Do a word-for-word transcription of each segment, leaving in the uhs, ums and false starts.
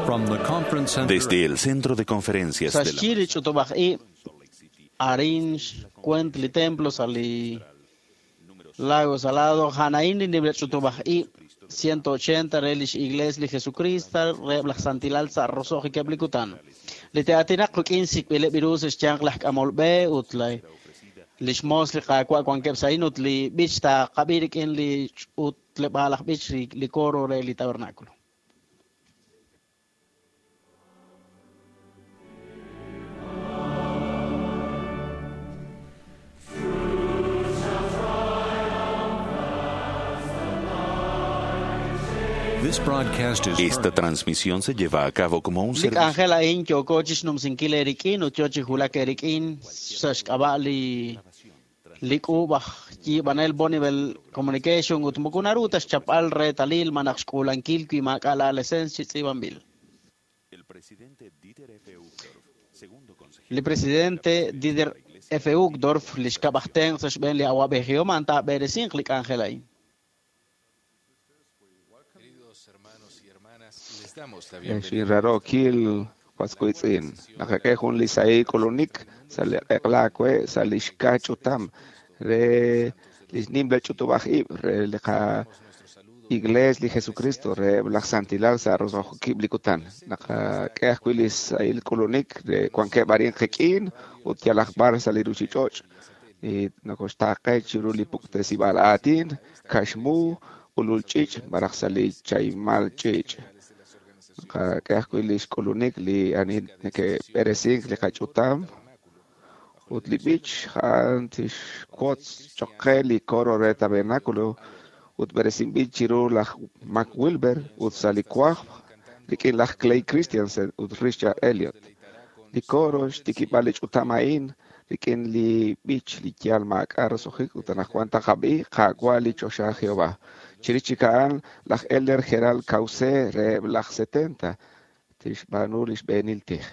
From the conference center Desde el centro de conferencias de la Sa xyi li ch'utub'aj ib' arin xcuent li templo sa' li Lago Salado janaín li nimla ch'utub'aj ib' ciento ochenta re lix Iglesia li Jesucristo reheb' laj Santilal sa' roso'jikeb' li kutan. Li te'aatinaq quk'in sik'b'ileb' ru sa' xyanq laj k'amol b'e ut laj lix moos li Qaawa' wankeb' sa' a'in ut li b'ich taaqab'i rik'in li ch'utleb'aal aj b'ich li, li coro re li tabernáculo. This broadcast is Esta transmisión se lleva a cabo como un Li servicio k'anjel a'in yooko chixnumsinkil eerik'in ut yoo chi wulak eerik'in sa' xk'ab'a' li li k'uub' aj yiib'anel Bonneville Communication ut moko naru ta xchapb'al reetalil malaj xk'uulankil wi maak'a' la licencia chi tz'iib'anb'il. El presidente Dieter F. Uchtdorf, segundo consejero Li presidente Dieter F. Uchtdorf li xkab' aj tenq' sa' xb'een li awa'b'ejihom a'an taab'eresinq li k'anjel a'in. Queridos hermanos y hermanas, les damos la bienvenida. Xinrarokil waskuitz'in naqak'e jun li sahil k'ulunik sa' li q'eqlaawe sa' li xka ch'utam re li nimla ch'utub'aj ib' re li qa Iglesia li Jesucristo re laj Santilal sa' roso'jikeb' li kutan naqak'e ajwi' li sahil k'ulunik re wankeb' arin qik'in ut yalaq b'ar sa' li ruchich'och' y nokoxtaaqe chiru li puktesib'aal aatin kaxmu ulul ch'ich' malaj sa' li chaymal ch'ich' naqak'e ajwi' li xk'ulunik li ani neke'b'eresink li qach'utam ut li b'ich a'an tixwotz choq' qe li coro re tabernáculo ut b'eresinb'il chiru laj Mac Wilber ut sa' li wajb' rik'in laj Clay Christensen ut Richard Elliot. Li coro xtikib'al li ch'utam a'in rik'in li b'ich li yaal maak'a' roso'jik ut anaqwan taqab'i Qaawa' li choxa Jehová. Chirix chik a'an laj Elder Gerald Cauce reheb' laj setenta tixb'aanu li xb'eenil tij.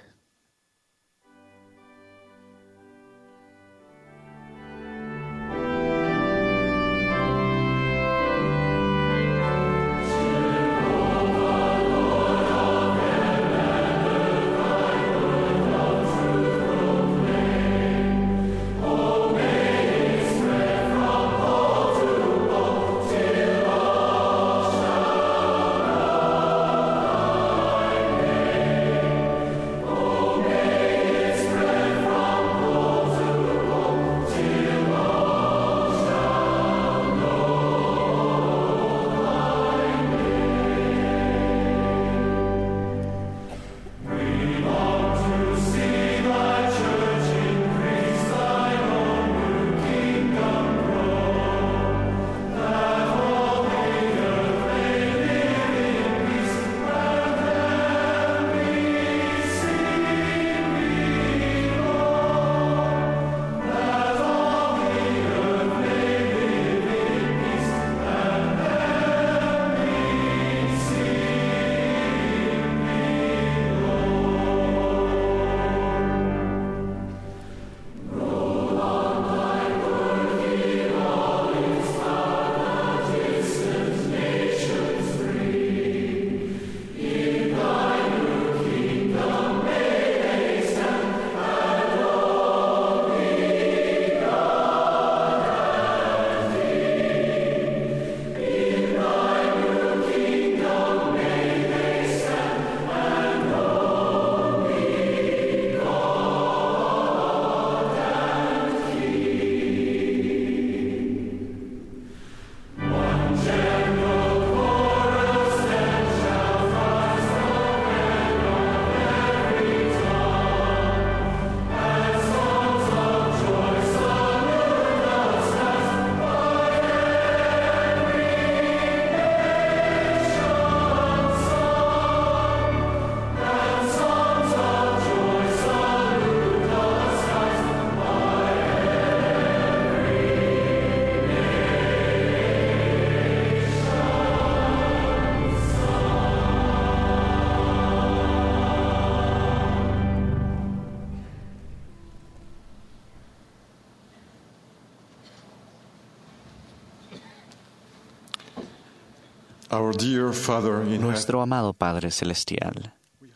Our dear Father in heaven, Nuestro amado Padre Celestial, we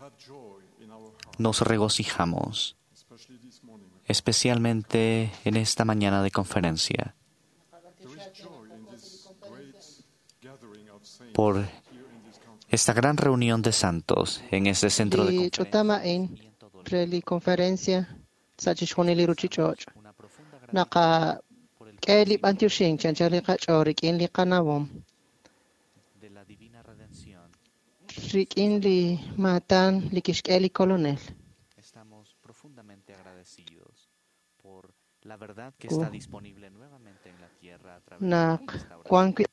Nos regocijamos, especialmente en esta mañana de conferencia, por esta gran reunión de santos en este centro de Li ch'utam conferencias. a'in re li conferencia sa' chixjunil li ruchich'och'. Naqak'e li b'antioxink chanchal li qach'ool rik'in li qanawom, de la divina redención. rik'in li maatan li kixk'e li Kolonel. Estamos profundamente agradecidos por la verdad que está disponible nuevamente en la tierra a través de la Naq wan restauración. wi'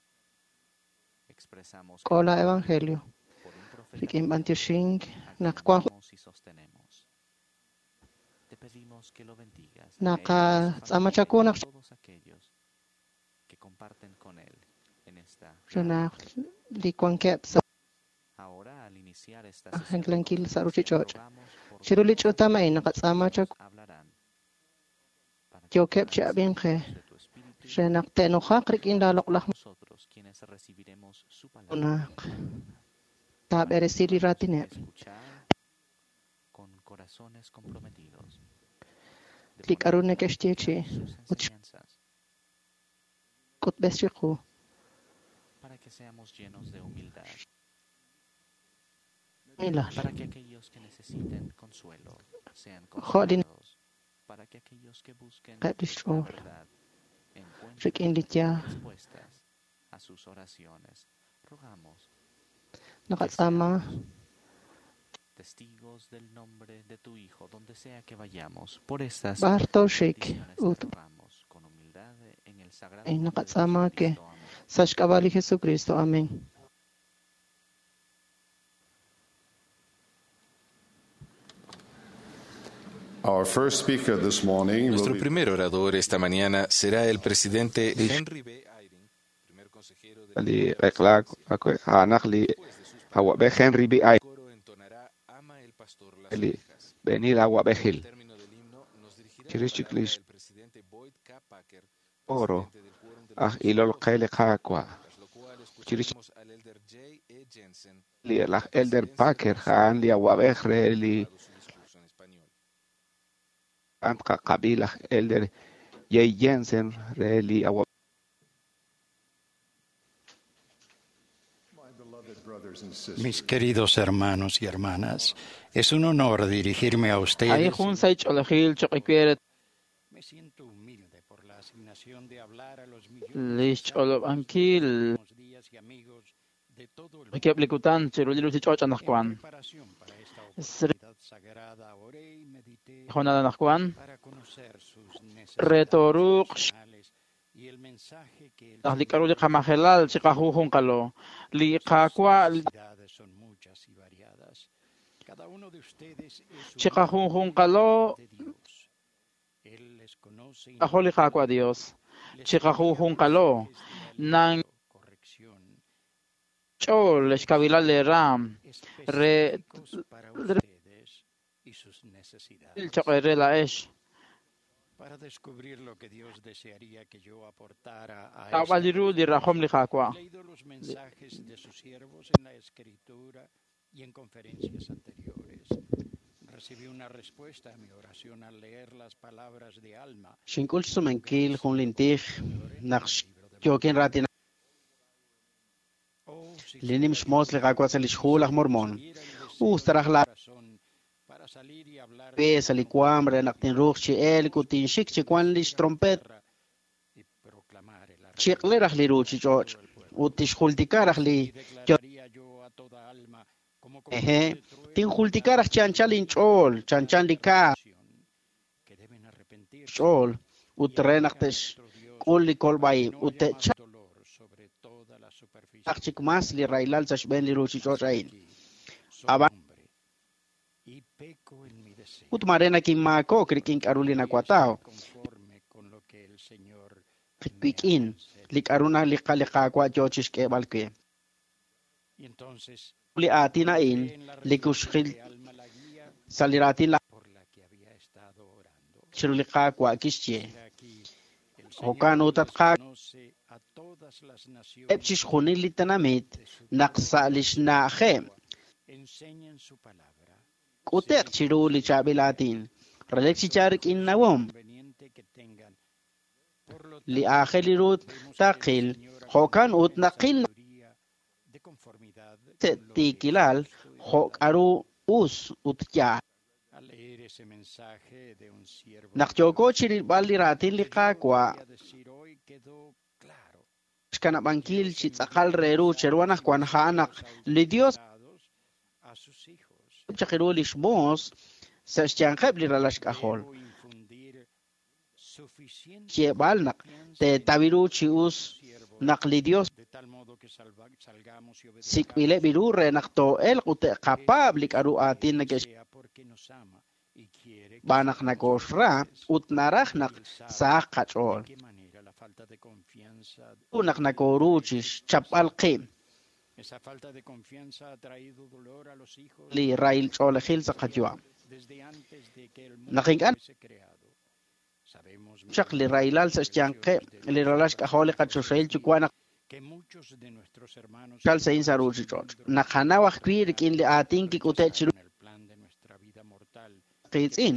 Expresamos k'o la evangelio por un profeta rik'in b'antioxink a quien naq wan amamos y sostenemos. Te pedimos que lo bendigas a él, a su Naqatz'aama familia chaku y a naq todos aquellos que comparten con él en esta re gran naq li wankeb' sa' Ahora, al iniciar esta sesión de jank'lankil sa' conferencia, ruchich'och'. rogamos por Chiru li todos ch'utam a'in naqatz'aama quienes chaku hablarán para que yookeb' chi puedan ser ab'inqe llenos de tu espíritu re naq te'nujaq rik'in la loq'laj nosotros quienes recibiremos su palabra naq para que taab'eresi li podamos raatineb' escuchar con corazones comprometidos de li poner k'aru en neke'xye práctica chi sus ut enseñanzas xk'utb'es chiqu para que seamos llenos de humildad, milal para que aquellos que necesiten consuelo sean jo' li consolados, para que aquellos que busquen naqeb' li la xch'ool verdad encuentren rik'in li yaal respuestas a sus oraciones. Rogamos que naqatz'aama seamos testigos del nombre de tu Hijo donde sea que vayamos. Por estas b'ar tooxik bendiciones te ut rogamos con humildad en el sagrado a'in nombre de naqatz'aama ke Jesucristo. Amén. sa' xk'ab'a' li Jesucristo. Amén. Our first speaker this morning will Nuestro be primer orador esta mañana será el presidente Henry B. Eyring, primer consejero de la Li primera q'eqlak presidencia. akwe a'anaq li Después de sus awab'ej palabras, Henry B. el Eyring coro entonará Ama el pastor las li ovejas. b'enil awab'ejil Al término del himno, nos dirigirá la chirix chik palabra lix el presidente Boyd K. Packer, oro presidente del Quórum de los aj ilol Doce qe li Qaawa' Tras lo cual chirix escucharemos al elder J. E. Jensen, li de laj la Elder presidencia del Packer Consejo a'an li de awab'ej re ha li grabado su discurso en español. a'an qaqab'i laj Elder J. Jensen re li awab'ej my beloved brothers and sisters. Mis queridos hermanos y hermanas, es un honor dirigirme a A'in ustedes. jun sa' ich'olejil choq' iwir Me siento humilde por la asignación de hablar a los millones li de santos de los xch'olob'ankil últimos días y amigos de todo el rikeb' li mundo. kutan chiru li ruchich'och' En anaqwan. preparación para esta Sri oportunidad sagrada, oré y medité jonal anaqwan para conocer sus re necesidades tooruuq personales y el mensaje que el naq li k'aru li Señor qamajelal chiqajunjunqalo li Sus Qaawa' necesidades son muchas y variadas. Cada uno de ustedes es único chiqajunjunqalo delante de Dios. Él les conoce ajo li Qaawa' Dios individualmente. Les envía chiqajunjunqalo mensajes de nan aliento, corrección, ch'ool xkabilal le raam re específicos para ustedes y sus necesidades. choq' re la'ex Para descubrir lo que Dios desearía que yo aportara a tawb'al esta li ru li rajom li Qaawa' He leído los mensajes de sus siervos en la escritura y en conferencias anteriores. Recibí una respuesta a mi oración al leer las palabras de Alma, Xink'ul su gran xsumenkil jun siervo lintij y servidor en naq el libro de yookin Mormón. raatin Oh, si li nim solo xmoos li yo Qaawa' sa' li xjuul aj Mormón consiguiera el deseo us de taraj mi la corazón para salir y hablar b'e del sa' li nombre waam de re naq Dios tinruuq chi elk ut tinxik chi que wan li naciera la xtrompet tierra y proclamar el chiq'le raj li arrepentimiento a ruchich'och' todo el pueblo. ut tixjultika raj li Y declararía yo a toda alma, como con eje voz de trueno tinjultika raj claro chanchan el inch'ool plan chanchan de li ka' redención, que deben arrepentirse xch'ool ut y re naq alabar a tex nuestro Dios k'ul li para kolb'ay que no ut haya más te'chalq dolor sobre toda la superficie chik de la mas li tierra. raylal sa' xb'een li ruchich'och' Mas he a'in aquí, soy ab'an hombre y peco en mi deseo. ut mare nakinmaakok rik'in k'aru li Podría nakuataw estar conforme con lo que el Señor me ha wik'in li concedido. k'aru na li qa- li Qaawa' yoo chixk'eeb'al we Y entonces li aatin a'in encontré en la li revelación kuxjil de Alma la guía sa' li raatin laj por la que había estado orando. chiru li Qaawa' kixye He aquí, el jo'kan Señor ut at les Qaawa' conoce a todas las eb' naciones chixjunil li tenamit de su naq sa' propia li xna'ajeb' lengua enseñen su palabra. K'ute'q chiru li chaab'il aatin. Relik chi yaal rik'in nawom. Li aajel ru taqil jo'kan ut naqil tiikilal jo' k'a'ru us ut yaal. Naq yooko chirilb'al li raatin li Qaawa' xkanab'ankil chi tz'aqal re ru cheru anaqwan a'an naq li Dios chaq ru lix moos sa' xyanqeb' li ralal xk'ajol. Xyeeb'al naq teetaw ru chi us naq li Dios sik'b'ileb' ru re naq too'elq ut te'qapaab' li k'a'ru aatin neke'xb'aan naq nakooxra ut naraj naq sahaq qach'ool. Naq nakooru chi xchapb'al qib' li rahil ch'oolejil sa' qayu'am. Naq ink'a' chaq li rahilal sa' xyanqeb' li ralal xk'ajol li qachoxahil yuwa' naq chal sa' sa' ruuchich'och'. Naqanaw ajwi' rik'in li aatin kik'ute' chiru qiitz'in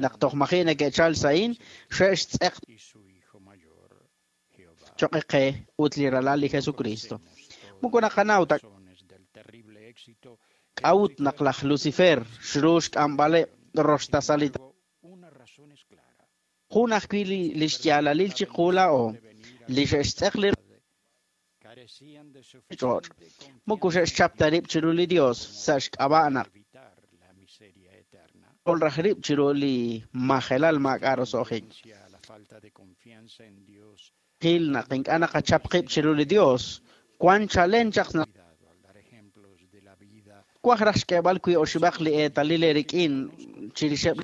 naq toj maji' neke'chal sa'in xe'xtz'eq choq' qe ut li ralal li Jesucristo. Moko naqanaw ta k'a'ut naq laj Lucifer xru xk'amb'aleb' roxtasal li jun ajwi' li xyaalalil chiqu laa'o li xe'xtz'eq li ch'och'. Moko xe'xchap ta rib' chiru li Dios sa' xk'ab'a' naq raj rib' chiru li majelal maak'a' roso'jik. Qil naq ink'a' naqachap qib' chiru li Dios wan chalen chaq naq kwaj raj xk'eeb'al wi oxib'aq li eetalil rik'in chirixeb'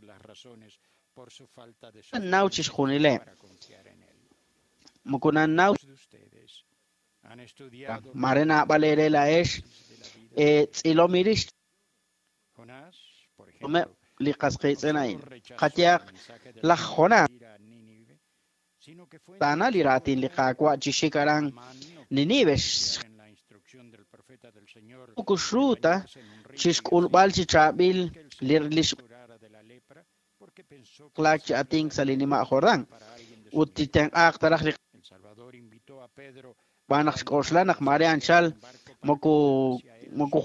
naw chixjunileb'. Moko nannaw mare naab'al eere laa'ex tz'ilom irix li qas qiitz'in a'in. Qayehaq laj Jonás taana li raatin li Qaawa' chi xik aran Ninive moko xru ta chixk'ulb'al chi chaab'il li xlaak chi atink sa' li nima' Jordán ut titenq'aaq ta raj li xb'aan naq xk'oxla naq mare anchal moko moko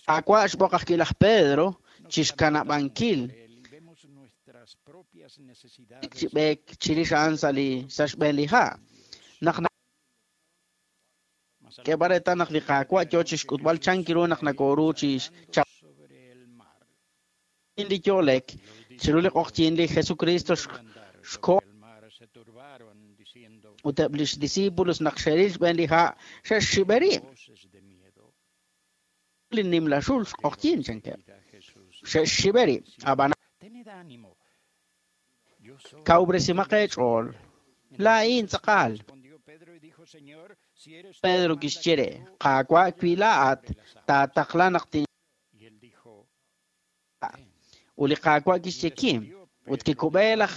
Qaawa' xb'oq ajwi' laj Pedro chixkanab'ankil chi b'eek chirix a'an sa' li sa' xb'een li ha'. Naq k'eeb'al reetal naq li Qaawa' yoo chixk'utb'al chan ru naq nakooru chixchap li yo'lek chiru li q'oqyink li Jesucristo xko' ut eb' lix discípulos naq xe'ril xb'een li ha' xe'xxib'e rib'. Li nimla xul xq'oqyink chankeb' xe'xxib'e rib' ab'an kawresimaq eech'ool laa'in tz'aqal. Pedro kixye re Qaawa' wi laa'at taataqla naq tin ut li Qaawa' kixye kim ut kikub'e laj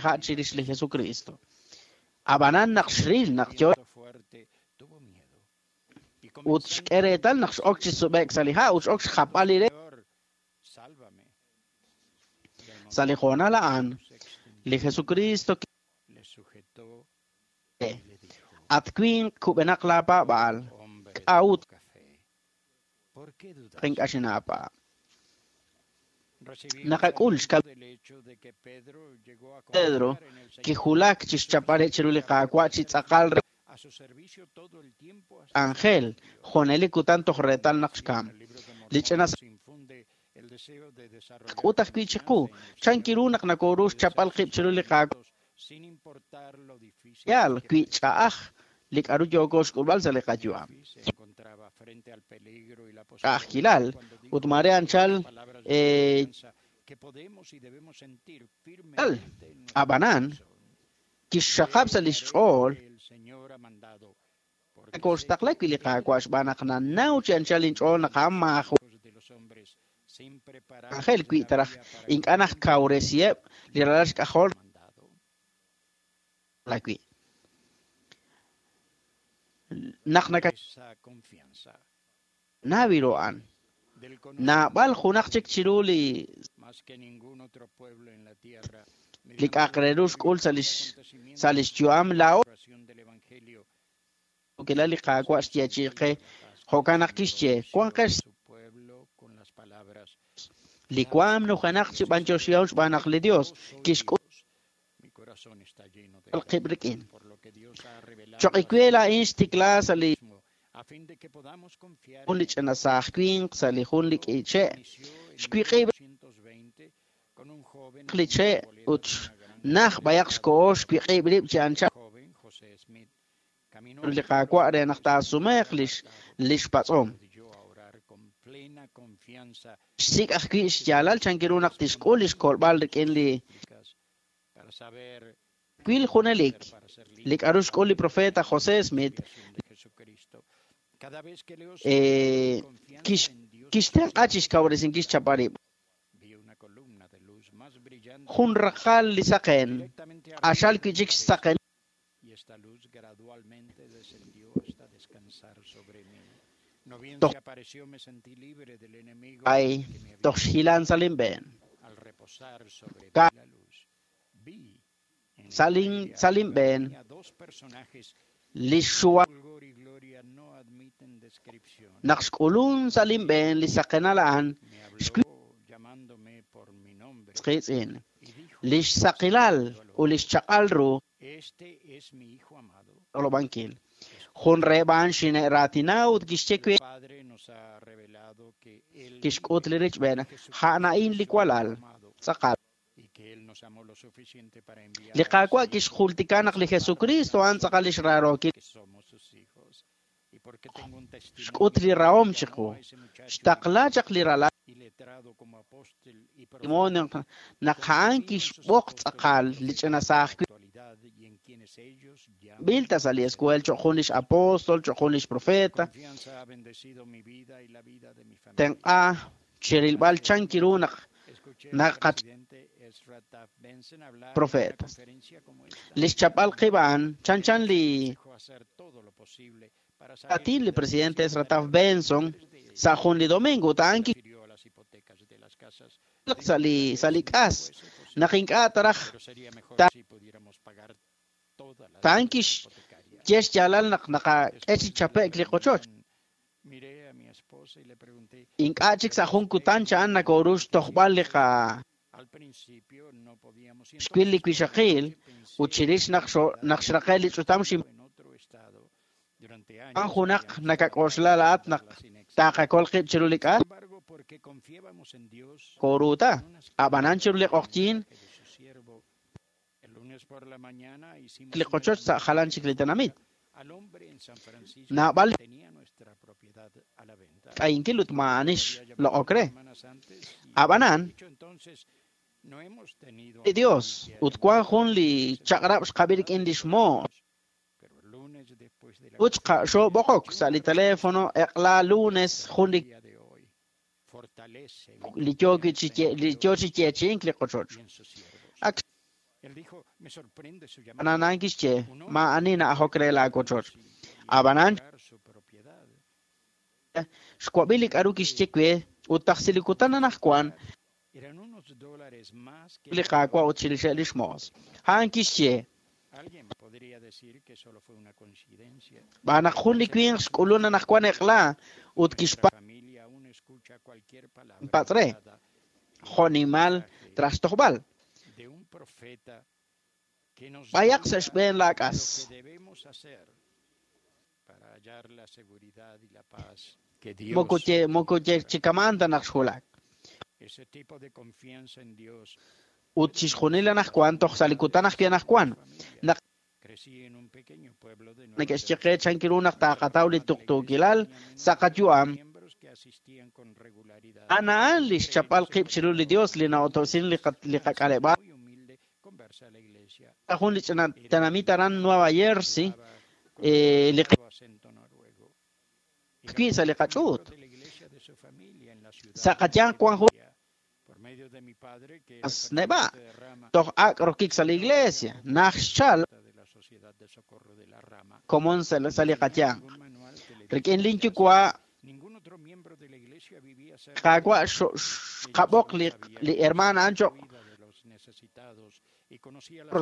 ha' chirix li Jesucristo. Ab'anan naq xril naq yo ut xk'e reetal naq x'ok chi sub'e'k sa' li ha' ut x'ok xjapb'al li re sa' li hoonal a'an li Jesucristo at winq kub'enaq laapaab'aal k'a'ut ink'a' xinaapaab'. Naqak'ul xkal Pedro kijulak chixchapb'al chiru li Qaawa' chi tz'aqal ángel junelik kutan toj reetal naq xkam. Li ch'ina k'ut ajwi' chiqu chan kiru naq nakooru xchapb'al qib' chiru li Qaawa' yaal wi ch'a'aj li k'a'ru yooko xk'ulb'al sa' li qayu'am. Ch'a'ajkilal ut mare anchal ab'anan kixxaqab' sa' lix ch'ool nakooxtaqla wi' li Qaawa' xb'aan naq nanaw chi anchal inch'ool naq a'an maajun ángel wi' taraj ink'a' naj kawresiheb' li ralal xk'ajol wi'. Naq naka Nawiro'an. Naab'al junaq chik chiru li li k'a'aq re ru xk'ul sa' lix sa' lix yu'am laa'o kilal li Qaawa' xyeechi'i qe jo'kan naq kixye wanqex li waam nujenaq chi b'anyoxihom xb'aan naq li Dios kixk'ul qib' rik'in. Choq' iwe laa'in xtikla sa' li jun li ch'ina saaj winq sa' li jun li k'iche' xwiq'ib' li che' ut naj b'ayaq xko'o xwiq'ib' rib' chi anchal li Qaawa' re naq taasumeeq lix lix patz'om. Xsik' ajwi' xyaalal chankiru naq tixk'ul lix kolb'al rik'in li wil junelik li k'a'ru xk'ul li profeta José Smith eh, kix kixtenq'a chixkawresinkil xchapal rib'. Jun raqal li saqen q'axal wi'chik xsaqen toj ay toj xhilan sa' linb'een. Ka sa' lin sa' linb'een li xuwa naq xk'ulun sa' linb'een li saqenal a'an xwi qiitz'in lix saqilal ut lix chaq'al ru olob'ankil. Jun reheb' a'an xine'raatina ut kixye we kixk'ut li richb'een a'an a'in li walal tz'aqal. Li Qaawa' kixjultika naq li Jesucristo a'an tz'aqal lix raarookil xk'ut li rahom chiqu xtaqla chaq li ralal naq a'an kixb'oq tz'aqal li ch'ina saaj b'ilta sa' li escuel choq' jun lix apóstol choq' jun lix profeta tenq'a chirilb'al chankiru naq naqach profetas. Lix chap'al qib' a'an chanchan li atin li presidente Ezra Taft Benson sa' jun li domingo ut a'an sa' li sa' li k'as naq ink'a' taraj ta'an kixye xyaalal naq naqak'e chi chape'k li qochoch. Ink'a' chik sa' jun kutan cha'an nakoru xtojb'al li qa xwil li wixaqil ut chirix naq naq xraqe li ch'utam xin an junaq nakak'oxla laat naq taqakol qib' chiru li k'as koruta ab'anan chiru li q'oqyin li qochoch sa' jalan chik li tenamit. Naab'al k'ayinkil ut ma'anix loq'ok re. Ab'anan li Dios ut wan jun li chaq'rab' xqab'i rik'in lix moos ut xob'oqok sa' li teléfono eq'la lunes jun li li yo chi li yo chi yeechi'ink li qochoch. Ak ananan kixye ma'ani na'ajok re laakochoch. Ab'anan xwab'i li k'a'ru kixye we ut tajsi li kutan anajwan li Qaawa' ut chirixeb' lix moos. A'an kixye b'aan naq jun li winq xk'ulun anajwan eq'la ut kixpa' patz' re jo'nimal traj xtojb'al. B'ayaq sa' xb'een laak'as. Moko ye moko ye chikaman ta naq xwulak. Ut chixjunil anajwan toj sa' li kutan ajwi' anajwan naq neke'xye qe chankiru naq taqataw li tuqtuukilal sa' qayu'am a'an a'an li xchapal qib' chiru li Dios li na'oto'sin li li qak'aleb'aal jun li ch'ina tenamit aran Nueva Jersey li ajwi' sa' li qach'uut. Sa' qayanq wan jun neb'a' toj ak' rokik sa' li iglesia naj xchal komon sa' li qayanq. Rik'in linyuwa' Qaawa' xqab'oq li li hermana a'an cho'q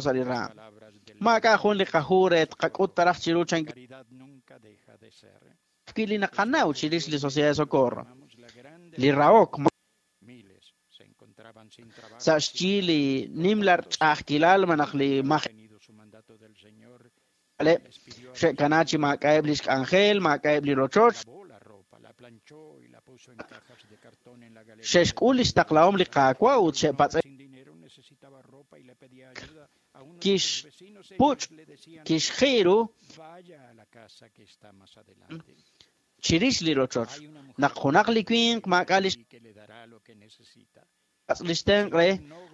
sa' li raam. Maak'a' jun li qahu re tqak'ut taraj chiru chan wi li naqanaw chirix li Sociedad de Socorro. Li rahok sa' xyi li nimla ch'a'ajkilal malaj li maj xe'kana chi maak'a'eb' lix k'anjel, maak'a'eb' li rochoch. Xe'xk'ul lix taqlahom li Qaawa' ut xe'patz'e kixpuch' kixji ru chirix li rochoch. Naq junaq li winq maak'a' lix lix tenq' re,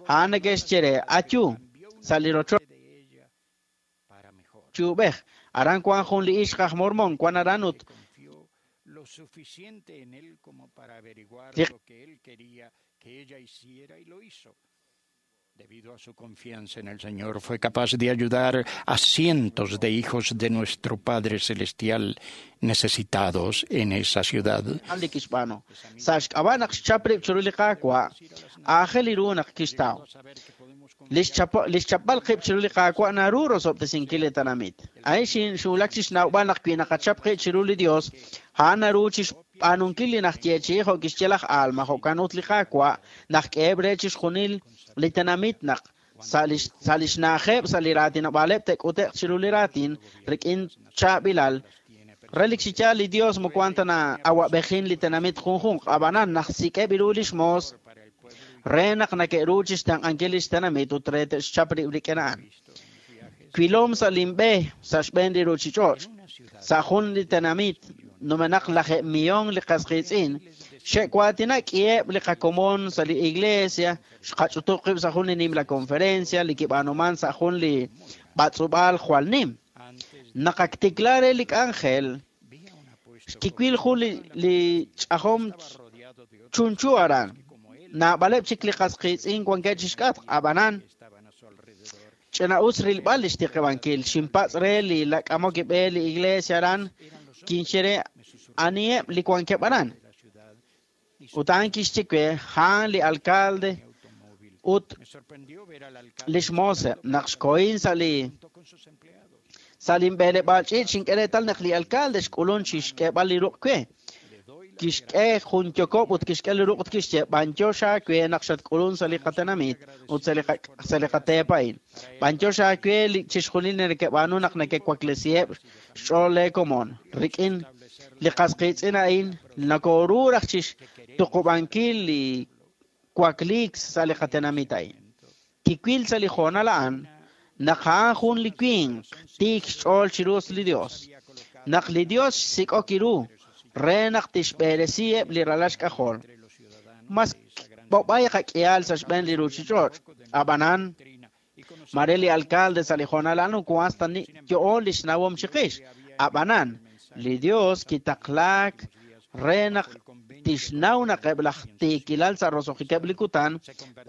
a'an neke'xye re, ayu sa' li rochoch chuub'ej. Aran wan jun li ixq aj mormón, wan aran ut lo suficiente en él como para averiguar lo que él quería que ella hiciera y lo hizo. Debido a su confianza en el Señor, fue capaz de ayudar a cientos de hijos de nuestro Padre Celestial necesitados en esa ciudad. Li kixb'aanu. Sa' xk'ab'a' naq xchap rib' chiru li Qaawa', aajel ru naq kixtaw. Lix chapb'al qib' chiru li Qaawa' naru rosob'tesinkil li tenamit. A'in xinxulak chi xnawb'al naq wi naqachap qib' chiru li Dios, a'an naru chixb'aanunkil li najyeechi'i jo' kixye laj Alma, jo'kan ut li Qaawa' naq k'eheb' re chixjunil li tenamit naq sa' lix na'ajeb' sa' li raatinob'aaleb' te'k'ute'q chiru li raatin rik'in chaab'ilal. Relik chi yaal li Dios moko wan ta na'awab'ejin li tenamit junjunq, ab'anan naq sik'eb' ru lix moos re naq nake'ru chixtenq'ankil lix tenamit ut re te'xchap rib' rik'in a'an. Wilom sa' linb'e sa' xb'een li ruchich'och', sa' jun li tenamit numenaq lajeeb' millón li qas qiitz'in, xe'waatina k'iheb' li qakomon sa' li iglesia, xqach'utub' qib' sa' jun li nimla conferencia li kib'aanuman sa' jun li b'atz'ub'aal jwal nim. Naqaktikla re li k'anjel, xkiwil jun li li ch'ajom chunchu aran. Naab'aleb' chik li qas qiitz'in wankeb' chixk'atq, ab'anan ch'ina'us rilb'al li xtiqib'ankil. Xinpatz' re li lak'amok ib'e li iglesia aran, kinxye re aniheb' li wankeb' aran. Ut a'an kixye we, a'an li alcalde ut lix mooseb'. Naq xkohin sa' li sa' linb'eleb'aal ch'iich' xink'e reetal naq li alcalde xk'ulun chixk'eeb'al li ruq' we. Kixk'e jun yokob' ut kixk'e li ruq' ut kixye, b'antiox aawe naq xatk'ulun sa' li qatenamit ut sa' li sa' li qateep a'in. B'antiox aawe li chixjunil neke'b'aanu naq neke'waklesiheb' xch'ool leekomon. Rik'in li qas qiitz'in a'in nakoru raj chixtuqub'ankil li wakliik sa' li qatenamit a'in. Kiwil sa' li hoonal a'an naq a'an jun li winq tiik xch'ool chiru li Dios. Naq li Dios xsik'ok ru re naq tixb'eresiheb' li ralal xk'ajol. Mas b'ob'ay qak'ihal sa' xb'een li ruchich'och'. Ab'anan, mare li alcalde sa' li hoonal a'an wan hasta yo'on li xnawom chiqix. Ab'anan, li Dios kitaqlaak re naq tixnaw naq eb' laj tiikilal sa' roso'jikeb' li kutan,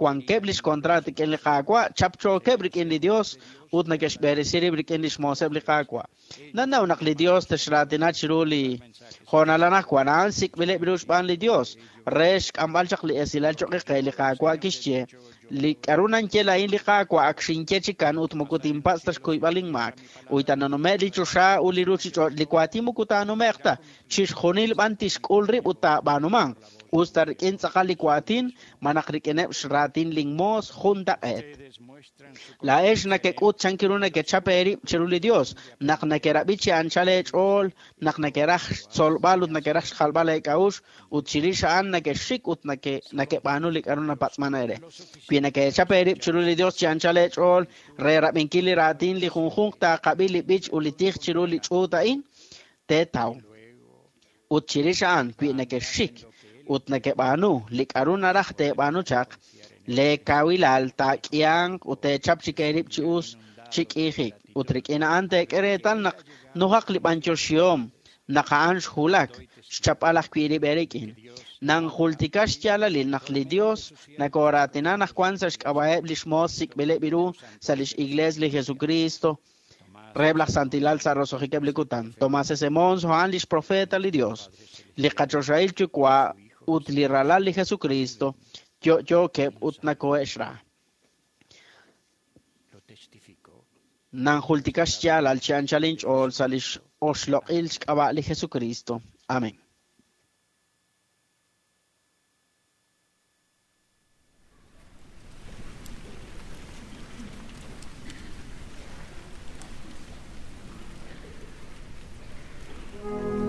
wankeb' lix kontraat rik'in li Qaawa', chapchookeb' rik'in li Dios ut neke'xb'eresi rib' rik'in lix mooseb' li Qaawa'. Nanaw naq li Dios texraatina chiru li hoonal anaqwan, a'an sik'b'ileb' ru xb'aan li Dios re xk'amb'al chaq li esilal choq' qe li Qaawa' kixye, li k'aru nanye la'in li Qaawa' ak xinye chikan ut moko tinpatz' ta xkuyb'al inmaak. Uy ta nanume' li choxa ut li ruchich'och' li waatin moko taanume'q ta, chixjunil b'an tixk'ul rib' ut taab'aanumanq. Us ta rik'in tz'aqal li waatin, malaj rik'ineb' xraatin linmoos jun taq'eet. Laa'ex nakek'ut chankiru nakechap eerib' chiru li Dios, naq nakerab'i chi anchal eech'ool, naq nakeraj xtzolb'al ut nakeraj xjalb'al eek'a'uxl, ut chirix a'an nakexxik ut nakeb'aanu li k'aru napatz'man eere. Wi nakechap eerib' chiru li Dios chi anchal eech'ool re rab'inkil li raatin li junjunq taaqab'i li b'ich ut li tij chiru li ch'uut a'in, teetaw. Ut chirix a'an wi nakexxik ut nakeb'aanu li k'aru naraj teeb'aanu chaq, leekawilal taak'ihanq ut teechap chik eerib' chi us chi k'iijik. Ut rik'in a'an teek'e reetal naq nujaq li b'antioxihom naq a'an xjulak xchapb'al ajwi' rib' eerik'in. Nanjultika xyaalalil naq li Dios nakoraatina naq wan sa' xk'ab'a'eb' lix moos sik'b'ileb' ru sa' lix iglees li Jesucristo reheb' laj santilal sa' roso'jikeb' li kutan. Tomás S. Monson a'an lix profeta li Dios. Li qachoxahil yuwa' ut li Ralal li Jesucristo yo'yookeb' ut nakohe'xra. Nanjultika xyaalal chi anchal inch'ool sa' lix oxloq'il xk'ab'a' li Jesucristo. Amén. Thank you.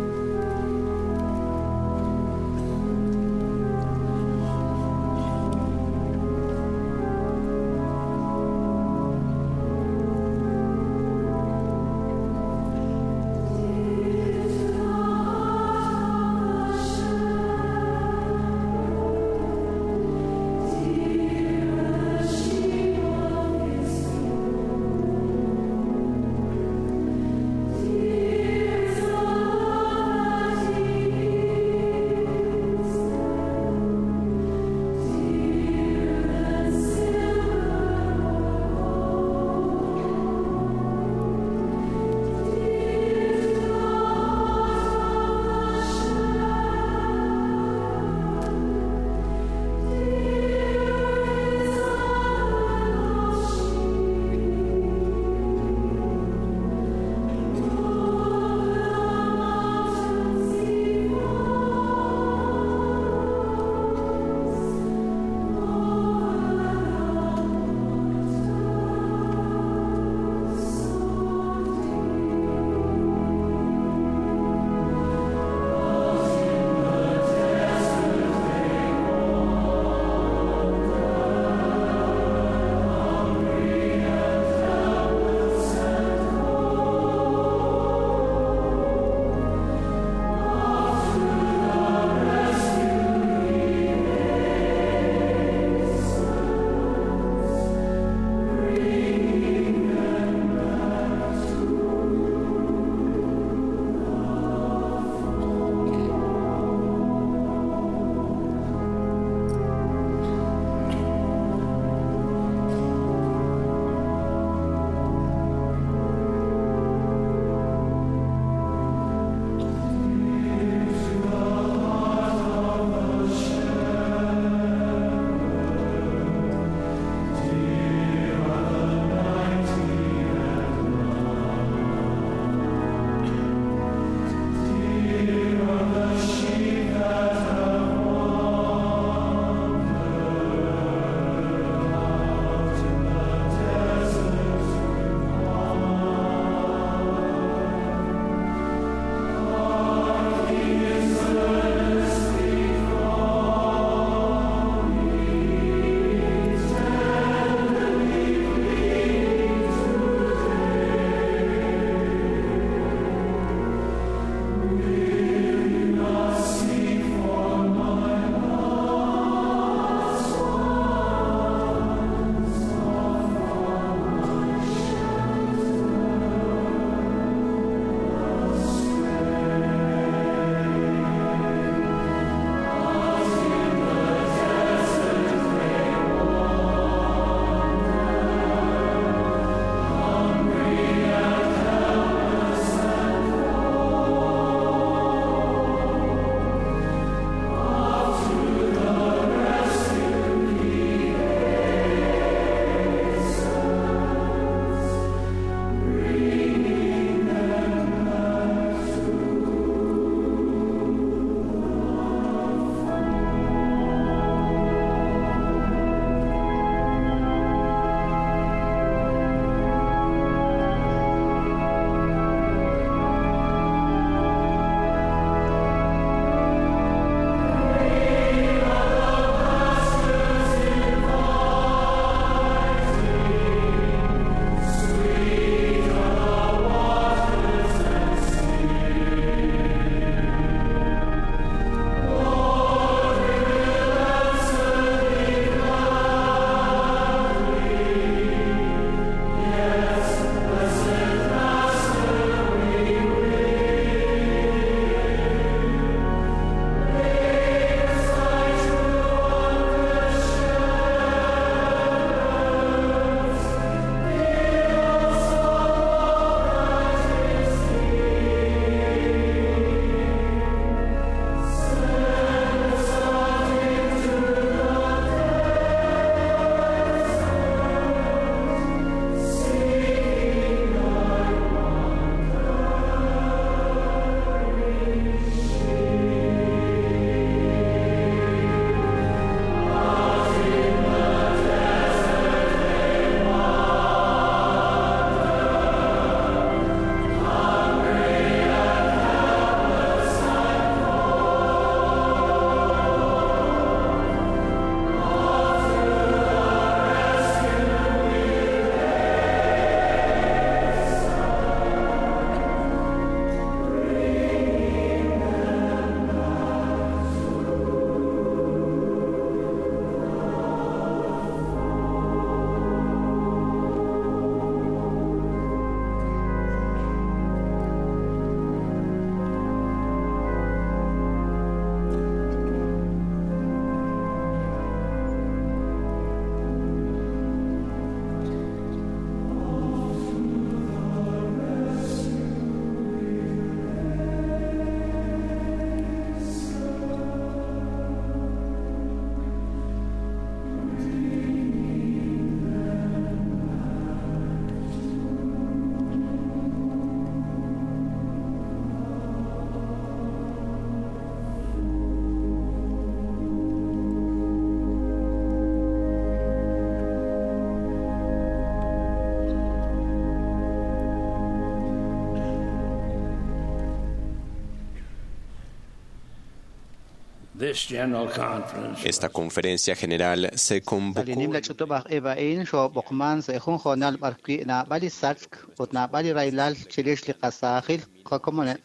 Esta conferencia general se convocó Li nimla ch'utub'aj ib' a'in xoob'oqman sa' jun hoonal b'ar wi' naab'al li sachk ut naab'al li rahilal chirix li qasaajil qakomoneb'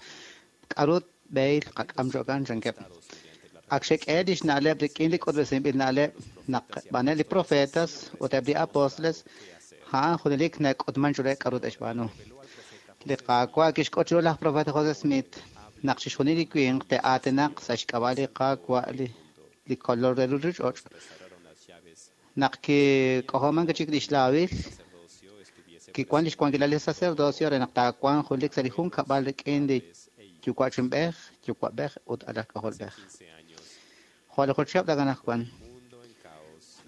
k'aru b'ehil qak'am cho'kan chankeb'. Ak xek'e lix na'leb' rik'in li k'utb'esinb'il na'leb' naq b'aneb' li profetas ut eb' li apóstoles a'an junelik nak'utman chiruheb' k'aru te'xb'aanu. Li Qaawa' kixk'ut chiru laj profeta José Smith naq chixjunil li winq te'aatinaq sa' xk'ab'a' li Qaawa' li li kolol re ruchich'och'. Naq kik'ojoman chik lix laawil, kiwan lix wankilal li sacerdocio re naq taawanq junelik sa' li junkab'al rik'in li yuwa'chinb'ej, yuwa'b'ej ut alaj k'ajolb'ej. Jo' li juchihab' takanajwan,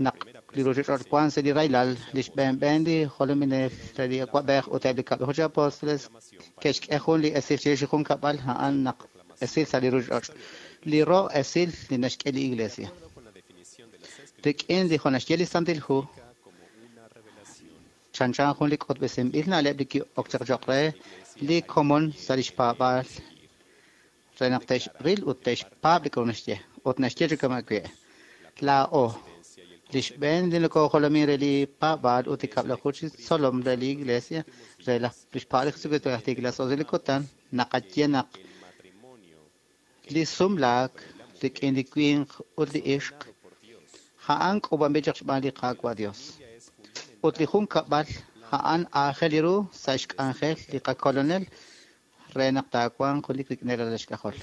naq li ruchich'och' wan sa' li rahilal, lix b'een li jolominel re li awa'b'ej ut eb' li kab'laju chi apóstoles ke'xk'e jun li esil chirix li junkab'al a'an naq esil sa' li ruchich'och'. Li ro' esil li naxk'e li iglesia. Rik'in li jo' naxye li Santil Hu, chanchan jun li k'utb'esinb'il na'leb' li ki'ok chaq cho'q re li komon sa' lix paab'aal re naq te'xril ut te'xpaab' li k'aru naxye. Ut naxye chi kama' wi'. Laa'o, li xb'een li nokojolomin re li paab'aal ut li kab'laju chi tzolom re li iglesia re laj lix paab'aal li Jesucristo laj tiikil li kutan, naqaye naq li sumlaak rik'in li winq ut li ixq a'an k'uub'anb'il chaq xb'aan li Qaawa' Dios. Ut li junkab'al a'an aajel ru sa' xk'anjel li qakolonel re naq taawanq junelik rik'in ralal xk'ajol.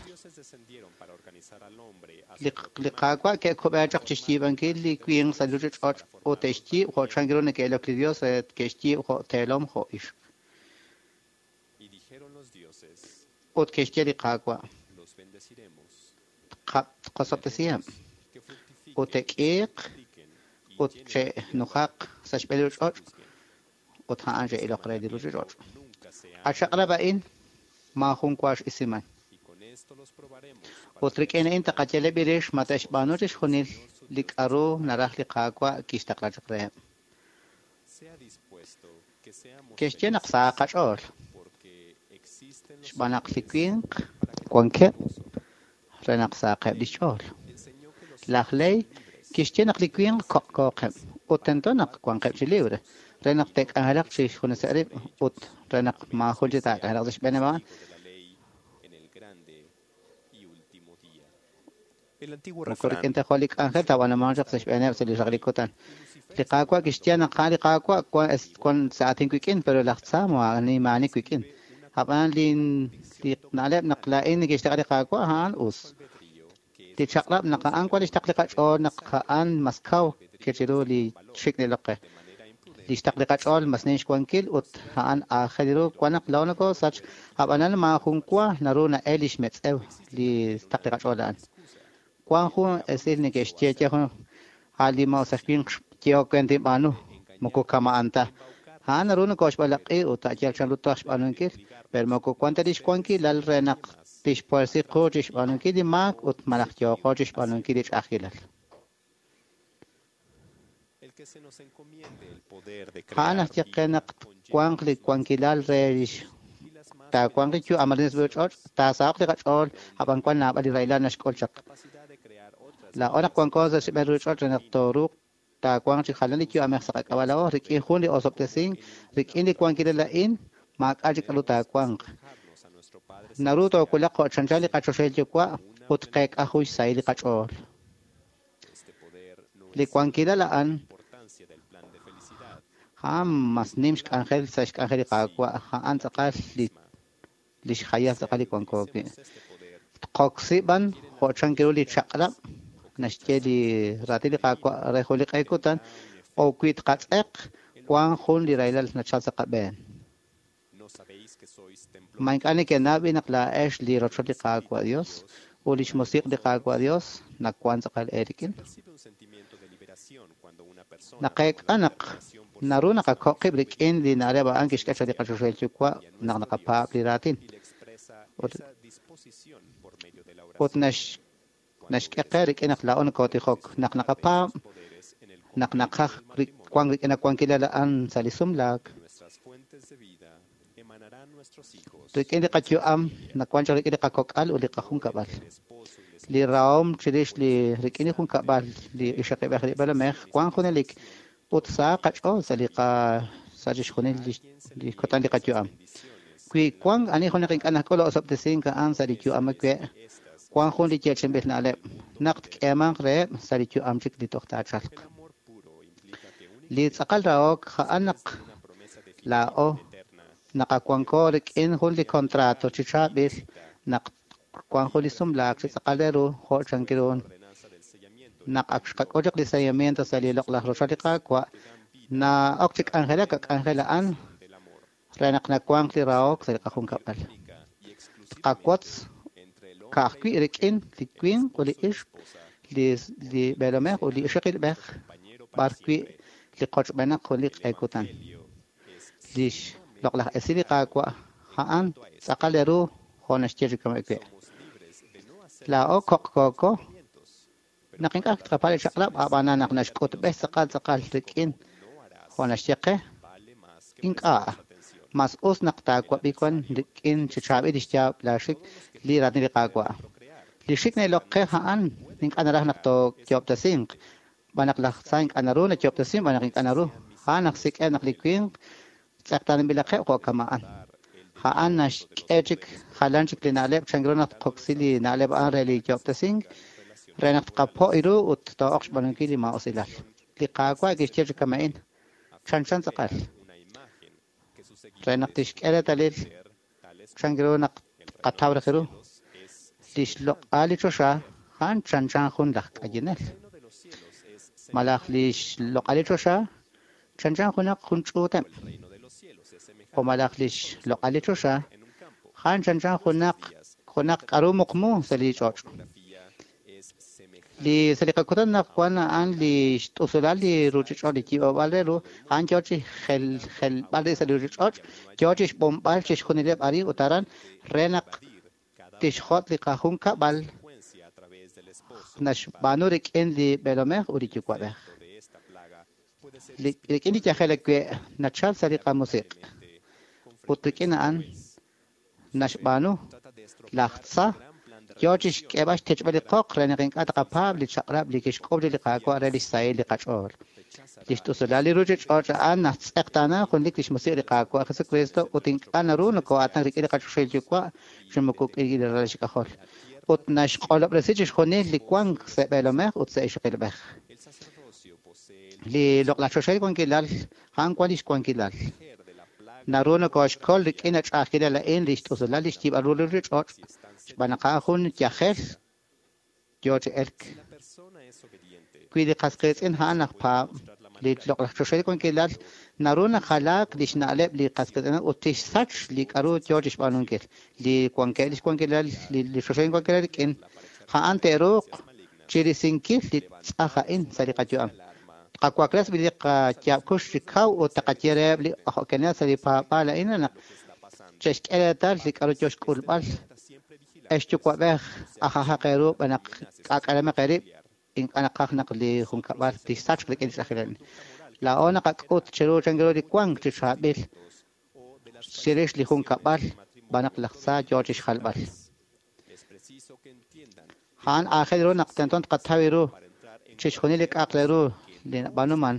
Li li Qaawa' ke'kub'e chaq chixyiib'ankil li winq sa' li ruchich'och' ut te'xyiib' jo' chan ru neke'ilok li Dios re ke'xyiib' jo' teelom jo' ixq. Ut ke'xye li Qaawa' tqosob'tesiheb' ut te'k'iiq ut che'nujaq sa' xb'een li ruchich'och' ut a'an che'iloq re li ruchich'och'. A chaq'rab' a'in maajun wa x'isiman. Ut rik'in a'in taqayaleb' rix ma te'xb'aanu chixjunil li k'aru naraj li Qaawa' kixtaqla chaq reheb'. Ke'xye naq sahaq qach'ool xb'aan naq li winq wankeb' re naq sahaqeb' lix ch'ool. Laj Ley kixye naq li winq koq'kooqeb' ut tento naq wanqeb' chi libre re naq te'k'anjelaq chi xjuneseb' rib' ut re naq maajun chi taak'anjelaq sa' xb'eeneb' a'an. Moko rik'in ta jo' li k'anjel taab'anumanq chaq sa' xb'eeneb' sa' li raq li kutan. Li Qaawa' kixye naq a'an li Qaawa' wan wan sa' aatin wik'in, pero laj tza maa'ani maa'ani wik'in. Ab'an li li na'leb' naq laa'in neke'xtaqla li Qaawa' a'an us. Li chaq'rab' naq a'an wan lix taql li qach'ool naq a'an mas kaw ke chiru li xik' nilok qe. Lix taql li qach'ool mas nim xwankil ut a'an aajel ru wan naq laa'o nokosach, ab'anan maajun wa naru na'el lix metz'ew li taql li qach'ool a'an. Wan jun esil neke'xye ye jun a' li maa'us aj winq xyehok we tinb'aanu moko kama'an ta. A'an naru nokoxb'alaq'i ut a' yal chanru toj xb'aanunkil, pero moko wan ta lix wankilal re naq tixpuersi qu chixb'aanunkil li maak ut malaj yooqo chixb'aanunkil li ch'a'ajkilal. A'an aj ye qe naq wanq li wankilal re lix taawanq li yu'am arin sa' ruchich'och', taasaho'q li qach'ool, ab'an wan naab'al li rahilal naxk'ul chaq. Laa'o naq wanko sa' xb'een ruchich'och' re naq tooruuq taawanq chi jalan li yu'amej sa' qak'ab'a' laa'o rik'in jun li osob'tesink, rik'in li wankilal a'in maak'a' chik k'aru taawanq. Naru toowulaq jo' chanchan li qachoxahil yuwa' ut qeek'a jun xsahil li qach'ool. Li wankilal a'an a'an mas nim xk'anjel sa' xk'anjel li Qaawa', a'an tz'aqal li lix jayal tz'aqal li wanko wi'. Tqoksi b'an jo' chan ru li chaq'rab' naxye li raatin li Qaawa' re jun li q'e kutan o wi tqatz'eq wan jun li rahilal nachal sa' qab'een. Ma ink'a' neke'naw b'i naq laa'ex li rochoch li Qaawa' Dios ut lix musiq' li Qaawa' Dios nawan tz'aqal eerik'in. Naqeek'a naq naru naqakoq qib' rik'in li na'leb' a'an kixk'e chaq li qachoxahil yuwa' naq naqapaab' li raatin. Ut ut nax naxk'e qe rik'in naq laa'o nokotijok, naq naqapaab' naq naqaj wank rik'in awankilal a'an sa' li sumlaak. Rik'in li qayu'am nawan chaq rik'in li qakok'al ut li qajunkab'al. Li rahom chirix li rik'in li junkab'al li ixaqib'ej li b'eelomej wank junelik ut sa qach'ool sa' li qa sa' chixjunil li kutan li qayu'am. Wi wank ani junaq ink'a' nak'ul osob'tesink a'an sa' li yu'am awe', wank jun li yeechi'inb'il na'leb' naq tk'eemanq reheb' sa' li yu'am chik li toj taachalq. Li tz'aqal rahok a'an naq laa'o naqawanko rik'in jun li contrato chi chaab'il naq wank jun li sumlaak chi tz'aqal re ru jo' chank ru naq ak xqak'ul chaq li sellamiento sa' li loq'laj rochoch li Qaawa' na'ok chi k'anjelak a k'anjel a'an re naq nawanq li rahok sa' li qajunkab'al. Tqawotz ka'ajwi' rik'in li winq ut li ixq li li b'eelomej ut li ixaqilb'ej b'arwi' li qochb'enaq jun li q'e kutan. Lix loq'laj esil li Qaawa' a'an tz'aqal re ru jo' naxye chi kama' wi'. Laa'o koq'kooko naq ink'a' tqapa li chaq'rab' ab'anan naq naxk'utb'ej tz'aqal tz'aqal rik'in jo' naxye qe ink'a' mas us naq taawab'i wan rik'in chi chaab'il lix yaab' laaxik li raatin li Qaawa'. Li xik na'ilok qe a'an ink'a' naraj naq tooyoob'tesinq b'an naq laj tza ink'a' naru nayoob'tesin b'an naq ink'a' naru a'an naq sik'e naq li winq tz'eqtaanb'ilaqeb' jo' kama'an. A'an naxk'e chik jalan chik li na'leb' chank ru naq tqoksi li na'leb' a'an re li yoob'tesink re naq tqapo' ru ut too'oq xb'aanunkil li maa'usilal. Li Qaawa' kixye chi kama'in chanchan tz'aqal re naq tixk'e reetalil chank ru naq tqataw raj ru lix loq'al li choxa a'an chanchan jun laj k'ayinel malaj lix loq'al li choxa chanchan junaq jun ch'uuteb' o malaj lix loq'al li choxa a'an chanchan junaq junaq k'aru muqmu sa' li ch'och'. Li sa' li qakutan naq wan a'an li xt'usulal li ruuchich'och' li yiib'ob'al re ru a'an yoo chi jel jelb'al sa' li ruuchich'och' yoo chi xb'onb'al chixjunileb' arin ut aran re naq tixjot' li qajunkab'al naxb'aanu rik'in li b'eelomej ut li yuwa'b'ej. Rik'in li yajel awe' nachal sa' li qamusiq' ut rik'in a'an naxb'aanu laj tza yoo chi xk'eeb'al xtichb'al li qoq re naq ink'a' taqapaab' li chaq'rab' li kixk'ub' li Qaawa' re lix sahil li qach'ool. Lix t'usulal li ruuchich'och' a'an naxtz'eqtaana junlik lix musiq' li Qaawa' Jesucristo ut ink'a' naru nokoo'aatinak rik'in li qachoxahil Yuwa' chi moko rik'in li ralal xk'ajol. Ut naxq'olob'resi chixjunil li wank sa' b'eelomej ut sa' ixaqilb'ej. Li loq'laj choxahil wankilal a'an wan lix wankilal. Naru nokooxkol rik'in ach'a'ajkilal a'in li xt'usulal li xyiib'al ru li ruuchich'och' xb'aan naq a'an jun yajel yoo chi elk. Wi li qas qiitz'in a'an aj paab' li loq'laj choxahil wankilal naru najalaak lix na'leb' li qas qiitz'in ut tixsach li k'aru yoo chi xb'aanunkil. Li wankeb' lix wankilal li choxahil wankilal rik'in a'an te'ruuq chirisinkil li tz'aj a'in sa' li qayu'am. Tqawakles li qayaab' kux chi kaw ut taqaye reheb' li ojo'kenel sa' li paab'aal a'in naq che'xk'e reetal li k'aru yoo xk'ulb'al. Ex yuwa'b'ej ajajaq eeru b'an naq k'aak'alemaq eerib' ink'a' naqaj naq li junkab'al tixsachq rik'in li ch'a'ajkilal. Laa'o naqak'ut chiru chank ru li wank chi chaab'il chirix li junkab'al b'an naq laj tza yoo chi xjalb'al. A'an aajel ru naq tento tqataw ru chixjunil li k'a'aq re ru li nab'aanuman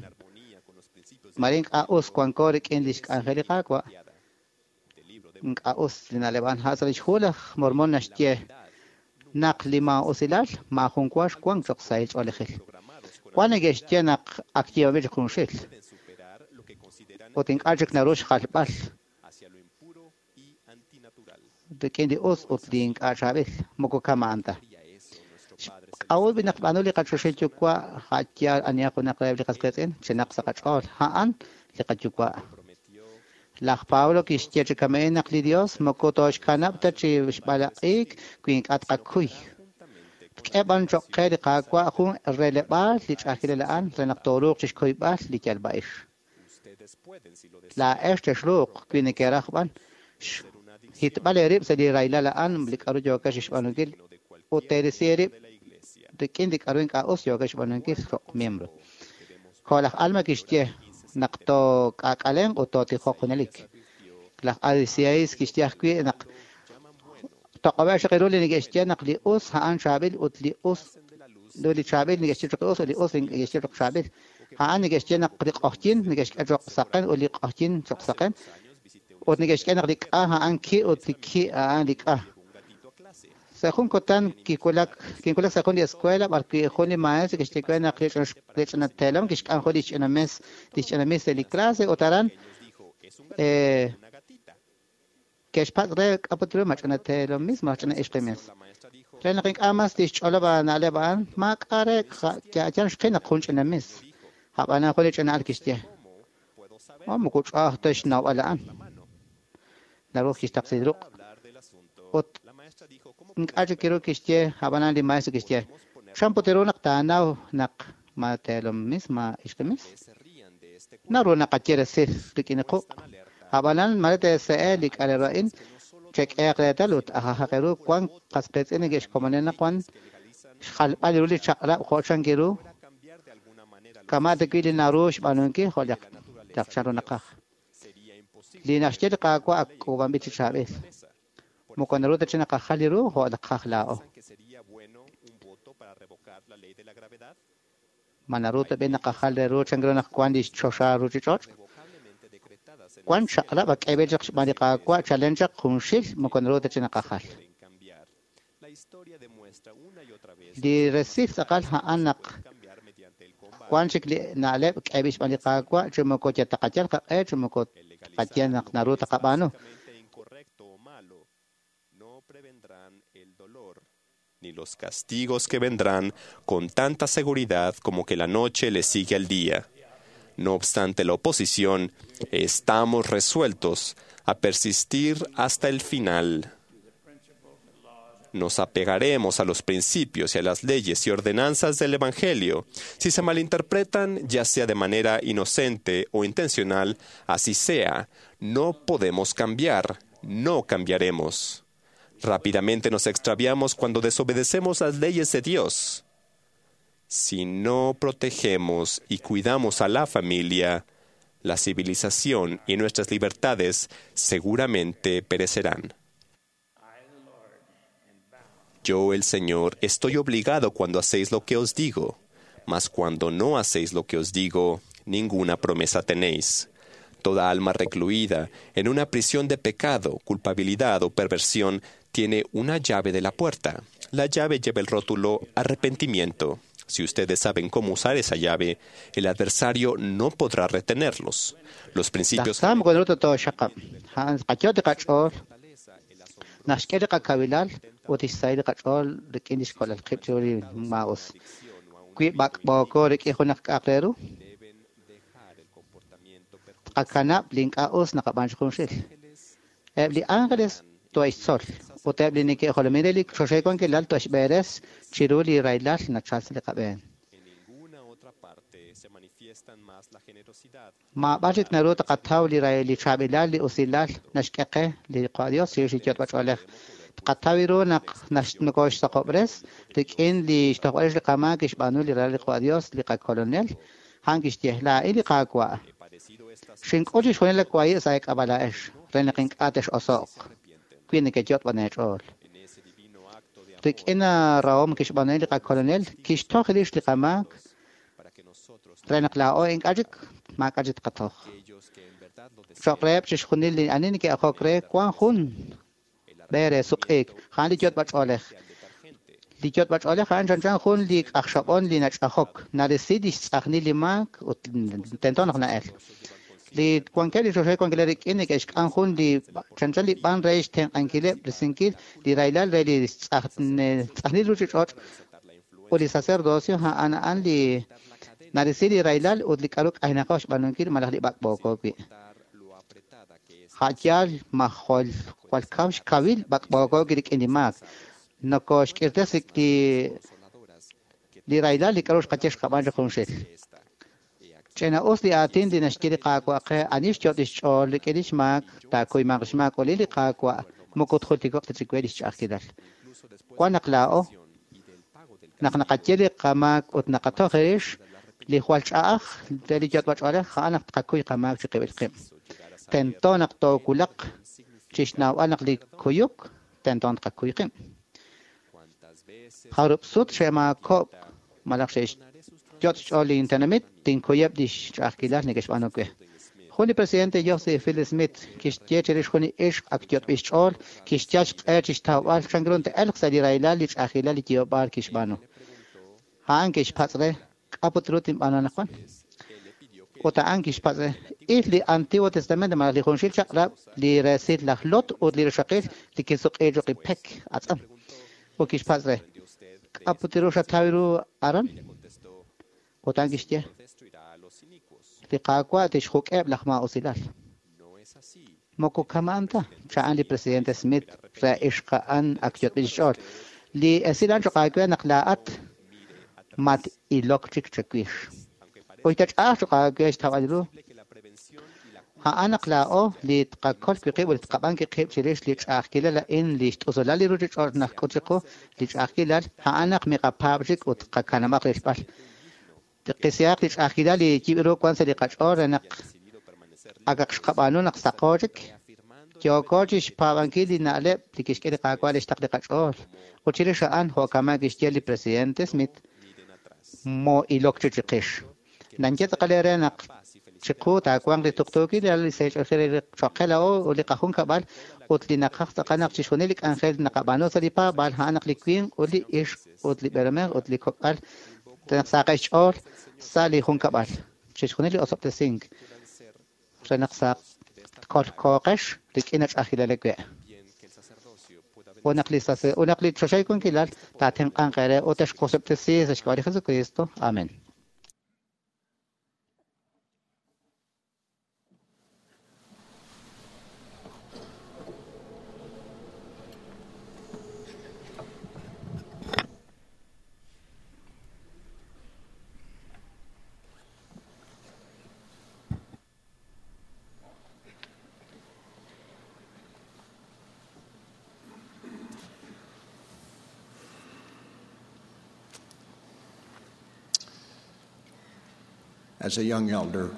mare ink'a' us wanko rik'in lix k'anjel li Qaawa' ink'a' us li na'leb' a'an. Sa' lix hu laj Mormon naxye naq li maa'usilal maajun wa xwank choq' sahil ch'oolejil. Wan neke'xye naq ak yiib'anb'il chik junxil ut ink'a' chik naru xjalb'al rik'in li us ut li ink'a' chaab'il moko kama'an ta. K'a'ut naq b'aanu li qachoxahil Yuwa' a'yaal anihaq junaq reheb' li qas qiitz'in chinaq sa' qach'ool a'an li qayuwa'. Laj Pablo kixye chi kama'in naq li Dios moko tooxkanab' ta chi xb'alaq'iik wi ink'a' tqakuy. Tk'e b'an choq' qe li Qaawa' jun releb'aal li ch'a'ajkilal a'an re naq tooruuq chixkuyb'al li yalb'a'ix. Laa'ex texruuq wi nekeraj b'an xhitb'al eerib' sa' li rahilal a'an li k'aru yookex xb'aanunkil ut teerisi eerib' rik'in li k'aru ink'a' us yookex xb'aanunkil choq' miembro. Jo' laj Alma kixye naq took'aak'alenq ut tootijoq junelik. Laj Adisiais kixye ajwi' naq Toq'ob'eb' xaq ru li neke'xye naq li us a'an chaab'il ut li us li chaab'il neke'xye choq' us ut li us neke'xye choq' chaab'il. A'an neke'xye naq li q'oqyin neke'xk'e choq' saqen ut li q'oqyin choq' saqen. Ut neke'xk'e naq li k'a a'an ki ut li ki a'an li k'a. Sa' jun kutan kiwulak kinwulak sa' jun li escuela b'ar wi' jun li maestro kixye we naq li ch'ina teelom kixk'am jun li ch'ina mes li ch'ina mis re li clase ut aran eh ke'xpatz' re k'aput ru ma ch'ina teelom mis ma ch'ina ixqi mis. Re naq ink'a' mas tixch'olob' na'leb' a'an maak'a' re yal xqil naq jun ch'ina mis. Ab'anan jun li ch'ina al kixye. Oh, moko ch'a'aj ta xnawb'al a'an. Naru kixtaqsi ruq'. Ut ink'a' chik kiru kixye ab'anan li maestro kixye. Chan put ru naq taanaw naq ma teelom mis ma ixqi mis. Naru naqaye resil rik'in quq'. Ab'anan mare teese'e li k'alero a'in chek'ehaq reetal ut ajajaq ru wan qasqiitz'in neke'xkomonil naq wan xjalb'al ru li chaq'rab' jo' chan kiru kama' ta wi' li naru xb'aanunkil jo' laq chan ru naqaj. Li naxye li Qaawa' ak k'uub'anb'il chi chaab'il. Moko naru ta chi naqajal li ru jo' naqaj laa'o. Ma naru ta b'i naqajal re ru chan ru naq wan li choxa ruuchich'och'? Wan chaq'rab' ak k'eeb'il chaq xb'aan li Qaawa' chalen chaq junxil moko naru ta chi naqajal. Li resil tz'aqal a'an naq wan chik li na'leb' k'eeb'il xb'aan li Qaawa' chi moko yataqayal qaq'e chi moko tqaye naq naru taqab'aanu. Ni los castigos que vendrán con tanta seguridad como que la noche le sigue al día. No obstante la oposición, estamos resueltos a persistir hasta el final. Nos apegaremos a los principios y a las leyes y ordenanzas del Evangelio. Si se malinterpretan, ya sea de manera inocente o intencional, así sea, no podemos cambiar, no cambiaremos. Rápidamente nos extraviamos cuando desobedecemos las leyes de Dios. Si no protegemos y cuidamos a la familia, la civilización y nuestras libertades seguramente perecerán. Yo, el Señor, estoy obligado cuando hacéis lo que os digo, mas cuando no hacéis lo que os digo, ninguna promesa tenéis. Toda alma recluida en una prisión de pecado, culpabilidad o perversión tiene una llave de la puerta. La llave lleva el rótulo arrepentimiento. Si ustedes saben cómo usar esa llave, el adversario no podrá retenerlos. Los principios... Tqakanab' li ink'a' us naqab'an chi junxil. Eb' li ángeles to'extzol ut eb' li neke'jolomin re li choxahil wankilal to'exb'eres chiru li rahilal nachal sa' li qab'een. Maab'ar chik naru taqataw li li chaab'ilal li usilal naxk'e qe li Dios chirix li yot'b'ach'oolej. Tqataw ru naq nokoxsaqob'res rik'in li xtojb'al li qamaak kixb'aanu li ralal li Dios li qakolonel a'an kixye laa'in li Qaawa'. Xink'ul chixjunil li wahi' sa' eek'ab'ala'ex re naq ink'a' tex'oso'q wi neke'yot'b'an eech'ool. Rik'in rahom kixb'aanu li qakolonel kixtoj rix li qamaak re naq laa'o ink'a' chik maak'a' chik tqatoj. Cho'q reheb' chixjunil li ani neke'ajok re wan jun b'e re suq'iik a'an li yot'b'ach'oolej. Li yot'b'ach'oolej a'an chanchan jun li k'ajxob'on li nach'ajok narisi li xtz'ajnil li maak ut tento naq na'el. Li wankeb' li choxahil wankilal rik'in neke'xk'am jun li chanchan li b'an re xtenq'ankileb' risinkil li rahilal re li tz'ajnil ruuchich'och' ut li sacerdocio a'an a'an li narisi li rahilal ut li k'aru k'aynaqo xb'aanunkil malaj li b'ak'b'ooko wi'. Ja'yaal ma jwal jwal kaw xkawil b'ak'b'ooko wi' rik'in li maak. Nokoxk'irtes li li rahilal li k'aru xqaye xqab'an chi junxil. Ch'ina us li aatin li naxye li Qaawa' qe ani xyot' li xch'ool rik'in li xmaak taakuymanq xmaak ut li Qaawa' moko tjultiko'q ta chik we li xch'a'ajkilal. Wan naq laa'o naq naqaye li qamaak ut naqatoj rix li jwal ch'a'aj re li yot'b'ach'oolej a'an naq tqakuy qamaak chi qib'il qib'. Tento naq toowulaq chi xnawb'al naq li kuyuk tento tqakuy qib'. Jarub' sut xe'maakob'k malaj xe'xyot' xch'ool lintenamit, tinkuyeb' li xch'a'ajkilal neke'xb'aanu we. Jun li presidente Joseph Phil Smith kixye chirix jun li ixq ak yot'b'il xch'ool, kixyal xq'e chi xtawb'al chan ru te'elq sa' li rahilal li ch'a'ajkilal li yoob'aal kixb'aanu. A'an kixpatz' re, k'a' put ru tinb'aanu anaqwan? Ut a'an kixpatz' re, il li Antiguo Testamento malaj li junxil chaq'rab' li resil laj Lot ut li rixaqil li kisuq'iil choq' li pek atz'am. Ut kixpatz' re, k'a' put ru xataw ru aran? Ut a'an kixye, li Qaawa' tixjuk'eb' laj maa'usilal. Moko kama'an ta, cha'an li presidente Smith re ixq a'an ak yot'b'il xch'ool. Li esil a'an choq' aawe naq laa'at mat-ilok chik chawix. Uy ta ch'a'aj choq' aawe xtawb'al ru. A'an naq laa'o li tqakol wi' qib' ut li tqab'an wi' qib' chirix li ch'a'ajkilal a'in li xt'usulal li ruchich'och' najk'ut chiqu li ch'a'ajkilal, a'an naq miqapaab' chik ut qakanab'aq rilb'al. Qisihaq li ch'a'ajkilal li yib' ru wan sa' li qach'ool re naq akaq xqab'aanu naq saqo chik. Yooko chi xpaab'ankil li na'leb' li kixk'e li Qaawa' li xtaql li qach'ool. Ut chirix a'an jo'kama kixye li presidente Smith, moo'ilok chi chiqix. Nanye tz'aqal eere naq chiqu taawanq li tuqtuukil li sahil li choqel la'o ut li qajunkab'al ut li naqaj tz'aqal naq chixjunil li k'anjel naqab'aanu sa' li paab'aal a'an naq li winq ut li ixq ut li b'eelomej ut li kok'al naq saqeb' xch'ool sa' li junkab'al. Chixjunil li osob'tesink re naq saq kolkooqex rik'in ach'ajilal we'. Ut naq li sase ut naq li choxahil wankilal taatenq'anq eere ut texqosob'tesi sa' xk'ab'a' li Jesucristo. Amen. As a young elder,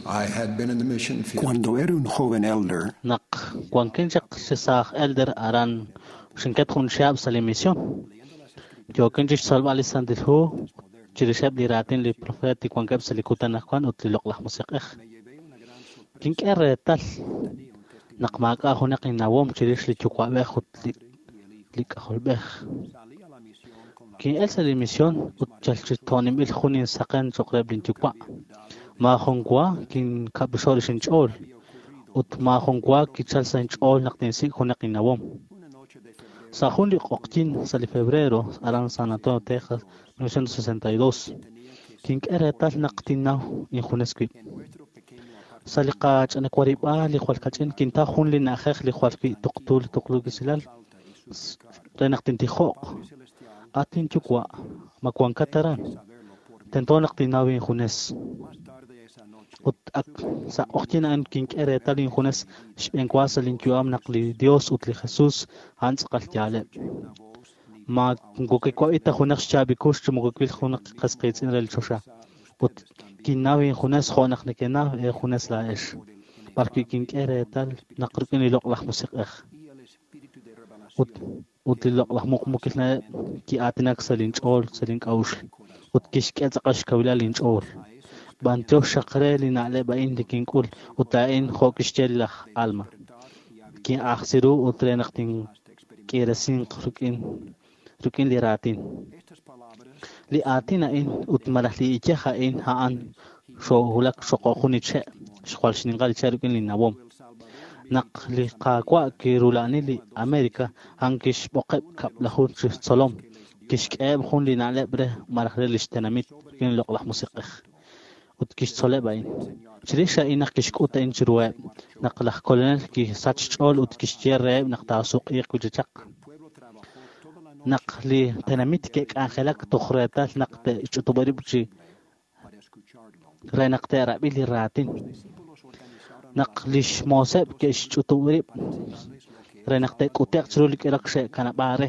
I had been in the mission field. Cuando era un joven elder, Naq wankin chaq chi saaj elder aran xinket jun chihab' sa' li misión. Yookin chi xtzolb'al li Santil Hu chirixeb' li raatin li profeet li wankeb' sa' li kutan anaqwan ut li loq'laj musiq'ej. Kink'e reetal naq maak'a' junaq innawom chirix li yuwa'b'ej ut li li k'ajolb'ej. Kin'el sa' li misión ut yal chi to'ninb'il jun insaqen choq' reheb' linyuwa'. Maajun wa kinkab'ixo' rix inch'ool ut maajun wa kichal sa' inch'ool naq tinsik' junaq innawom. Sa' jun li q'oqyin sa' li febrero aran San Antonio, Texas, mil novecientos sesenta y dos, kink'e reetal naq tinnaw injunes wib'. Sa' li qach'anawarib'aal li jwal kach'in kintaw jun li na'ajej li jwal wi' tuqtu li tuqtuukilal re naq tintijo'q. At inyuwa', ma wankat aran? Tento naq tinnaw injunes. Ut ak sa' q'oqyin a'an kink'e reetal injunes xb'eenwa sa' linyu'am naq li Dios ut li Jesus a'an tz'aqal yaaleb'. Ma moko kiwab'i ta junaq xchaab'il kux chi moko kiwil junaq qas qiitz'in re li choxa. Ut kinnaw injunes jo' naq nekenaw eejunes laa'ex. B'arwi' kink'e reetal naq rik'in li loq'laj musiq'ej. Ut ut li loq'laj muqmukil na'leb' ki'aatinak sa' linch'ool sa' link'a'uxl ut kixk'e tz'aqal xkawilal linch'ool. B'antiox xaq re li na'leb' a'in li kink'ul ut a'in jo' kixye laj Alma. Kin'ajsi ru ut re naq tink'iresinq rik'in rik'in li raatin. Li aatin a'in ut malaj li iyaj a'in a'an xoohulak xoqo jun li che' xjwal xninqal li che' rik'in li nawom. Naq li Qaawa' kirula'ani li América, a'an kixb'oqeb' kab'laju chi tzolom, kixk'eheb' jun li na'leb' re malaj re lix tenamit rik'in li loq'laj musiq'ej. Ut kixtzoleb' a'in. Chirix a'in naq kixk'ut a'in chiruheb', naq laj kolonel kisach xch'ool ut kixye reheb' naq taasuq'iiq wi' chi chaq. Naq li tenamit ke'k'anjelak toj reetal naq te'xch'utub' rib' chi re naq te'rab'i li raatin. Naq lix mooseb' ke'xch'utub' rib' re naq te'k'ute'q chiru li k'irok xe'kanab'a re.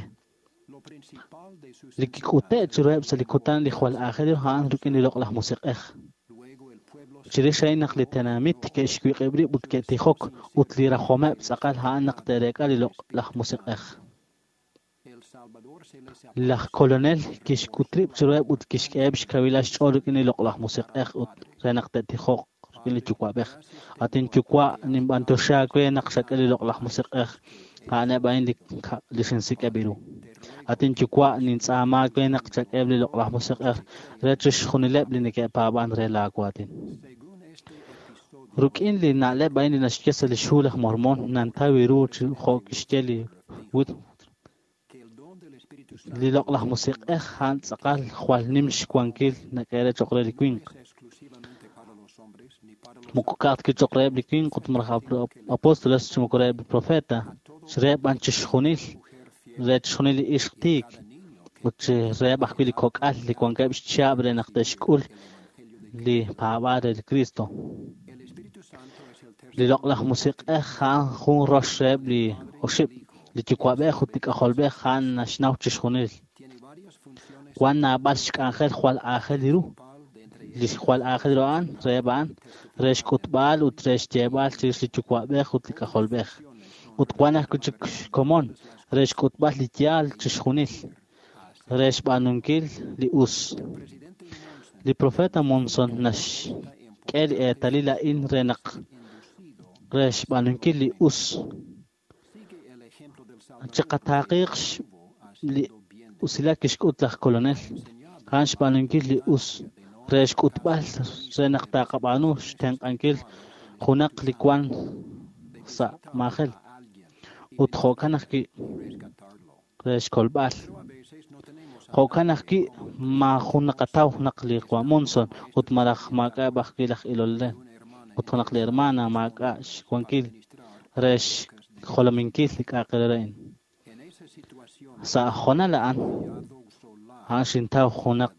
Li kik'ute' chiruheb' sa' li kutan li jwal aajel ru a'an rik'in li loq'laj musiq'ej. Chirix a'in naq li tenamit ke'xwiq'ib' rib' ut ke'tijok ut li rajomeb' tz'aqal a'an naq te'reek'a li Loq'laj Musiq'ej. Laj Kolonel kixk'ut rib' chiruheb' ut kixk'eheb' xkawilal xch'ool rik'in li Loq'laj Musiq'ej ut re naq te'tijoq rik'in li Yuwa'b'ej. At inyuwa', ninb'anyoxi aawe naq xak'e li Loq'laj Musiq'ej, a'aneb' a'in li xinsik'eb' ru. At inyuwa', nintz'aama aawe naq chak'eheb' li Loq'laj Musiq'ej re chixjunileb' li neke'paab'an re laa waatin. Rik'in li na'leb' a'in li naxye sa' lix hu laj Mormon, nantaw ru jo' kixye li li Loq'laj Musiq'ej a'an tz'aqal jwal nim xwankil nak'ehe' choq' re li winq. Moko ka'aj ta choq' reheb' li winq ut malaj apóstoles chi moko reheb' li profeta, reheb' b'an chixjunil, re chixjunil li ixq tiik ut reheb' ajwi' li kok'al li wankeb' xchihab' re naq te'xk'ul li paab'aal re li Cristo. Li Loq'laj Musiq'ej a'an jun rox reheb' li oxib' li Yuwa'b'ej ut li K'ajolb'ej a'an naxnaw chixjunil. Wan naab'al xk'anjel jwal aajel ru. Li jwal aajel ru a'an reheb' a'an re xk'utb'al ut re xyeeb'al chirix li Yuwa'b'ej ut li K'ajolb'ej. Ut wan ajwi' chik xkomon re xk'utb'al li yaal chixjunil, re xb'aanunkil li us. Li profeta Monson naxk'e li eetalil a'in re naq re xb'aanunkil li us. Chiqataaqiq li usilal kixk'ut laj Kolonel, a'an xb'aanunkil li us re xk'utb'al re naq taqab'aanu xtenq'ankil junaq li wan sa' maajel ut jo'kan ajwi' re xkolb'al. Jo'kan ajwi' maajun naqataw naq li Juan Monson ut malaj maak'a'eb' ajwi' laj ilol re ut junaq li hermana maak'a' xwankil re xjolominkil li k'a'aq re a'in. Sa' hoonal a'an, a'an xintaw junaq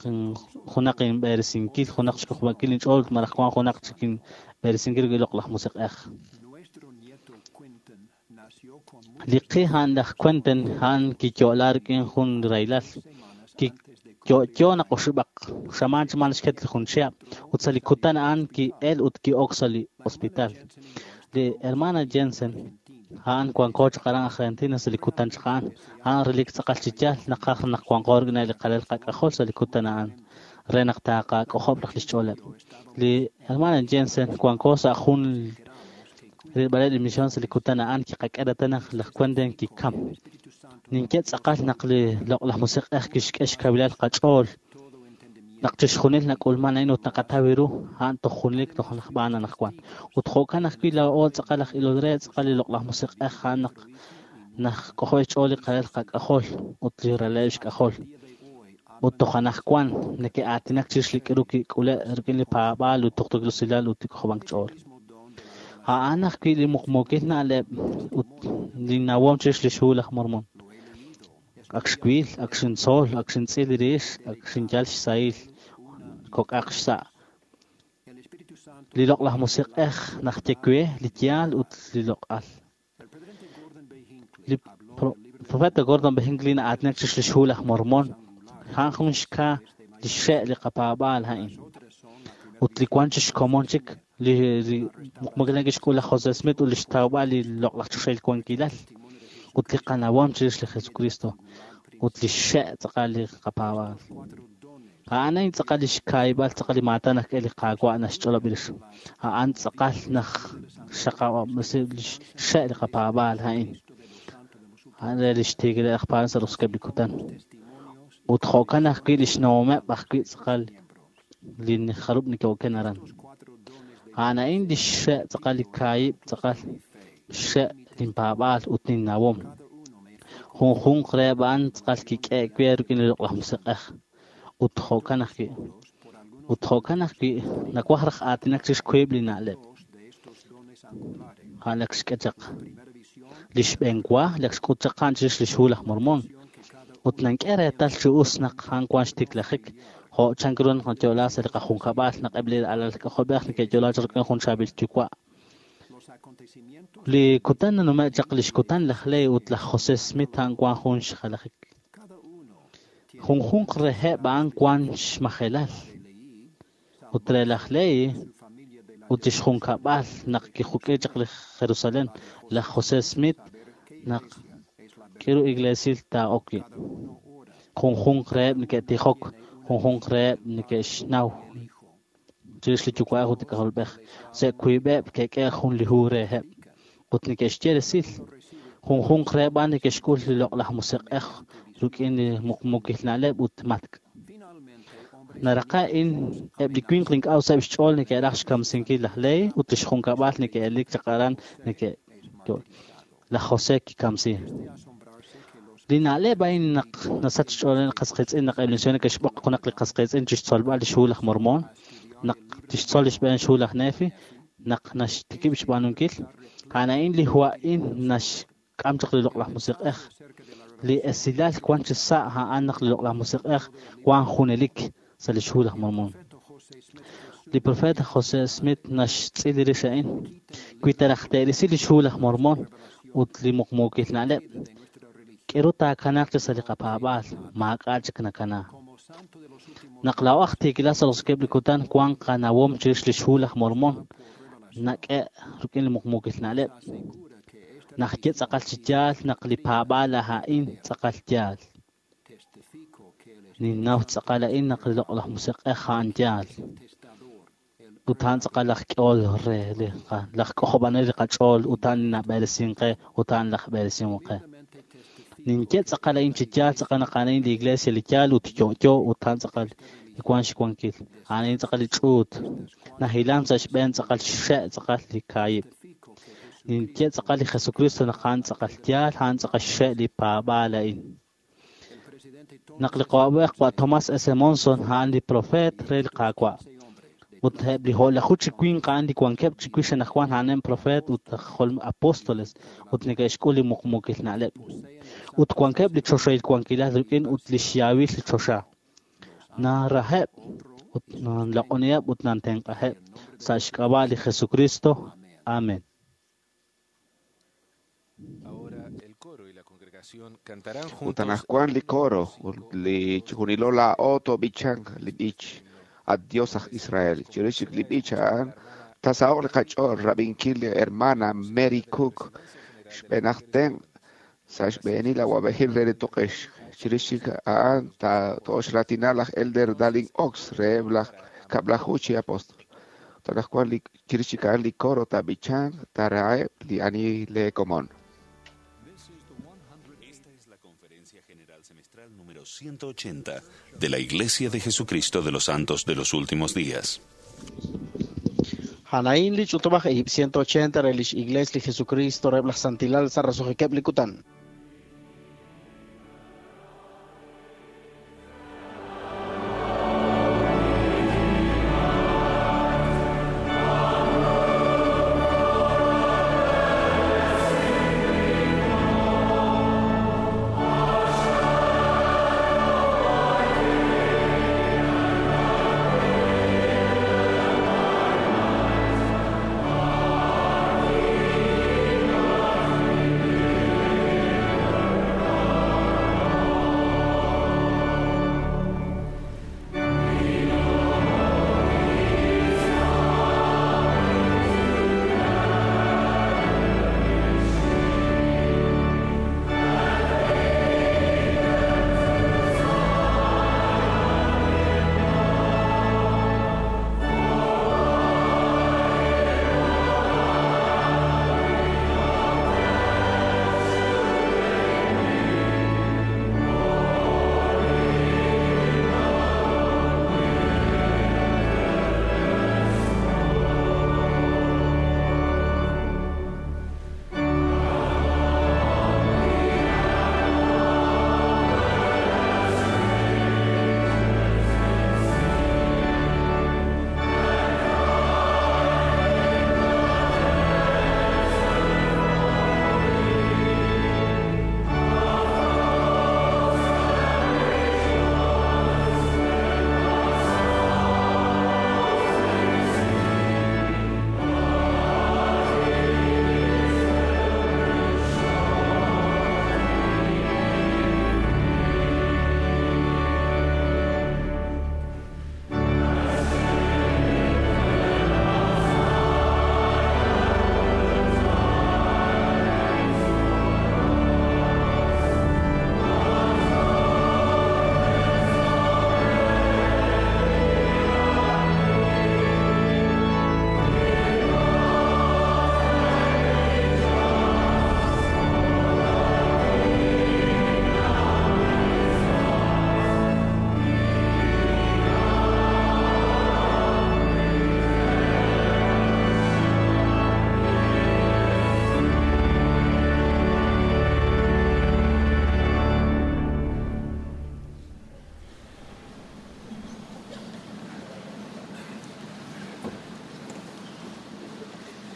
junaq inb'eresinkil, junaq xk'ojob'ankil inch'ool malaj wan junaq chik inb'eresinkil rik'in Loq'laj Musiq'ej. Li qi a'an laj Quentin a'an kiyo'la rik'in jun rahilal. Kiyo'yo naq oxib'aq xamaan chi maan xket li jun chihab' ut sa' li kutan a'an ki'el ut ki'ok sa' li hospital. Li hermana Jensen a'an wanko chaq aran Argentina sa' li kutan chaq a'an. A'an relik tz'aqal chi yaal naqaj naq wanko rik'in li qalal qak'ajol sa' li kutan a'an re naq taqak'ojob' raj li xch'ooleb'. Li hermana Jensen wanko sa' jun rilb'aleb' li misión sa' li kutan a'an kiqak'e reetal naq laj Quentin kikam. Ninye tz'aqal naq li Loq'laj Musiq'ej kixk'e xkawilal qach'ool naq chixjunil nak'ulman a'in ut naqataw ru a'an toj junelik toj naqb'aan anaqwan. Ut jo'kan ajwi' laa'o tz'aqal aj ilol re tz'aqal li Loq'laj Musiq'ej a'an naq naqk'ojob' xch'ool li qalal qak'ajol ut li raleb' xk'ajol. Ut toj anaqwan neke'aatinak chirix li k'aru kik'ule' rik'in li paab'aal ut tuqtuukil usilal ut li k'ojob'ank ch'ool. A'an ajwi' li muqmuukil na'leb' ut li nawom chirix lix hu laj Mormon. Ak xwil, ak xintzol, ak xintz'il rix, ak xinyal xsahil kok'aq xsa'. Li Loq'laj Musiq'ej naxye we li yaal ut li loq'al. Li profeta Gordon B. Hinckley na'aatinak chirix lix hu laj Mormon, a'an jun xka li xxe' li qapaab'aal a'in. Ut li wan chi xkomon chik li muqmuukil kixk'ul laj Jose Smith ut li xtawb'al li loq'laj choxahil wankilal ut li qanawom chirix li Jesucristo ut li xxe' tz'aqal li qapaab'aal. A'an a'in tz'aqal li xkaayib'al tz'aqal li maatan naxk'e li Qaawa' naxch'olob' rix. A'an tz'aqal naj xaqab'al li xxe' li qapaab'aal a'in. A'an re li xtiikileb' aj paab'anel sa' roso'jikeb' li kutan. Ut jo'kan ajwi' li xnawomeb' ajwi' tz'aqal li jarub' neke'oken aran. A'an a'in li xxe' tz'aqal li kaahib' tz'aqal xxe' linpaab'aal ut linnawom. Junjunq reheb' a'an tz'aqal kik'e' we rik'in li Loq'laj Musiq'ej. Ut jo'kan ajwi'. Ut jo'kan ajwi' nawaj raj aatinak chirix wiib' li na'leb'. A'an ak xk'e chaq li xb'een wa, li ak xk'ut chaq a'an chirix lix hu laj Mormon. Ut nank'e reetal chi us naq a'an wan xtiklajik jo' chan ru naq nayo'la sa' li qajunkab'al naq eb' li alal k'ajolb'ej neke'yo'la chaq rik'in jun chaab'il yuwa'. Li kutan nanume' chaq lix kutan laj Lehi ut laj Jose Smith a'an wan jun xjalajik. Junjunq reheb' a'an wan xmajelal. Ut re laj Lehi Ut lix junkab'al naq kijuk'e chaq li Jerusalén, laj José Smith naq k'iru iglesil taa'ok wi'. Junjunq reheb' neke'tijok, junjunq reheb' neke'xnaw chirix li Yuwa'b'ej ut li K'ajolb'ej. Sa' wiib'eb' ke'k'e jun li hu reheb' ut neke'xye resil. Junjunq reheb' a'an neke'xk'ul li loq'laj musiq'ej rik'in li muqmuukil na'leb' ut matk'. Naraqa a'in eb' li winq li ink'a' useb' xch'ool neke'raj xkamsinkil laj Lehi ut lix junkab'al neke'elik chaq aran neke' laj José kikamsi. Li na'leb' a'in naq nasach xch'ool qas qiitz'in naq eb' li misioneer ke'xb'oq junaq li qas qiitz'in chixtzolb'al lix hu laj Mormon, naq tixtzol lix b'een xhu laj Nefi, naq naxtikib' xb'aanunkil. A'an a'in li hu a'in naxk'am chaq li loq'laj musiq'ej. Li esilal wan chi sa' a'an naq li loq'laj musiq'ej wan junelik sa' lix hu laj Mormon. Li profeta José Smith naxtz'il rix a'in. Wi taraj te'risi lix hu laj Mormon ut li muqmuukil na'leb', k'eru taakanaaq chi sa' li qapaab'aal, maak'a' chik nakana. Naq laa'o aj tiikilal sa' roso'jikeb' li kutan wan qanawom chirix lix hu laj Mormon, nak'e rik'in li muqmuukil na'leb'. Najye tz'aqal chi yaal naq li paab'aal a'in tz'aqal yaal. Ninnaw tz'aqal a'in naq li loq'laj musiq'ej a'an yaal. Ut a'an tz'aqal laj k'ehol re li laj k'ojob'anel li qach'ool ut a'an li nab'eresin qe ut a'an laj b'eresin qe. Ninye tz'aqal a'in chi yaal tz'aqal naq a'an li iglesia li yaal ut yo'yo ut a'an tz'aqal li wan xwankil. A'an a'in tz'aqal li ch'uut. Nahilan sa' xb'een tz'aqal xxe' tz'aqal li kaahib'. Ninye tz'aqal li Jesucristo naq a'an tz'aqal yaal, a'an tz'aqal xxe' li paab'aal a'in. Naq li qawab'ej wa Thomas S. Monson a'an li profeet re li Qaawa'. Ut eb' li jo'laju chi winq a'an li wankeb' chi wix anaqwan a'aneb' profeet ut apóstoles ut neke'xk'ul li muqmuukil na'leb'. Ut wankeb' li choxahil wankilal rik'in ut li xyaawil li choxa. Naraheb' ut nanloq'oniheb' ut nantenq'aheb' sa' xk'ab'a' li Jesucristo. Amen. Ut anaqwan li coro ut li chijunilo laa'o toob'ichanq li b'ich ad Dios aj Israel. Chirix li b'ich a'an tasaho'q li qach'ool rab'inkil li hermana Mary Cook xb'een aj tenq' sa' xb'eenil awa'b'ejil re li tuq'ix. Chirix chik a'an to'oxratina laj Elder Dallin Oaks reheb' laj kab'laju chi apóstol. Ut anaqwan li chirix chik a'an li coro taab'ichanq taaraheb' li ani le komon. Número ciento ochenta de la Iglesia de Jesucristo de los Santos de los Últimos Días. Hanain li ch'utub'aj ib' ciento ochenta re lix Iglesia li Jesucristo reheb' laj Santilal sa' roso'jikeb' li kutan.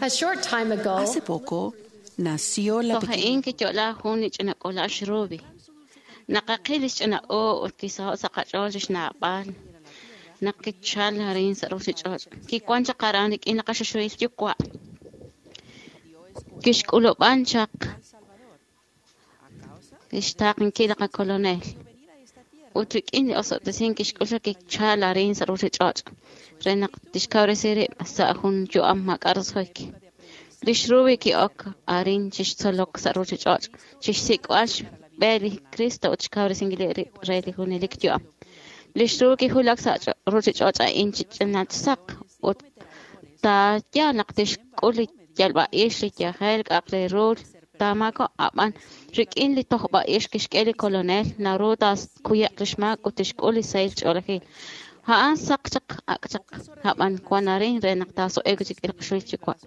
Hace poco nació la Toj a'in kiyo'la jun li ch'ina k'uula'al xRuby. Naqaqil li xch'ina o ut kisaho' sa' qach'ool lix naab'al naq kichal arin sa' ruchich'och'. Kiwan chaq aran rik'in li qaxuxuhil yuwa'. Kixk'ulub'an chaq lix taaqenkil li qakolonel. Ut rik'in li osob'tesink kixk'ul chaq kichal arin sa' ruchich'och' re naq tixkawresi rib' sa' jun yu'am maak'a' roso'jik. Lix Ruby ki'ok arin chixtzolok sa' ruchich'och' chixsik'b'al xb'e li Cristo ut xkawresinkil rib' re li junelik yu'am. Lix Ruby kiwulak sa' ruchich'och' a'in chi ch'inat saq ut taayal naq tixk'ul li yalb'a'ix, li yajel, k'a'aq re ru taamaako' ab'an rik'in li tojb'a'ix kixk'e li kolonel naru taakuye'q lix maak ut tixk'ul li sahil ch'oolejil. A'an saq chaq ak' chaq ab'an wan arin re naq taaso'e'k chik li qaxuhil yuwa'.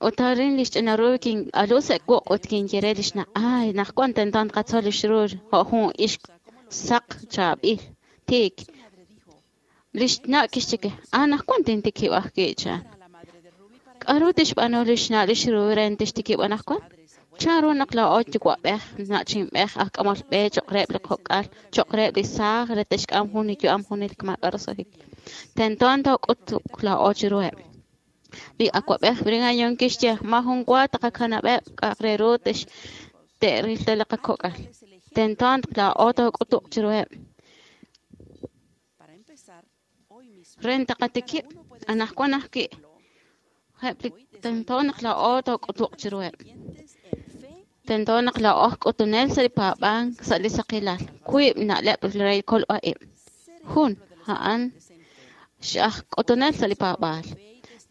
Ut arin lix ch'ina Ruby kin'alu sa' wuq' ut kinye re lix na' ay naq wan tento tqatzol lix Ruby jo' jun ixq saq chaab'il tiik. Lix na' kixye ke anaqwan tintikib' ajwi' chan. K'aru tixb'aanu lix na' lix Ruby re tixtikib' anaqwan? Chan ru naq laa'o yuwa'b'ej, na'chinb'ej, aj k'amol b'e cho'q reheb' li kok'al, cho'q reheb' li saaj re te'xk'am jun li yu'am junelik maak'a' roso'jik. Tento took'utuq laa'o chiruheb'. Li awa'b'ej Brigham Young kixye maajun wa taqakanab'eb' k'a'aq re ru te'ril ta li qakok'al. Tento laa'o took'utuq chiruheb'. Re taqatikib' anaqwan ajwi' eb' li tento naq laa'o took'utuq chiruheb'. Tento naq laa'o aj k'utunel sa' li paab'ank sa' li saqilal. Wiib' na'leb' re li kolb'a-ib'. Jun, a'an aj k'utunel sa' li paab'aal.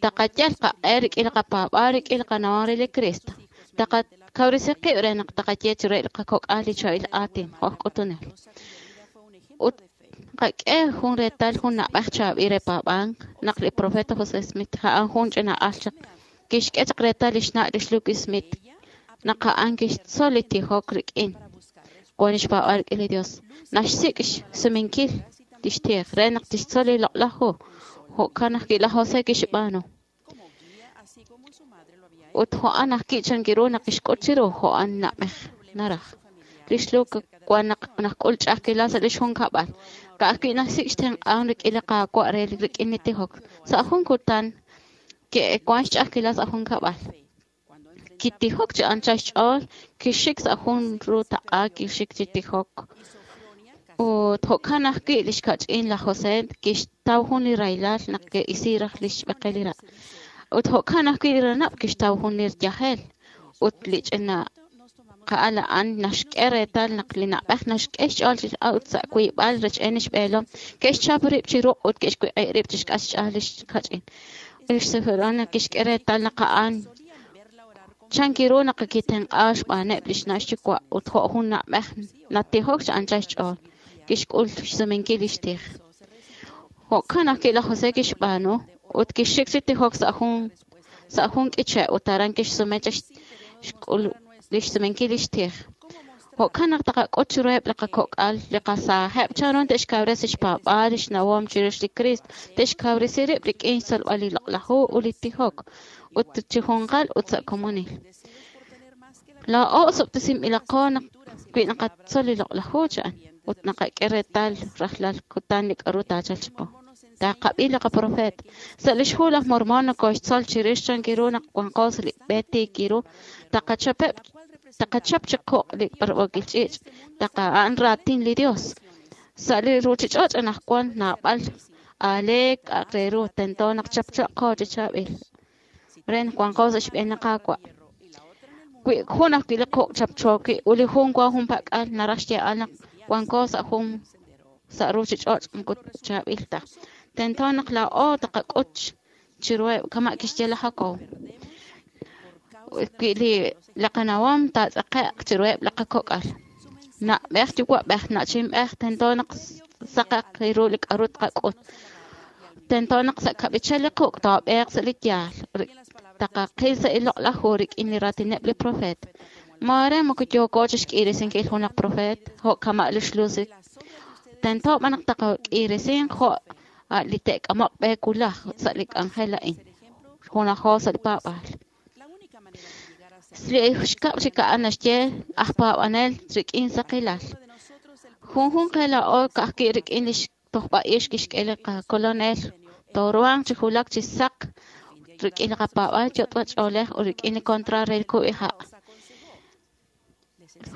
Taqayal qaq'e rik'in li qapaab'aal rik'in li qanawom re li Cristo. Taqakawresi qib' re naq taqaye chiruheb' li qakok'al li chaab'il aatin jo' aj k'utunel. Ut qak'e jun reetal jun na'b'ej chaab'il re paab'ank naq li profeta José Smith a'an jun ch'ina al chaq kixk'e chaq reetal lix na' lix Lucy Smith naq a'an kixtzol li tijok rik'in wan lix paab'aal rik'in li Dios. Naxsik' xsumenkil lix tij re naq tixtzol li loq'laj hu. Jo'kan ajwi' laj José kixb'aanu. Ut jo'an ajwi' chan kiru naq kixk'ut chiru jo'an na'b'ej naraj. Lix Lucy wan naq nak'ul ch'a'ajkilal sa' lix junkab'al. Ka'ajwi' naxsik' xtenq'an rik'in li Qaawa' re rik'in li tijok. Sa' jun kutan ke'wan xch'a'ajkilal sa' junkab'al. Kitijok chi anchal xch'ool, kixik sa' jun ru taq'a kixik chi tijok. Ut jo'kan ajwi' lix kach'in laj José kixtaw jun li rahilal naq ke'isi raj lix b'eqel li ra'. Ut jo'kan ajwi' li ranab' kixtaw jun li yajel. Ut li ch'ina qa'al a'an naxk'e reetal naq li na'b'ej naxk'e xch'ool chi ut sa' wiib'al rech'een lix b'eelom ke'xchap rib' chi ruq' ut ke'xwiq'i rib' chixk'atq xch'aal lix kach'in. Lix Sofronia kixk'e reetal naq a'an chan kiru naq kitenq'a xb'aaneb' lix na' xyuwa' ut jo' jun na'b'ej natijok chi anchal xch'ool. Kixk'ul xsumenkil lix tij. Jo'kan ajwi' laj José kixb'aanu ut kixik chi tijok sa' jun sa' jun k'iche' ut aran kixsume chaq xk'ul lix sumenkil lix tij. Jo'kan naq taqak'ut chiruheb' li qakok'al, li qasaajeb' chan ru te'xkawresi xpaab'aal, lix nawom chirix li Cristo, te'xkawresi rib' rik'in xtzolb'al li loq'laj hu ut li tijok, ut chi junqal ut sa' komonil. Laa'o osob'tesinb'ilaqo naq wi naqatzol li loq'laj hu chan ut naqak'e reetal rajlal kutan li k'aru taachalq chiqu. Taqab'i li qaprofet. Sa' lix hu laj Mormon nokoxtzol chirix chan kiru naq wanqo sa' li b'e tiik ru, taqachapeb' taqachap chi quq' li b'arb'ookil ch'iich', taqa'an raatin li Dios. Sa' li ruchich'och' anaqwan naab'al aaleek k'a'aq re ru tento naq chapchaqo chi chaab'il re naq wanqo sa' xb'een li Qaawa'. Wi jun ajwi' li quq' chapcho wi' ut li jun wan junpak'al naraj xyeeb'al naq wanko sa' jun sa' ruchich'och' moko chaab'il ta. Tento naq laa'o taqak'ut chiruheb' kama' kixye laj Jacob. Wi li li qanawom taatz'aqe'q chiruheb' li qakok'al. Na'b'ej yuwa'b'ej, na'chinb'ej, tento naq saqaq ru li k'aru tqak'ut. Tento naq sa' kab'ichal li quq' toob'eeq sa' li yaal. Taqaqil sa' li loq'laj hu rik'in li raatineb' li profeet. Maare moko yooko chixk'irisinkil junaq profeet jo' kama' lix Lucy. Tento b'an naq taqak'irisin jo' li te'k'amoq b'e wulaj sa' li k'anjel a'in. junajo sa' li paab'aal. Li xkab' chik a'an naxye aj paab'anel rik'in saqilal. Junjunq qe laa'o ka'ajwi' rik'in li xtojb'a'ix kixk'e li qakolonel tooruhanq chi wulak chi saq rik'in li qapaab'aal yot'wa ch'oolej ut rik'in li kontraat re li kub'iha'.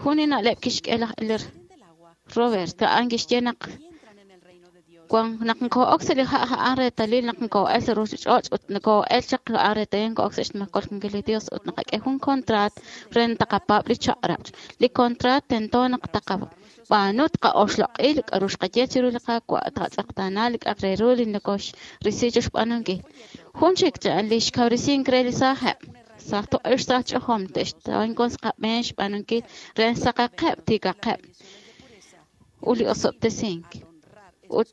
Jun li na'leb' kixk'e laj Elder Robert a'an kixye naq naq nko'ok sa' li ha' a'an reetalil naq nko'el sa' ruchich'och' ut nko'el chaq a'an reetalil nko'ok sa' xmakolkinkil li Dios ut naqak'e jun kontraat re taqapaab' li chaq'rab'. Li kontraat tento naq taqab'aanu tqa'oxloq'i li k'a'ru xqaye chiru li Qaawa' tqatz'eqtaana li k'a'aq re ru li nokoxrisi chixb'aanunkil. Jun chik li xkawresink re li saajeb'. Saaj toq'ix saaj ch'ojom te'xtawankon qab'een xb'aanunkil re saqaqeb' tiikaqeb' ut li osob'tesink. Ut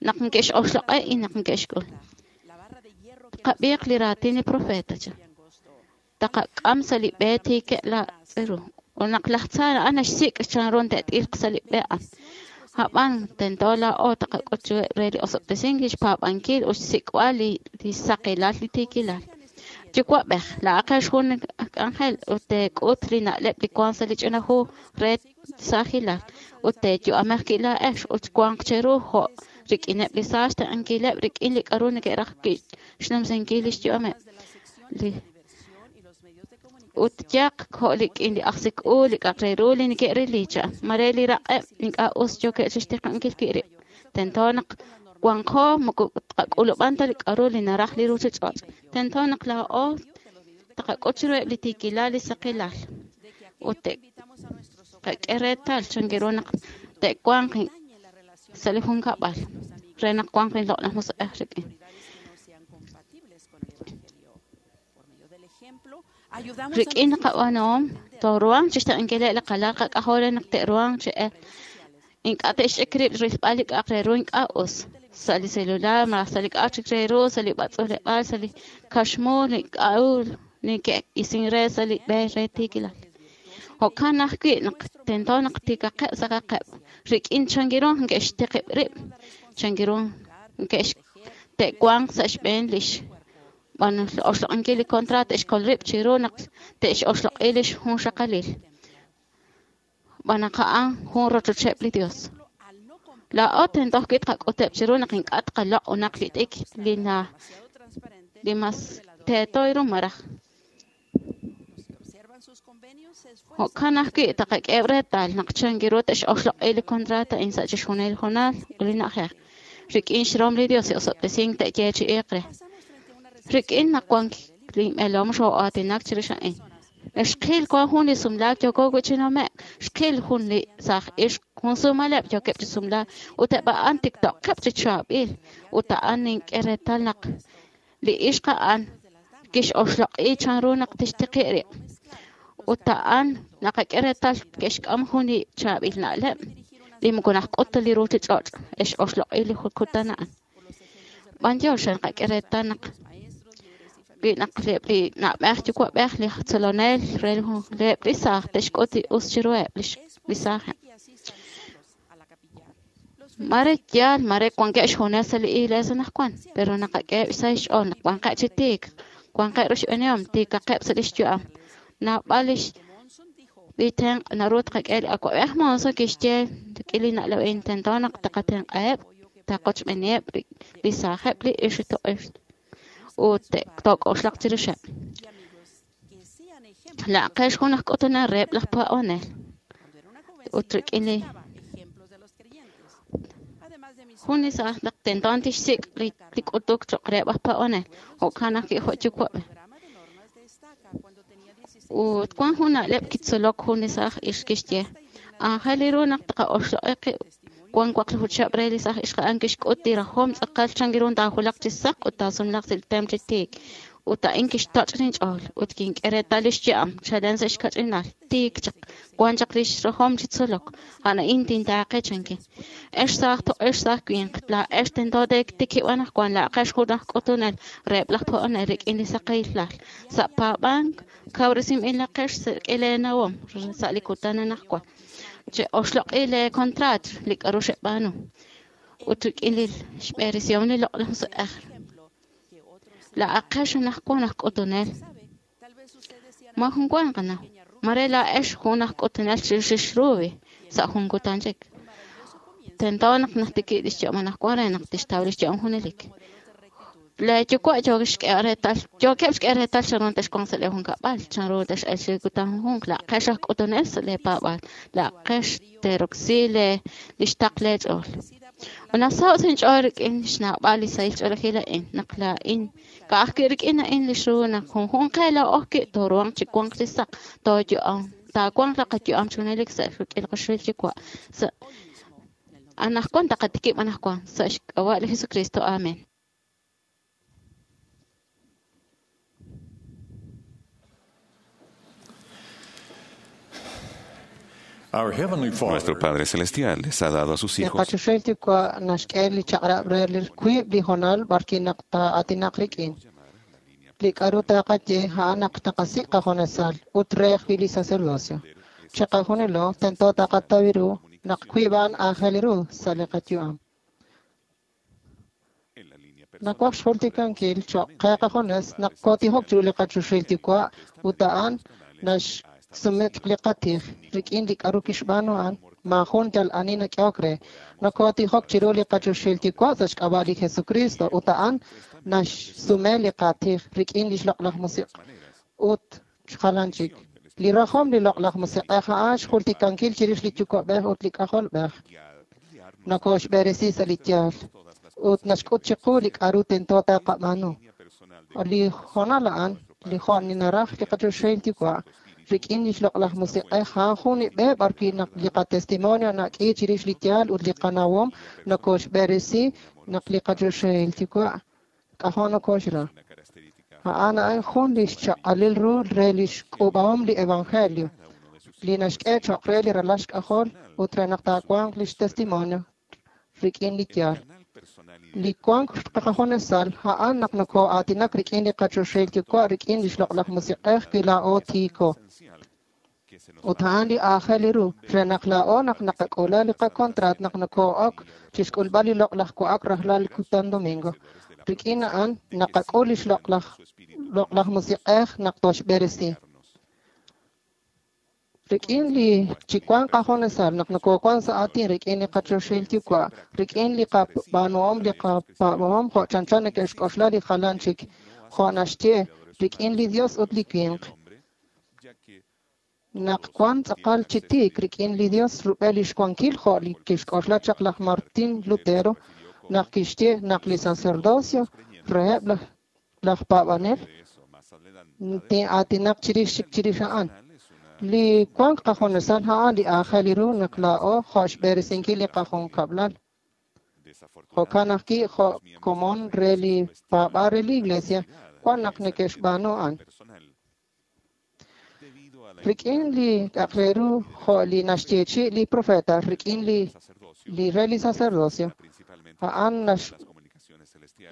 naq nke'xoxloq'e y naq nke'xk'ul. Tqab'iiq li raatin li profeta cha. Taqak'am sa' li b'e tiike' la tz'iru. Ut naq laj tza a'an naxsik' chanru te't'ilq sa' li b'e a'an. Hab'an tento laa'o taqak'ut chiruheb' re li osob'tesink li xpaab'ankil ut xsik'b'al li li saqilal li tiikilal. Yuwa'b'ej, laa'aqex jun k'anjel ut teek'ut li na'leb' li wank sa' li ch'ina hu re saajilal ut teeyu'amej wi' laa'ex ut wanq cheru jo' rik'ineb' li saaj xtenq'ankileb' rik'in li k'a'ru neke'raj wi' xnumsinkil lix yu'ameb'. Li ut yaq jo' rik'in li ajsik-u li k'a'aq re ru li neke'rili cha mare li raq'eb' ink'a' us yookeb' chixtiqankil wi' rib'. Tento naq wanqo moko tqak'ulub'an ta li k'a'ru li naraj li ruchich'och'. Tento naq laa'o taqak'ut chiruheb' li tiikilal li saqilal ut te'qak'e reetal chankiru naq te'wanq sa' li junkab'al re naq wanq li loq'laj musiq'ej rik'in. Rik'in qab'aanuhom tooruhanq chixtenq'ankileb' li qalal qak'ajol re naq te'ruhanq chi ink'a' te'xch'ik rib' rilb'al li k'a'aq re ru ink'a' us sa' li celular malaj sa' li k'a'aq chik re ru sa' li b'atz'uuleb'aal sa' li kaxmu li k'a'ru neke'isin re sa' li b'e re tiikilal. Jo'kan ajwi' naq tento naq tiikaqeb' saqaqeb' rik'in chankiru neke'xtiqib' rib' chankiru neke'x te'wanq sa' xb'een lix oxloq'inkil li kontraat te'xkol rib' chiru naq te'xoxloq'i lix junxaqalil. B'an naq a'an jun rochocheb' li Dios. Laa'o tento ajwi' tqak'uteb' chiru naq ink'a' tqaloq' unaq li t'ik li na li mas teeto ru maraj. Jo'kan ajwi' taqak'eheb' reetal naq chankiru te'xoxloq'i li kontraat a'in sa' chixjunil hoonal ut li na'ajej. Rik'in xrom li Dios li osob'tesink te'yeechi'iiq re. Rik'in naq wank linb'eelom xoo'aatinak chirix a'in. Xqil wan jun li sumlaak yooko wi' chi nume'k. Xqil jun li saaj ixq jun sumaleb' yookeb' chi sumlaak ut eb' a'an tiktoqeb' chi chaab'il ut a'an nink'e reetal naq li ixq a'an kixoxloq'i chanru naq tixtiqi' rib'. Ut a'an naqak'e reetal ke'xk'am jun li chaab'il na'leb' li moko najk'ut ta li ruchich'och' exoxloq'i li kutan a'an. B'antiox naqak'e reetal naq wi' naq li na'b'ej yuwa'b'ej li tzolonel re reheb' li saaj te'xk'ut li us chiruheb' li saajeb'. Mare yaal mare wankeb' xjunes sa' li iglesia anaqwan, pero naqak'eheb' sa' xch'ool naq wanqeb' chi tiik, wanqeb' roxb'enihom tiikaqeb' sa' lix yu'am. Naab'al lix li tenq' naru tqak'e li awa'b'ej Monson kixye rik'in li na'leb' a'in tento naq taqatenq'aheb' taqochb'eniheb' li saajeb' li ixq toq'ix ut took'oxlaq chirixeb'. Laa'aqex jun aj k'utunel reheb' laj paab'anel ut rik'in li jun li saaj naq tento tixsik' li k'utuk cho'q reheb' aj paab'anel jo'kan ajwi' jo' yuwa'b'ej. Ut wan jun na'leb' kitzolok jun li saaj ixq kixye aajel ru naq taqa'oxloq'i qib' wan waqlaju chihab' re li saaj ixq a'an kixk'ut li rajom tz'aqal chankiru taajulaq chi saq ut taasumlaq sa' li tem chi tiik. Ut a'in kixtoch' linch'ool ut kink'e reetal lix yu'am chalen sa' xkach'inal tiik chaq wan chaq lix rajom chi tzolok. A'an a'in tintaaqe chankin. Ex saaj toq'ex saaj winq laa'ex tento teetikib' anaqwan laa'aqex jun aj k'utunel reheb' laj paab'anel rik'in li saqilal sa' paab'ank kawresinb'ilaqex sa' rik'in leenawom sa' li kutan anaqwan. Che'oxloq'i lee kontraat li k'a'ru xeb'aanu ut rik'in li xb'eresihom li loq'laj musiq'ej. Laa'aqex anaqwan aj k'utunel. Ma jun wan qanaw. Mare laa'ex jun aj k'utunel chirix Ruby sa' jun kutan chik. Tento naq najtikib' lix yu'am anaqwan re naq tixtaw lix yu'am junelik. Lee yuwa' yookeb' xk'e reetal yookeb' xk'e reetal chanru texwanq sa' lee junkab'al, chanru tex'elq chi kutan junjunq. Laa'aqex aj k'utunel sa' lee paab'aal. Laa'aqex teeroksi lee lix taql lee ch'ool. Ut nasaho' sa' inch'ool rik'in xnawb'al li sahil ch'oolejil a'in naq laa'in ka'ajwi' rik'in a'in li xru naq junjunq qe laa'o ajwi' tooruhanq chi wanq chi saq, tooyu'am, taawanq li qayu'am chi junelik sa' rik'in li qaxuhil yuwa' sa' anaqwan taqatikib' anaqwan sa' xk'ab'a' li Jesucristo. Amen. Our Heavenly Father Nuestro Padre Celestial les ha dado a sus Li hijos qachoxahil yuwa' naxk'e li chaq'rab' re li wiib' li hoonal b'arwi' naq taa'aatinaq rik'in. Li k'a'ru taqaye a'an naq taqasik' qajunesal ut re ajwi' li sacerdocio. Chiqajunilo tento taqataw ru naq wiib' a'an aajel ru sa' li qayu'am. Nawaj xjultikankil choq' qe qajunes naq kootijok chiru li qachoxahil yuwa' ut a'an naxsume li qatij rik'in li k'a'ru kixb'aanu a'an maajun yal ani nak'ehok re. Nokootijok chiru li qachoxahil yuwa' sa' xk'ab'a' li Jesucristo ut a'an naxsume li qatij rik'in lix loq'laj musiq' ut jalan chik. Li rajom li loq'laj musiq'ej a'an xjultikankil chirix li yuwa'b'ej ut li k'ajolb'ej. Nokoxb'eresi sa' li yaal ut naxk'ut chiqu li k'a'ru tento taqab'aanu. Li hoonal a'an, li jo' naraj li qachoxahil yuwa' rik'in lix loq'laj musiq'ej a'an jun li b'e b'arwi' naq li qatestimonio nak'i chirix li yaal ut li qanawom nokoxb'eresi naq li qachoxahil yuwa' k'ajo' nokoxra. A'an a'an jun li xchaq'alil ru re lix k'uub'ahom li evangelio li naxk'e choq' re li ralal xk'ajol ut re naq taawanq lix testimonio rik'in li yaal. Li wank qajunesal a'an naq nokoo'aatinak rik'in li qachoxahil yuwa' rik'in lix loq'laj musiq'ej wi laa'o tiiko. Ut a'an li aajel ru re naq laa'o naq naqak'ula li qakontraat naq nokoo'ok chixk'ulb'al li loq'laj wa'ak rajlal kutan domingo. Rik'in a'an naqak'ul lix loq'laj loq'laj musiq'ej naq toxb'eresi. Rik'in li chi wank qajunesal naq nokoowan sa' aatin rik'in li qachoxahil yuwa' rik'in li qab'aanuhom li qapaab'ahom jo' chanchan neke'xk'oxla li jalan chik jo' naxye rik'in li Dios ut li winq. Naq wan tz'aqal chi tiik rik'in li Dios rub'el lix wankil jo' li kixk'oxla chaq laj Martín Lutero naq kixye naq li sacerdocio reheb' laj laj paab'anel tin'aatinaq chirix chik chirix a'an. Li wank qajunesal a'an li aajel ru naq laa'o jo' xb'eresinkil li qajunkab'lal. Jo'kan ajwi' jo' komon re li paab'aal re li iglesia wan naq neke'xb'aanu a'an. Rik'in li k'a'aq re ru jo' li naxyeechi' li profeta rik'in li li re li sacerdocio a'an nax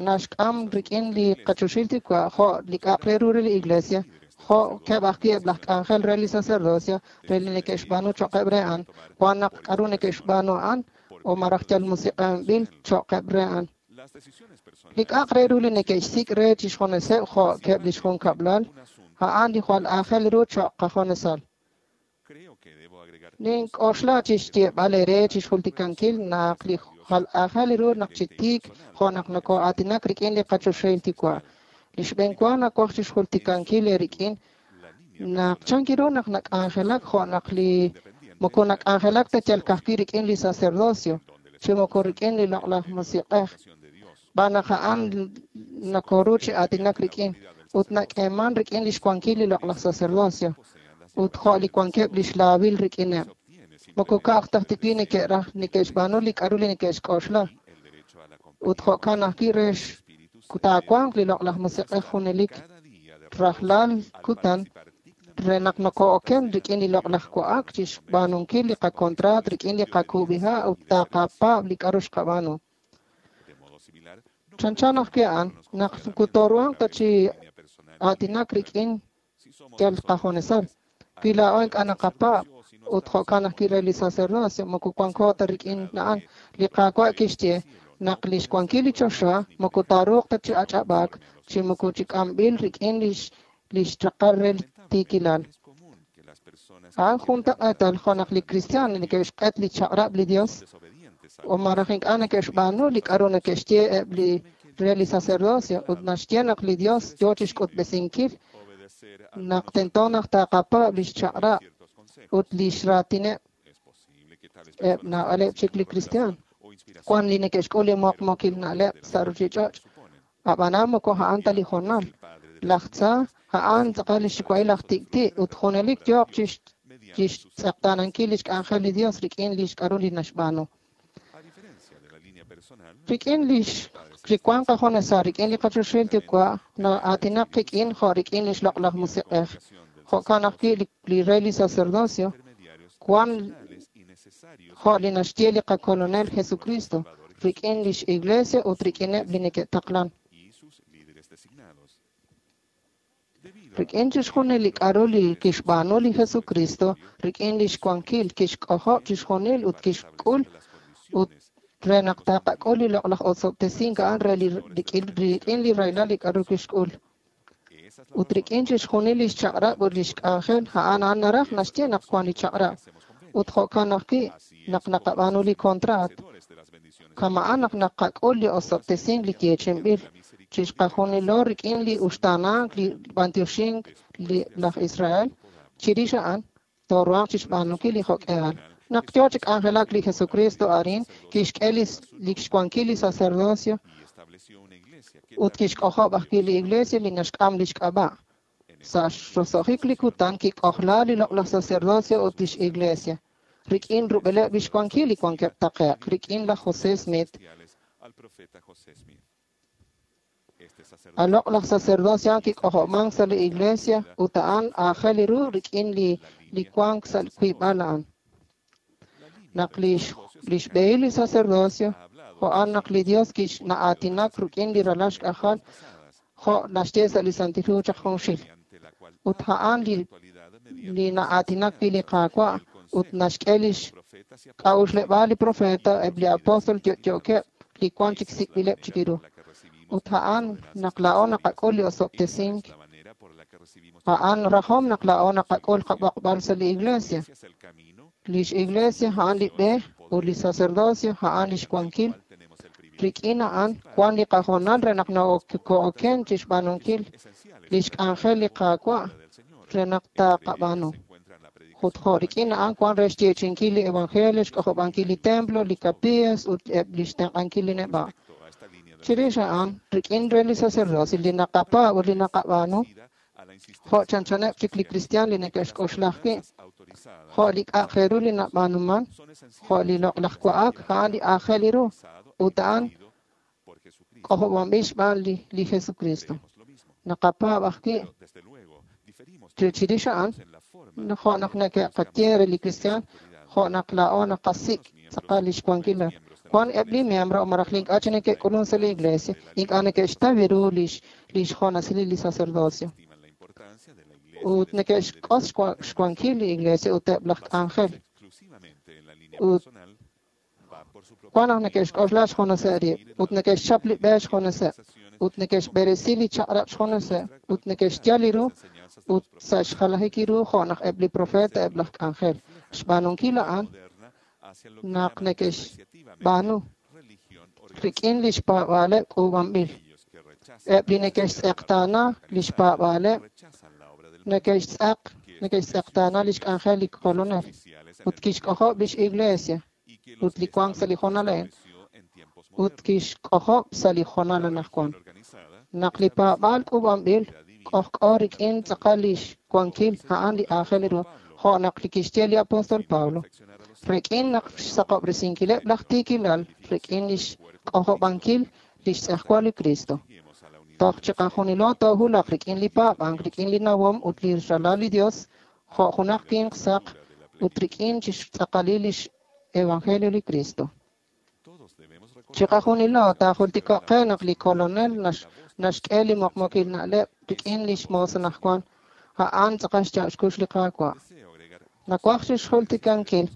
naxk'am rik'in li qachoxahil yuwa' jo' li k'a'aq re ru re li iglesia jo' keb' ajwi' eb' laj k'anjel re li sacerdocio re li neke'xb'aanu choq'eb' re a'an wan naq k'a'ru neke'xb'aanu a'an o maraj yal musiq'anb'il choq'eb' re a'an. Li k'a'aq re ru li neke'xsik' re chixjuneseb' jo' keb' lix junkab'lal a'an li jwal aajel ru choq' qajunesal. Nink'oxla chixyeeb'al eere chixjultikankil naq li jwal aajel ru naq chi tiik jo' naq nokoo'aatinak rik'in li qachoxahil yuwa'. Li xb'een wa nawaj chixjultikankil eerik'in naq chanki ru naq nak'anjelak jo' naq li moko nak'anjelak ta yal ka'ajwi' rik'in li sacerdocio chi moko rik'in li loq'laj musiq'ej. B'an naq a'an nakoru chi aatinak rik'in ut nak'eeman rik'in lix wankil li loq'laj sacerdocio ut jo' li wankeb' lix laawil rik'ineb'. Moko ka'aj ta ajwi' neke'raj neke'xb'aanu li k'a'ru li neke'xk'oxla. Ut jo'kan ajwi' re taawanq li loq'laj musiq'ej junelik rajlal kutan re naq nokoo'oken rik'in li loq'laj wa'ak chixb'aanunkil li qakontraat rik'in li qakuub'iha' ut taqapaab' li k'a'ru xqab'aanu. Chanchan ajwi' a'an naq kutoruhanq ta chi aatinak rik'in yal qajunesal. Wi laa'o ink'a' naqapaab' ut jo'kan ajwi' re li sacerdocio moko wanko ta rik'in a'an. Li Qaawa' kixye Naq lix wankil li choxa moko taaruuq ta chi ach'ab'aak chi moko chi k'amb'il rik'in lix lix raqal re li tiikilal. A'an juntaq'eetal jo' naq li kristiaan neke'xq'et li chaq'rab' li Dios o malaj ink'a' neke'xb'aanu li k'a'ru neke'xye eb' li re li sacerdocio ut naxye naq li Dios yoo chixk'utb'esinkil naq tento naq taqapaab' lix chaq'rab' ut lix raatineb' eb' naab'aleb' chik li kristiaan. Wan li neke'xk'ul li muqmuukil na'leb' sa' ruchich'och', ab'anan moko a'an ta li hoonal. Laj tza a'an tz'aqal li xyuwa'il aj tik'ti' ut junelik yooq chixtz'eqtaanankil lix k'anjel li Dios rik'in lix k'a'ru li naxb'aanu. Rik'in lix li wank qajunesal rik'in li qachoxahil Yuwa' na'aatinaq qik'in jo' rik'in lix loq'laj musiq'ej. Jo'kan ajwi' li re li sacerdocio wan jo' li naxye li qakolonel Jesucristo rik'in lix iglesia ut rik'ineb' li neke'taqlan. Rik'in chixjunil li k'a'ru li kixb'aanu li Jesucristo rik'in lix wankil kixk'ojob' chixjunil ut kixk'ul ut re naq taqak'ul li loq'laj osob'tesink a'an re li rik'in li rahilal li k'a'ru kixk'ul. Ut rik'in chixjunil lix chaq'rab' ut lix k'anjel a'an a'an naraj naxye naq wan li chaq'rab'. Ut jo'kan ajwi' naq naqab'aanu li kontraat. Kama'an naq naqak'ul li osob'tesink li yeechinb'il chixqajunilo rik'in li uxtaanank li b'antioxink li laj Israel chirix a'an tooruhanq chixb'aanunkil li jo'k'ehal. Naq yoo chi k'anjelak li Jesucristo arin kixk'e li xwankil li sacerdocio ut kixk'ojob' ajwi' li iglesia li naxk'am lix k'ab'a'. Sa' xroso'jik li kutan kik'ojla li loq'laj sacerdocio ut lix iglesia rik'in rub'eleb' lix wankil li wankeb' taqe'q rik'in laj José Smith. A loq'laj sacerdocio a'an kik'ojob'mank sa' li iglesia ut a'an aajel ru rik'in li li wank sa' wiib'al a'an. Naq lix lix b'ehil li sacerdocio jo'an naq li Dios kixna'aatinak rik'in li ralal xk'ajal jo' naxye sa' li Santil Hu chaq junxil. Ut a'an li li na'aatinak wi' li Qaawa' ut naxk'e lix k'a'uxleb'aal li profeta eb' li apóstol yo'yookeb' li wan chik sik'b'ileb' chik ru. Ut a'an naq laa'o naqak'ul li osob'tesink a'an rajom naq laa'o naqak'ul qab'oqb'al sa' li iglesia. Lix iglesia a'an li b'e ut li sacerdocio a'an lix wankil. Rik'in a'an wan li qahoonal re naq noko'oken chixb'aanunkil lix k'anjel li Qaawa' re naq taqab'aanu. Ut jo' rik'in a'an wan re xyeechi'inkil li evangelio, xk'ojob'ankil li templo, li capillas ut eb' lix tenq'ankil li neb'a'. Chirix a'an rik'in re li sacerdocio li naqapaab' ut li naqab'aanu jo' chanchaneb' chik li kristiaan li neke'xk'oxla ajwi' jo' li k'a'aq re ru li nab'aanuman jo' li loq'laj wa'ak a'an li aajel ru ut a'an k'ojob'anb'il xb'aan li li Jesucristo. Naqapaab' ajwi' chirix a'an jo' naq neke'qaye re li kristiaan jo' naq laa'o naqasik' tz'aqal lix wankilal. Wan eb' li miembro o malaj li ink'a' chi neke'k'ulun sa' li iglesia ink'a' neke'xtaw ru lix lix jonasil li sacerdocio. Ut neke'xk'os xwankil li iglesia ut eb' laj k'anjel. Ut wan naq neke'xk'oxla xjuneseb' rib' ut neke'xchap li b'e xjuneseb' ut neke'xb'eresi li chaq'rab' xjuneseb' ut neke'xyal li ru ut sa' xjalajik ru jo' naq eb' li profeta eb' laj k'anjel. Xb'aanunkil a'an naq neke'xb'aanu rik'in lix paab'aaleb' k'uub'anb'il. Eb' li neke'xtz'eqtaana lix paab'aaleb' neke'xtz'aq neke'xtz'eqtaana lix k'anjel li kolonel ut kixk'ojob' lix iglesia ut li wank sa' li hoonal a'in ut kixk'ojob' sa' li hoonal anaqwan. Naq li paab'aal k'uub'anb'il k'ojk'o rik'in tz'aqal lix wankil a'an li aajel ru jo' naq li kixye li apóstol Pablo. Rik'in naq xsaqob'resinkileb' laj tiikilal rik'in lix k'ojob'ankil lix tz'ejwal li Cristo. Toj chiqajunilo toohulaq rik'in li paab'ank, rik'in li nawom ut li ralal li Dios jo' junaq winq saq ut rik'in chixtz'aqalil lix evangelio li Cristo. Chiqajunilo taajultiko'q qe naq li kolonel naxk'e li muqmuukil na'leb' rik'in lix moos anaqwan a'an tz'aqal xyaab' xkux li Qaawa'. Nawaj chixjultikankil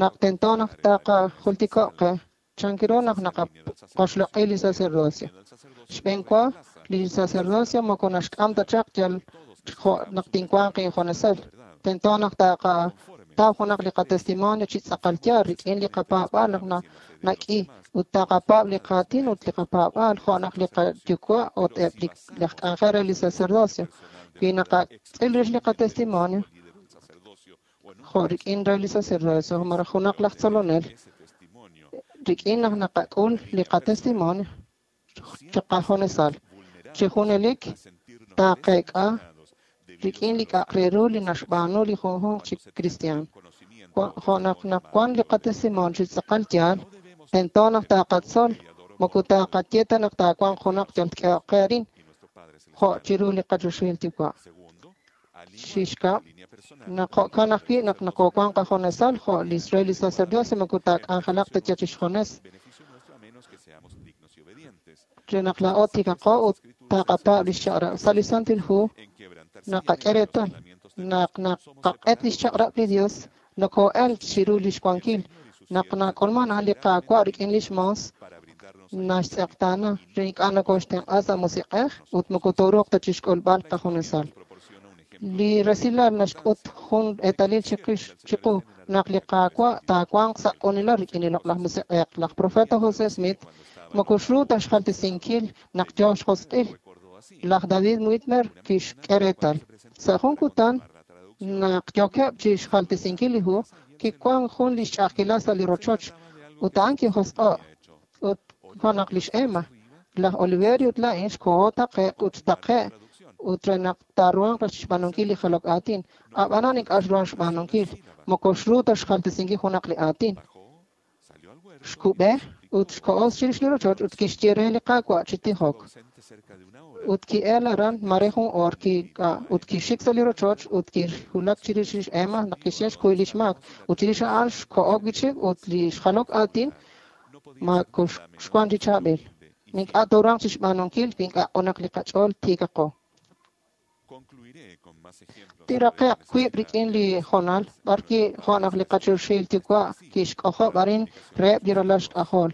naq tento naq taqajultiko'q qe Chan ru naq naqaqoxloq'i li sacerdocio. Xb'een wa, li sacerdocio moko naxk'am ta chaq yal jo' naq tinwanq injunesal. Tento naq taqataw junaq li qatestimonio chi tz'aqal yaal rik'in li qapaab'aal naq nak'i ut taqapaab' li qaatin ut li qapaab'aal jo' naq li qayuwa' ut eb' li laj k'anjel re li sacerdocio. Wi naqatz'il rix li qatestimonio jo' rik'in re li sacerdocio malaj junaq laj tzolonel, rik'in naq naqak'ul li qatestimonio chiqajunesal, chi junelik taqeek'a rik'in li k'a'aq re ru li naxb'aanu li junjunq chi cristian. Jo' naq naq wan li qatestimonio chi tz'aqal yaal, tento naq taqatzol, moko taqaye ta naq taawanq junaq yal tk'ehoq qe arin, jo' chiru li qachoxahil Yuwa'. Xixkab', naq jo'kan ajwi' naq nokowanq qajunesal jo' li re li sacerdocio moko taak'anjelaq ta yal chixjunes. Re naq laa'o tiikaqo ut taqapaab' lix chaq'rab'. Sa' li Santil Hu naqak'e reetal naq naqaq'et lix chaq'rab' li Dios noko'el chiru lix wankil. Naq nak'ulman a'an li Qaawa' rik'in lix moos naxtz'eqtaana re ink'a' nokoxtenq'a sa' musiq'ej ut moko tooruuq ta chixk'ulb'al qajunesal. Li resilal naxk'ut jun eetalil chiqix chiqu naq li Qaawa' taawanq sa' q'unilal rik'in li loq'laj musiq'ej. Laj profeta José Smith moko xru ta xjaltesinkil naq yoo xjosq'il. Laj David Whitmer kixk'e reetal. Sa' jun kutan naq yookeb' chi xjaltesinkil li hu, kiwan jun li xch'a'ajkilal sa' li rochoch ut a'an kijosq'o' ut jo' naq lix Emma, laj Oliverio ut laa'in xkoho taqe'q ut xtaqe' ut re naq taaruhanq xb'aanunkil li jalok aatin. Ab'anan ink'a' xruhan xb'aanunkil, moko xru ta xjaltesinkil junaq li aatin. Xkub'e ut xkoho chirix li rochoch ut kixye re li Qaawa' chi tijok. Ut ki'el aran mare jun oor ut kixik sa' li rochoch ut kixwulak chirix lix Emma naq kixye xkuy lix maak. Ut chirix a'an xkoho wi'chik ut li xjalok aatin mako xwan chi chaab'il. Ink'a' tooruhanq chixb'aanunkil wi ink'a' q'unaq li qach'ool tiikaqo. Tiraqe'q wiib' rik'in li hoonal b'arwi' jo' naq li qachoxahil Yuwa' kixk'ojob' arin reheb' li ralal xk'ajol.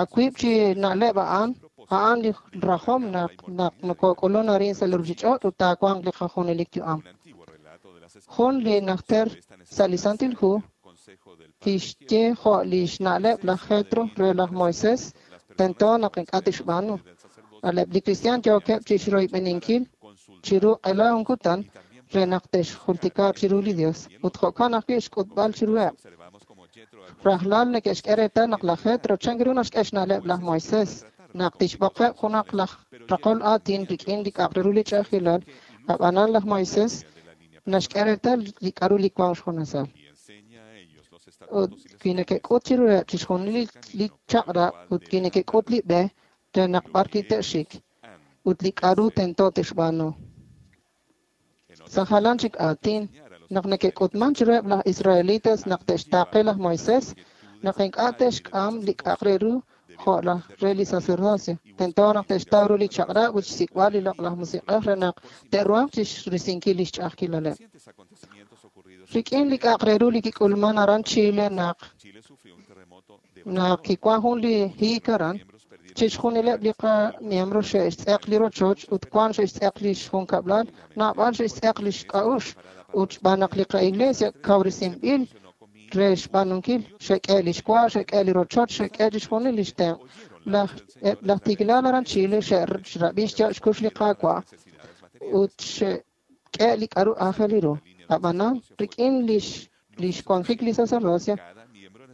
A wiib' chi na'leb' a'an, a'an li rajom naq naq nokok'ulun arin sa' li ruchich'och' ut taawanq li qajunelik yu'am. Jun li najter sa' li Santil Hu kixye jo' li xna'leb' laj Jetro re laj Moisés tento naq ink'a' tixb'aanu. Aleb' li cristian yookeb' chixroyb'eninkil chiru q'ela jun kutan re naq te'xjultika chiru li Dios ut jo'kan ajwi' xk'utb'al chiruheb'. Rajlal neke'xk'e reetal naq laj Jetro chan ru naxk'e xna'leb' laj Moisés naq tixb'oqeb' junaq laj raqol aatin rik'in li k'a'aq re ru li ch'a'ajkilal, ab'anan laj Moisés naxk'e reetal li k'a'ru li wank xjunesal. Ut wi neke'k'ut chiruheb' chixjunil li chaq'rab' ut wi neke'k'ut li b'e re naq b'ar wi te'xik ut li k'a'ru tento te'xb'aanu. Sa' jalan chik aatin, naq neke'k'utman chiruheb' laj Israelitas naq te'xtaaqe laj Moisés, naq ink'a' te'xk'am li k'a'aq re ru jo' laj re li sacerdocio. Tento naq te'xtaw ru li chaq'rab' ut xsik'b'al li loq'laj musiq'ej re naq te'ruhanq chixrisinkil lix ch'a'ajkilaleb'. Rik'in li k'a'aq re ru li kik'ulman aran Chile naq naq kiwan jun li hiik aran, chixjunileb' li qamiembro xe'xtz'eq li rochoch ut wan xe'xtz'eq lix junkab'lal, naab'al xe'xtz'eq lix k'a'uxl ut xb'aan naq li qa'iglesia kawresinb'il re xb'aanunkil, xe'k'e lix wa, xe'k'e li rochoch, xe'k'e chixjunil lix tenq'. Laj eb' laj tiikilal aran Chile xe'rab'i xyaab' xkux li Qaawa' ut xe'k'e li k'a'ru aajel ru. Ab'anan rik'in lix lix wanjik li sacerdocio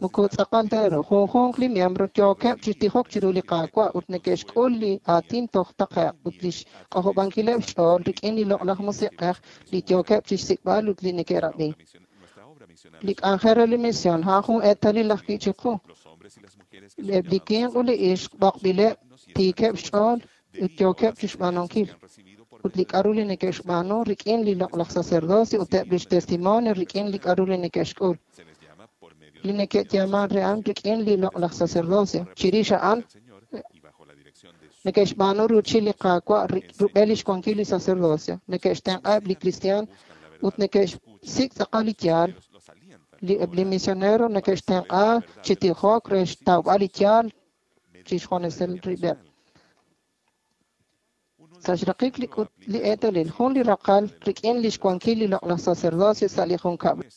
moko tz'aqal ta ru. Junjunq li miembro yookeb' chi tijok chiru li Qaawa' ut neke'xk'ul li aatin toj taqe'q ut lix k'ojob'ankileb' xch'ool rik'in li loq'laj musiq'ej li yookeb' chixsik'b'al ut li neke'rab'i. Li k'anjel re li misión a'an jun eetalil ajwi' chiqu. Eb' li winq ut li ixq b'oqb'ileb' tiikeb' xch'ool ut yookeb' chixb'aanunkil. Ut li k'a'ru li neke'xb'aanu rik'in li loq'laj sacerdocio ut eb' lix testimonio rik'in li k'a'ru li neke'xk'ul. Li neke'yaman re a'an rik'in li loq'laj sacerdocio. Chirix a'an neke'xb'aanu ruuchil li Qaawa' rub'el lix wankil li sacerdocio. Neke'xtenq'aheb' li cristian ut neke'xsik' tz'aqal li yaal Li eb' li misionero neke'xtenq'a chi tijok re xtawb'al li yaal chixjunesal rib'eb'. Sa' xraqik li k'ut li eetalil, jun li raqal rik'in lix wankil li loq'laj sacerdocio sa' li junkab'lal.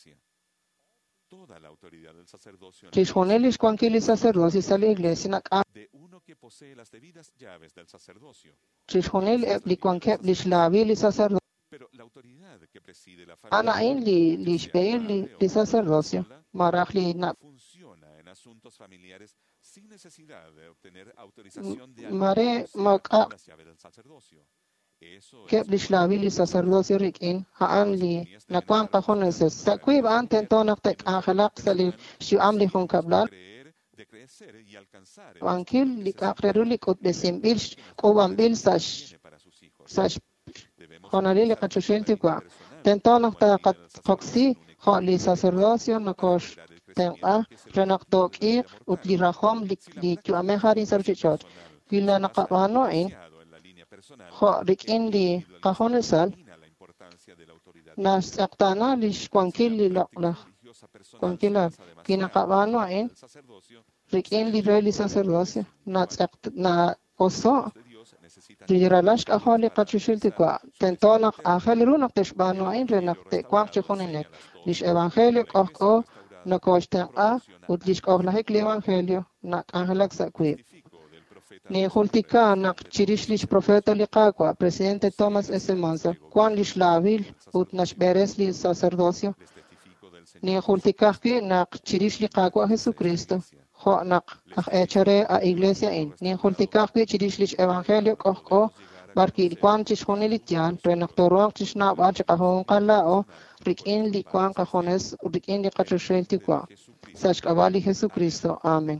Chixjunil lix wankil li sacerdocio sa' li iglesia nak'am chixjunil eb' li wankeb' lix laawil li sacerdocio. A'an a'in li lix b'ehil li, li sacerdocio, maraj li na mare maak'a' keb' lix laawil li sacerdocio rik'in a'an li nawan qajunes. Sa' wiib' a'an tento naq te'k'anjelaq sa' li xyu'am li junkab'lal. Wankil li k'a'aq re ru li k'utb'esinb'il k'uub'anb'il sa' sa' xjonalil li qachoxahil Yuwa'. Tento naq taqoksi jo' li sacerdocio nokoxtenq'a re naq took'iiq ut li rajom li li yu'amej arin sa' ruchich'och'. Wi naqab'aanu a'in jo' rik'in li qajunesal, naxtz'eqtaana lix wankil li loq'laj wankilal. Wi naqab'aanu a'in rik'in li re li sacerdocio, natz'eq na'oso' li ralal xk'ajol li qachoxahil Yuwa'. Tento naq aajel ru naq te'xb'aanu a'in re naq te'wanq chi junelik. Lix evangelio k'ojk'o nokoxtenq'a ut lix k'ojlajik li evangelio nak'anjelak sa' wiib'. Ninjultika naq chirix lix profeta li Qaawa', presidente Thomas S. Monson, wan lix laawil ut naxb'eres li sacerdocio. Ninjultika ajwi' naq chirix li Qaawa' Jesucristo, jo' naq aj eechal re a iglesia a'in. Ninjultika ajwi' chirix lix evangelio k'ojk'o b'ar wi' wan chixjunil li yaal re naq tooruhanq chixnawb'al chiqajunqal laa'o rik'in li wan qajunes ut rik'in li qachoxahil Yuwa'. Sa' xk'ab'a' li Jesucristo. Amen.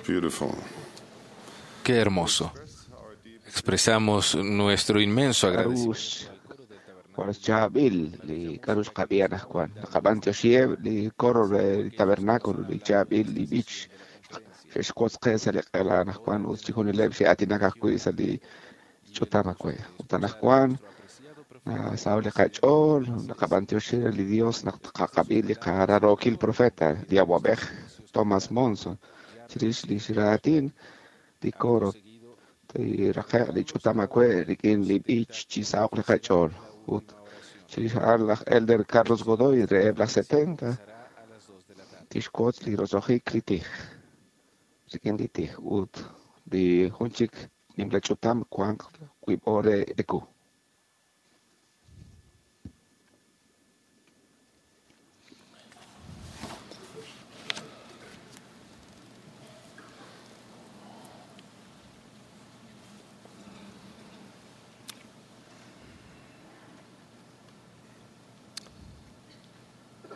Beautiful. Qué hermoso. Expresamos nuestro inmenso agradecimiento. Jwal chaab'il li k'aru xqab'i anaqwan naqab'antioxiheb' li coro re li tabernáculo li chaab'il li b'ich xe'xwotz qe sa' li q'ela anaqwan ut chijunileb' xe'aatinak ajwi' sa' li ch'utam ajwi' ut anaqwan saw li qach'ool naqab'antioxi re li Dios naq tqaqab'i li qararookil profeta li awab'ej Thomas Monson chirix li xraatin li coro tiraqe'q li ch'utam ajwi' rik'in li b'ich chi sahoq li qach'ool ut chirix a'an laj Elder Carlos Godoy reheb' laj setenta tixwotz li roso'jik li tij rik'in li tij ut li jun chik nimla ch'utam wanq wiib' oor re eku.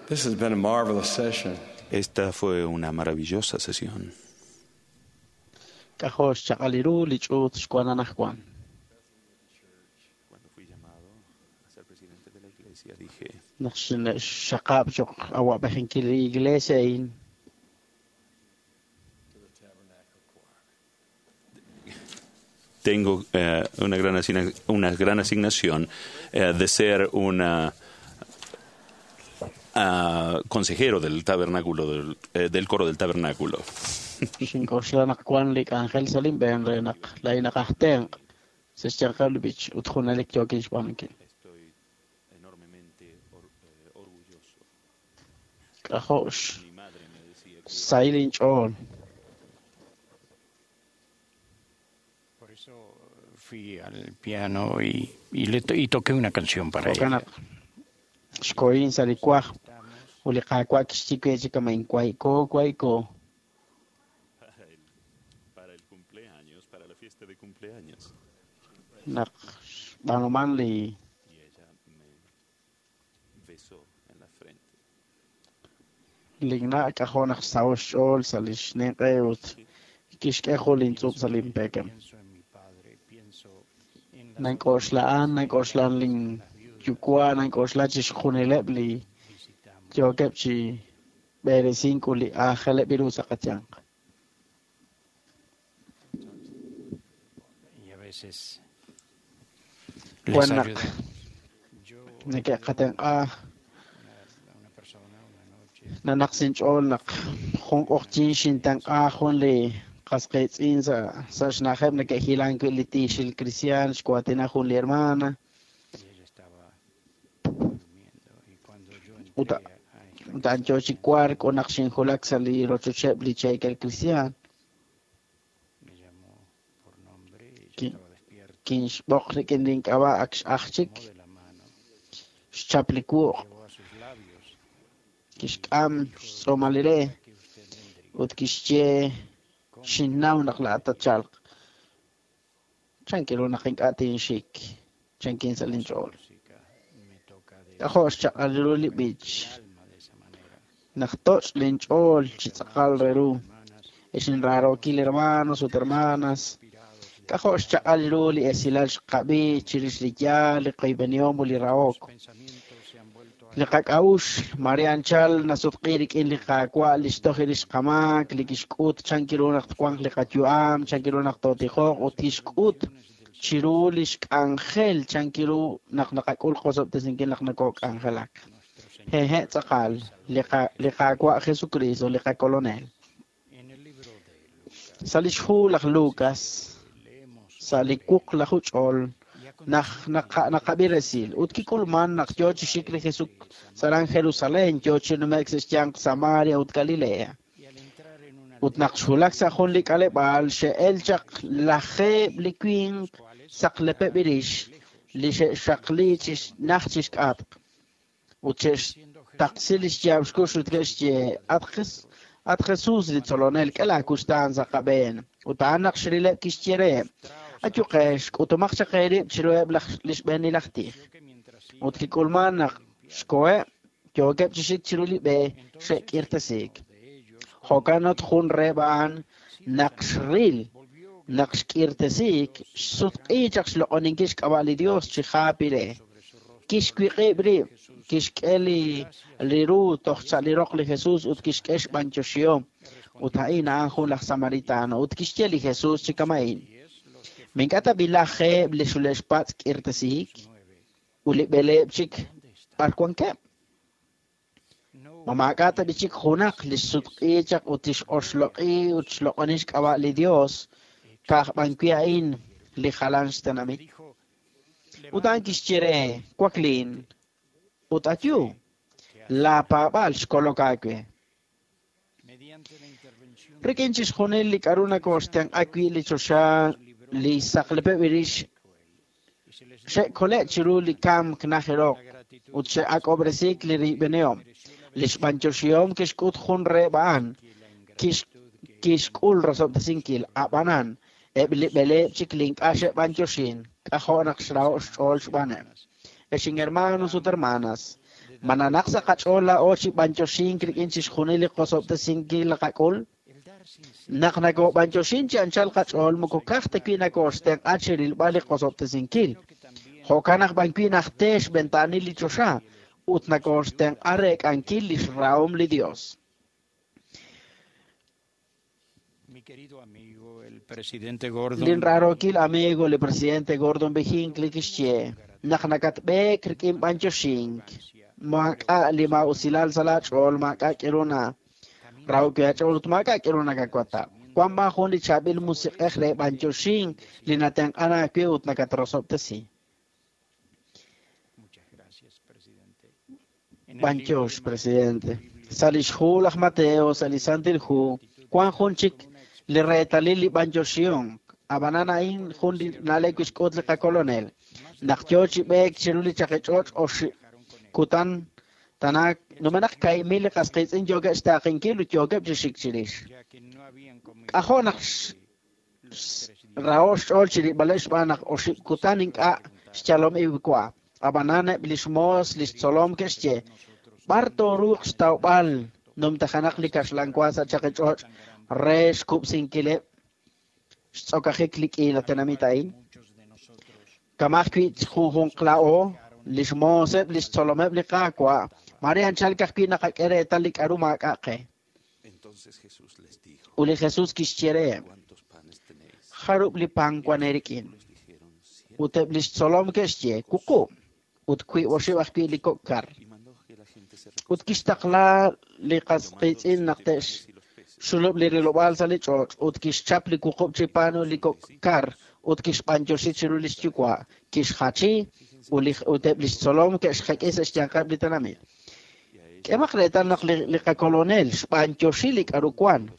This has been a marvelous session. Esta fue una maravillosa sesión. K'ajo' xchaq'al ru li ch'uut xwan anaqwan. Cuando fui llamado a ser presidente de la iglesia, dije, Naq xaqab' choq awab'ejinkil li iglesia a'in tengo eh, una, gran asigna- una gran asignación eh, de ser una ah, consejero del tabernáculo, del, eh, del coro del tabernáculo. xink'oxla naq wan li k'anjel sa' linb'een re naq laa'in aj tenq' sa' xyanqeb' li b'ich ut junelik yookin xb'aanunkil. Enormemente or- eh, orgulloso. K'ajo' xsahil inch'ool. Por eso fui al piano y, y, le to- y toqué una canción para Jo'kan ella. naq xkohin sa' li kwaj ut li Qaawa' kixye we chi kama' inwayko wayko Para el, para el cumpleaños, para la fiesta de cumpleaños. naq xb'aanuman li Y ella me besó en la frente. linna' k'ajo' naq xsaho' xch'ool sa' li xninq'e ut kixk'e jun lintz'ub' sa' linpekem. Nank'oxla'an, nank'oxla'an linyuwa', nank'oxla chixjunileb' li yookeb' chi b'eresink ut li aajeleb' ru sa' qayanq. Y a veces les Wan naq ayudamos. neke'qatenq'a nanaq sinch'ool naq jun q'oqyin xintenq'a jun li qas qiitz'in sa' sa' xna'ajeb' neke'hilank wi' li tiixil cristian xwaatina jun li hermana ut ut a'an yoo chi wark ut naq xinjulak sa' li rochocheb' li cheekel cristian Ki- kinxb'oq rik'in link'ab'a' ak x'aj chik xchap li wuq' kixk'am xtz'uumal li re ut kixye xinnaw naq laa'at tatchalq chankiru naq ink'a' tinxik chankin sa' linch'ool k'ajo' xchaq'al ru li b'ich naq toch' linch'ool chi tz'aqal re ru ex inraarookil hermanos ut hermanas k'ajo' xchaq'al ru li esilal xqab'i chirix li yaal li qoyb'enihom ut li rahok li qak'a'uxl mare anchal nasutq'i rik'in li Qaawa' li xtoj rix qamaak li kixk'ut chankiru naq twanq li qayu'am chankiru naq tootijoq ut kixk'ut chiru li xk'anjel chankiru naq naqak'ul qosob'tesinkil naq nokok'anjelak hehe' tz'aqal li qa- li Qaawa' Jesucristo li qakolonel sa' li xhu laj Lucas sa' li wuqlaju ch'ool naq naqa- naqab'i resil ut kik'ulman naq yoo chi xik li Jesus sa' Jerusalén yoo chi nume'k sa' xyanq Samaria ut Galilea ut naq xwulak sa' jun li k'aleb'aal xe'el chaq lajeeb' li winq saqlepeb' rix li xe'xaqli chi najt chi xk'atq ut xe'xtaqsi li xyaab' xkux ut ke'xye at Jes- at Jesus li tzolonel k'e laakuxtaan sa' qab'een ut a'an naq xrileb' kixye reheb' ayuqex k'utumaq chaq eerib' chiruheb' laj li xb'eenil aj tij ut kik'ulman naq xkoheb' yookeb' chi xik chiru li b'e xe'k'irtesiik jo'kan ut jun reheb' a'an Naq xril, naq xk'irtesiik, xsutq'i chaq xloq'oninkil xk'ab'a' li Dios chi jaapire. Kixwiq'ib' rib', kixk'e li li ru toj sa' li roq li Jesus ut kixk'e xb'antioxihom. Ut a'in a'an jun laj Samaritano ut kixye li Jesus chi kama'in. Mink'a ta bilajeb' li xule'xpatz' k'irtesiik ut li b'eleeb' chik b'ar wankeb'. Ma maak'a' ta chik junaq li xsutq'i chaq ut tix'oxloq'i ut xloq'oni xk'ab'a' li Dios ka'aj b'an wi' a'in li jalan xtenamit. Ut a'an kixye re, waklin ut ayu, laapaab'aal xkolok aawe. Rik'in chixjunil li k'aru nakooxtenq'a wi' li choxa li saqlepeb' rix xe'kole' chiru li kamk najeroq ut xe'ak'ob'resiik li riib'enehom. Li xb'antioxihom kixk'ut jun reheb' a'an kixk'ul rosob'tesinkil ab'anan eb' li b'eleeb' chik li ink'a' xe'b'antioxin k'ajo' naq xraho' xch'ool xb'aaneb'. Ex hermanos ut hermanas, mananaq sa' qach'ool laa'o chi b'antioxink rik'in chixjunil li qosob'tesinkil li qak'ul? Naq nakob'antioxin chi anchal qach'ool moko ka'aj ta wi' nakooxtenq'a chi rilb'al li qosob'tesinkil. Jo'kan naq b'an wi' najte xb'entaanil li choxa ut nakooxtenq'a reek'ankil li xrahom li Dios. Mi querido amigo, el presidente Gordon. Lin raarokil amigo, li presidente Gordon B. Hinckley kixye, naq nakatb'eek rik'in b'antioxink, maak'a' li maa'usilal sa' laach'ool, maak'a' k'iru na rahok aach'ool ut maak'a' k'iru nakakwata. Wan b'an jun li chaab'il musiq'ej re b'antioxink li natenq'an aawe ut nakatrosob'tesi. Muchas gracias, presidente. En el libro B'antiox, de presidente. Sa' li xhu laj Mateo, sa' li Santil Hu, wan jun chik li reetalil li b'antioxihom. Ab'anan a'in jun li na'leb' kixk'ut li qakolonel. Naq yoo chi b'eek chiru li chaqich'och' oxib' kutan tanaak numenaq kaahib' mil li qasqiitz'in yookeb' xtaaqinkil ut yookeb' chi xik chirix. ya que no habían comido K'ajo' naq raho' xch'ool chi rilb'aleb' xb'aan naq oxib' kutan ink'a' xyalom iw wa. Ab'anan eb' li xmoos li xtzolom ke'xye, b'ar tooruuq xtawb'al numtajenaq li kaxlan wa sa' chaqich'och' re xkub'sinkileb' xtz'okajik li k'iila tenamit a'in. muchos de nosotros Kamaj wi' junjunq laa'o li xmooseb' li xtzolomeb' li Qaawa', mare anchal ka'ajwi' naqak'e reetal li k'aru maak'a' qe. Entonces Jesús les dijo, Ut li Jesus kixye reheb', ¿cuántos panes tenéis? jarub' li pan wan eerik'in. Les dijeron, siete. Ut eb' li xtzolom ke'xye, wuqub', ut wiib' oxib' ajwi' li kok' kar. Y mandó que la gente se Ut kixtaqla li qasqiitz'in naq te'xxulub' li rilob'aal sa' li ch'och' ut kixchap li wuqub' chi pan ut li kok' kar ut kixb'antioxi chiru li xyuwa', kixjachi ut li ut eb' li xtzolom ke'xjek'i sa' xyanqeb' li tenamit. K'emaq reetal naq li, li qakolonel xb'antioxi li k'aru wan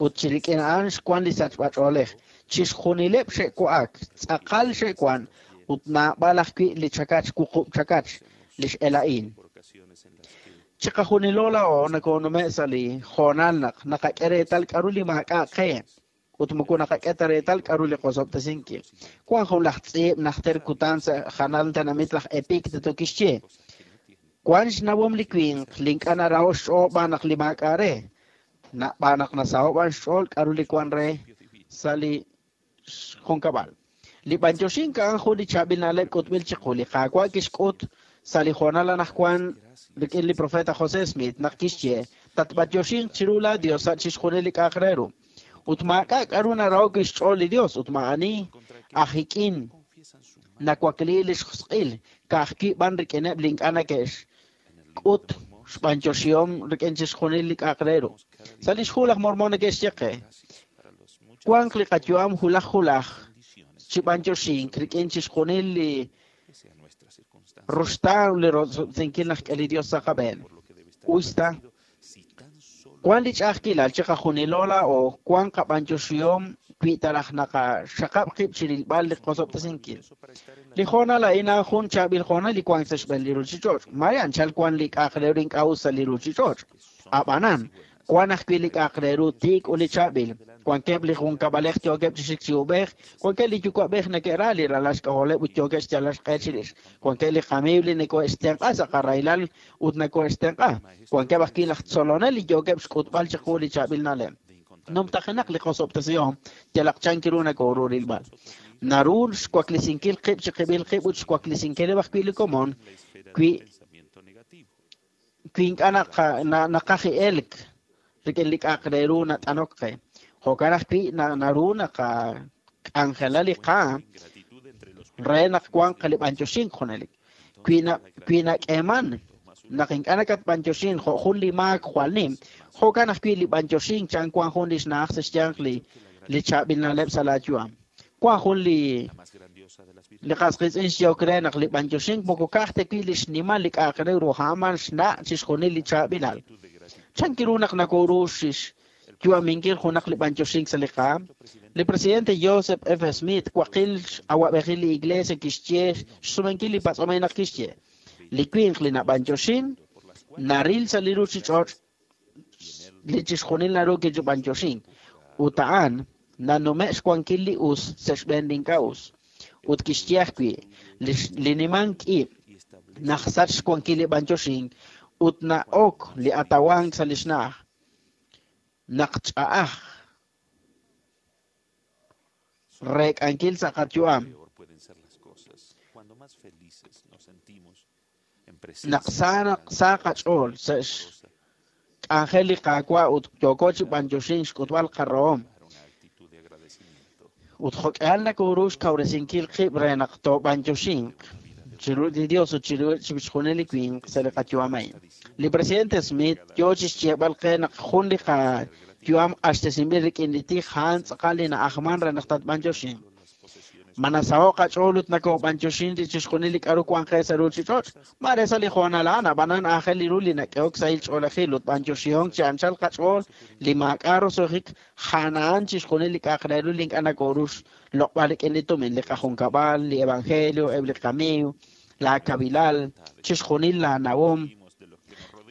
ut chi rik'in a'an xwan li sachb'ach'oolej. Chixjunileb' xe'wa'ak, tz'aqal xe'wan ut naab'al ajwi' li chakach wuqub' chakach li x'ela'in. por ocasiones en las que Chiqajunilo laa'o nakonume' sa' li hoonal naq naqak'e reetal k'aru li maak'a' qe ut moko naqak'e ta reetal k'aru li qosob'tesinkil. Wan jun laj tz'iib' najter kutan sa' janal tenamit laj Epicteto kixye, wan xnawom li winq li ink'a' naraho' xch'ool b'aan naq li maak'a' re, na- b'aan naq nasaho' b'an xch'ool k'aru li wan re sa' li xjunkab'al. Li b'antioxink a'an jun li chaab'il na'leb' k'utb'il chiqu. Li Qaawa' kixk'ut sa' li hoonal anaqwan rik'in li profeta José Smith naq kixye, tatb'antioxinq chiru laa Dios sa' chixjunil li k'a'aq re ru. Ut maak'a' k'aru naraho' wi' xch'ool li Dios ut ma'ani ajik'in nawakli li xjosq'il ka'ajwi' b'an rik'ineb' li ink'a' nake'xk'ut xb'antioxihom rik'in chixjunil li k'a'aq re ru. Sa' li xhu laj Mormon neke'xye qe, wanq li qayu'am hulaj hulaj chi b'antioxink rik'in chixjunil li pese a nuestras circunstancias, ruxtaan li rosob'tesinkil naq k'e li Dios sa' qab'een. por lo que debe estar Usta, agradecido si tan solo wan li ch'a'ajkilal chiqajunilo laa'o wan qab'antioxihom wi' ta raj naqaxaqab' qib' chi rilb'al li qosob'tesinkil. para estar en la Li hoonal a'in a'an jun chaab'il hoonal li wank sa' xb'een li ruchich'och'. Mare anchal wan li k'a'aq re ru ink'a' us sa' li ruchich'och'. Ab'anan, wan ajwi' li k'a'aq re ru tiik ut li chaab'il. Wankeb' li junkab'alej yookeb' chi xik chi ub'ej, wankeb' li yuwa'b'ej neke'ra li ralal xk'ajoleb' ut yookeb' xyalal xq'e chirix. Wankeb' li qamiiw li neko'xtenq'a sa' qarahilal ut neko'xtenq'a. Wankeb' ajwi' laj tzolonel li yookeb' xk'utb'al chiqu li chaab'il na'leb'. de Numtajenaq li qosob'tesihom yalaq chan kiru nakooru rilb'al. Naru xwaklisinkil qib' chi qib'il qib' ut xwaklisinkileb' ajwi' li komon wi wi ink'a' naqaj elk rik'in li k'a'aq re ru nat'anok qe. Jo'kan ajwi' naru naqak'anjela li qaam re naq wanq li b'antioxink junelik. Wi wi nak'eeman naq ink'a' nakatb'antioxin jo' jun li maak jwal nim, jo'kan ajwi' li b'antioxink chan wan jun li xna'aj sa' xyanq li li chaab'il na'leb' sa' laayu'am. Wan jun li li qas qiitz'in xyehok re naq li b'antioxink moko ka'aj ta wi' li xnimal li k'a'aq re ru a'an xna' chixjunil li chaab'ilal. Chan kiru naq nakoru xyu'aminkil junaq li b'antioxink sa' li qaam? Li presidente Joseph F. Smith waqil awab'ejil li iglesia kixye xsumenkil li patz'omej naq kixye. Li winq li nab'antioxin naril sa' li ruchich'och' li chixjunil naru kichub'antioxink ut a'an nanume' xwankil li us sa' xb'een li ink'a' us. Ut kixye ajwi' li nimank ib' naq sach xwankil li b'antioxink ut na'ok li atawank sa' li xna'aj. Naq ch'a'aj reek'ankil sa' qayu'am. Naq sa qach'ool sa' xk'anjel li Qaawa' ut yooko chi b'antioxink xk'utb'al qarahom. Ut jo'k'ihal nakoru xkawresinkil qib' re naq toob'antioxinq chiru li Dios ut chiru chixjunil li winq sa' li qayu'am a'in. Li presidente Smith yoo chi xyeeb'al qe naq jun li qayu'am q'axtesinb'il rik'in li tij a'an tz'aqal li na'ajman re naq tatb'antioxinq. Ma nasaho' qach'ool ut nakob'antioxin li chixjunil li k'aru wan qe sa' ruchich'och'? Mare sa' li hoonal a'an ab'anan aajel li ru li nak'ehok sahil ch'oolejil ut b'antioxihom chi anchal qach'ool li maak'a' roso'jik a'an chixjunil li k'a'aq re ru li ink'a' nakoru xloq'b'al rik'in li tumin, li qajunkab'al, li evangelio, eb' li qamiiw, la kabilal, chixjunil la nawom,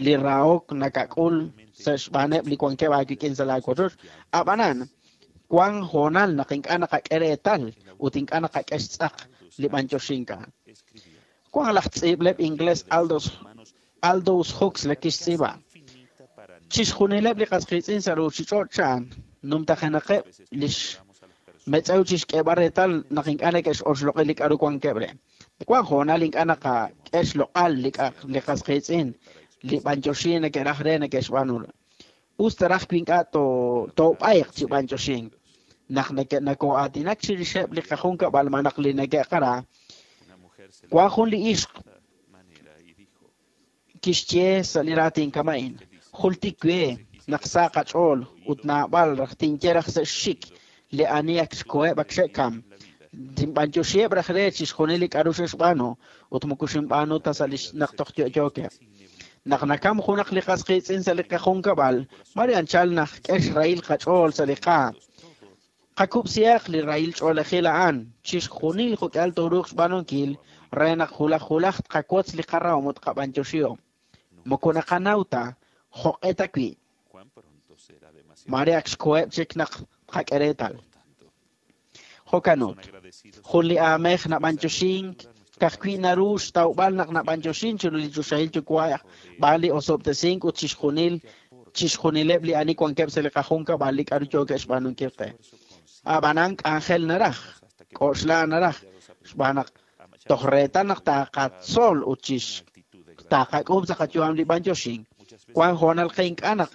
li rahok nakak'ul sa' xb'aaneb' li wankeb' aawik'in sa' laawochoch. Ab'anan wan hoonal naq ink'a' naqak'e reetal ut ink'a' naqak'e xtz'aq li b'antioxink a'an. Wan laj tz'iib'leb' ingles Aldous Aldous Huxley kixtz'iib'a. Chixjunileb' li qas qiitz'in sa' ruchich'och' chan numtajenaqeb' li xmetz'ew chixk'eeb'al reetal naq ink'a' neke'xoxloq'i li k'aru wankeb' re. Wan hoonal ink'a' naqak'e xloq'al li li qas qiitz'in li b'antioxin neke'raj re neke'xb'aanu. Us taraj wi ink'a' toob'ayq chi b'antioxink. Naq nakoo'aatinak chirixeb' li qajunkab'al malaj li neke'qara, wan jun li ixq kixye sa' li raatin kama'in. Jultik we naq sa qach'ool ut naab'al raj tinye raj sa' xxik li ani ak xkoheb' ak xe'kam. Tinb'antioxiheb' raj re chixjunil li k'aru xe'xb'aanu ut moko xinb'aanu ta sa' li naq toj yo'yookeb'. Naq nakam junaq li qas qiitz'in sa' li qajunkab'al, mare anchal naq k'e xrahil qach'ool sa' li qaam. Qakub'sihaq li rahil ch'oolejil a'an chixjunil jo'k'ihal tooruuq xb'aanunkil re naq julaj julaj tqawotz li qarahom ut qab'antioxihom. Moko naqanaw ta jo'q'e ta wi'. Mare ak xkoheb' chik naq tqak'e reetal. Jo'kan ut, jun li aamej nab'antioxink ka'ajwi' naru xtawb'al naq nab'antioxin chiru li choxahil yuwa' b'aan li osob'tesink ut chixjunil chixjunileb' li ani wankeb' sa' li qajunkab'al li k'aru yookeb' xb'aanunkil qe. Ab'anan k'anjel naraj, k'oxla naraj, xb'aan naq toj reetal naq taqatzol ut chix taqak'uub' sa' qayu'am li b'antioxink. Wan hoonal qe ink'a' naq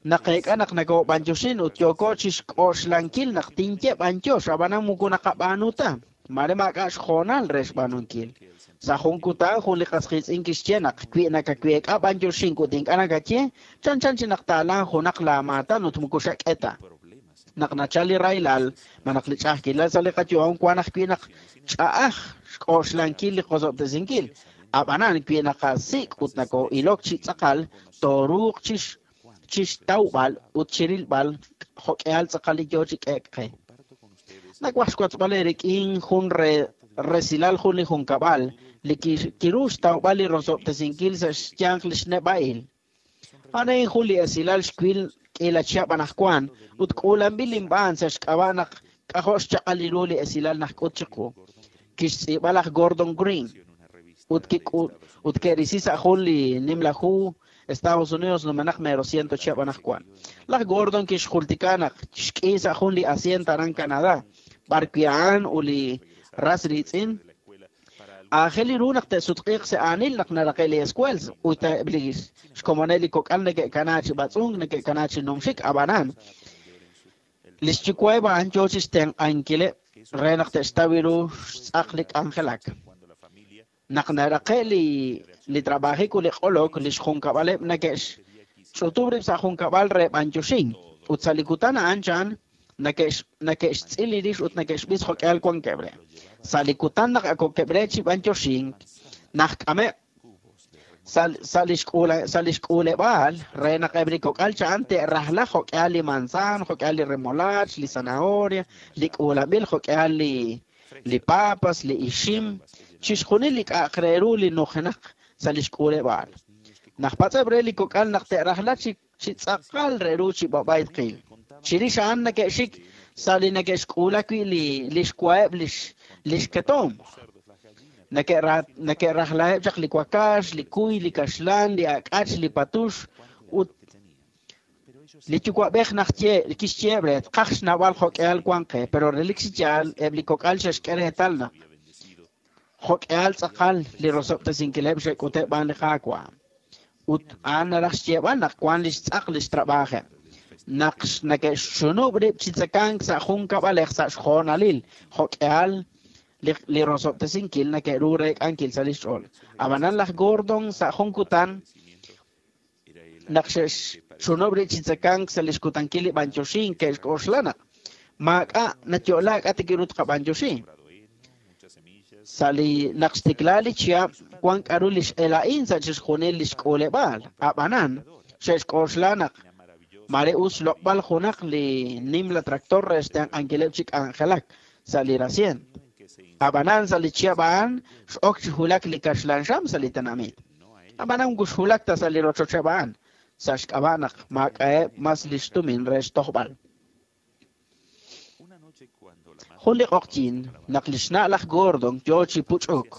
naqeek'a naq nakob'antioxin ut yooko chixk'oxlankil naq tinye b'antiox, ab'anan moko naqab'aanu ta. Mare maak'a' xhoonal re xb'aanunkil. Sa' jun kutan jun li qas qiitz'in kixye naq wi nakaweek'a b'antioxink ut ink'a' nakaye, chan chan chi naq taalan junaq laamaatan ut moko xak'e ta. Naq nachal li rahilal, malaj li ch'a'ajkilal sa' li qayu'am wan ajwi' naq ch'a'aj xk'oxlankil li qosob'tesinkil. Ab'anan wi naqasik' ut nakoo'ilok chi tz'aqal, tooruuq chix chixtawb'al ut chirilb'al jo'k'ihal tz'aqal li yoo chi k'eek qe. Nawaj xwotzb'al eerik'in jun re resilal jun li junkab'al li kiru xtawb'al li rosob'tesinkil sa' xyanq li xneb'a'il. A'an jun li esilal xwil k'iila chihab' anaqwan ut k'uulanb'il inb'aan sa' xk'ab'a' naq k'ajo' xchaq'al ru li esilal najk'ut chiqu. Kixtz'iib'a laj Gordon Green ut ut ke'risi sa' jun li nimla hu Estados Unidos numenaq mero ciento chihab' anaqwan. Laj Gordon kixjultika naq xk'i sa' jun li hacienda aran Canadá, b'ar wi' a'an ut li ras riitz'in aajel ru naq te'sutq'iiq sa' aanil naq naraqe' li escuela ut eb' li xkomoneb' li kok'al neke'kana chi b'atz'unk, neke'kana chi numxik ab'anan. Li xyuwa'eb' a'an yoo chi xtenq'ankileb' re naq te'xtaw ru xtz'aq li k'anjelak. Naq naraqe' li li trabajik ut li q'olok, li xjunkab'aleb' neke'xch'utub' rib' sa' junkab'al re b'anyoxink ut sa' li kutan a'an chan neke'xtz'il li rix ut neke'xb'is jo'k'ihal wankeb' re. Sa' li kutan naq akokeb' re chi b'anyoxink, najk'ameb' sa' li xk'uuleb'aal re naq eb' li kok'al cha'an te'rajla jo'k'ihal li manzan, jo'k'ihal li remolach, li zanahoria, li k'uulab'il jo'k'ihal li li papas, li ixim, chixjunil li k'a'aq re ru li nujenaq sa' li xk'uuleb'aal. Najpatz'eb' re li kok'al naq te'rajla chi chi tz'aqal re ru chi b'ab'ay tqil. Chirix a'an neke'xik sa' li neke'xk'uula wi' li li xwa'eb' li li xketom. Neke'rajlaheb' chaq li wakax, li kuy, li kaxlan, li ak'ach, li patux ut li yuwa'b'ej najye kixyeeb' re tqaj xnawb'al jo'k'ihal wan qe, pero relik chi yaal eb' li kok'al xe'xk'e reetal naq jo'k'ihal tz'aqal li rosob'tesinkileb' xe'k'uteb' b'an li Qaawa'. Ut a'an naraj xyeeb'al naq wan li xtz'aq li xtrab'ajeb'. Naq neke'xxunub' rib' chi tzekank sa' jun kab'alej sa' xjoonalil jo'k'ihal li rosob'tesinkil neke'ru reek'ankil sa' li xch'ool. Ab'anan laj Gordon sa' jun kutan naq xe'xxunub' rib' chi tzekank sa' li xkutankil li b'anyoxink ke'xk'oxla naq maak'a' nayo'la k'a tik ru tqab'anyoxi. Sa' li naq xtikla li chihab' wan k'aru li x'ela'in sa' chixjunil li xk'uuleb'aal. Ab'anan xe'xk'oxla naq mare us xloq'b'al junaq li nimla tractor re xtenq'ankileb' chi k'anjelak sa' li rasient. Ab'anan sa' li chihab' a'an x'ok chi hulak li kaxlan xam sa' li tenamit. Ab'anan moko xhulak ta sa' li rochocheb' a'an sa' xk'ab'a' naq maak'a'eb' mas li xtumin re xtojb'al. Jun li q'oqyin naq li xna' laj Gordon yoo chi puch'uk,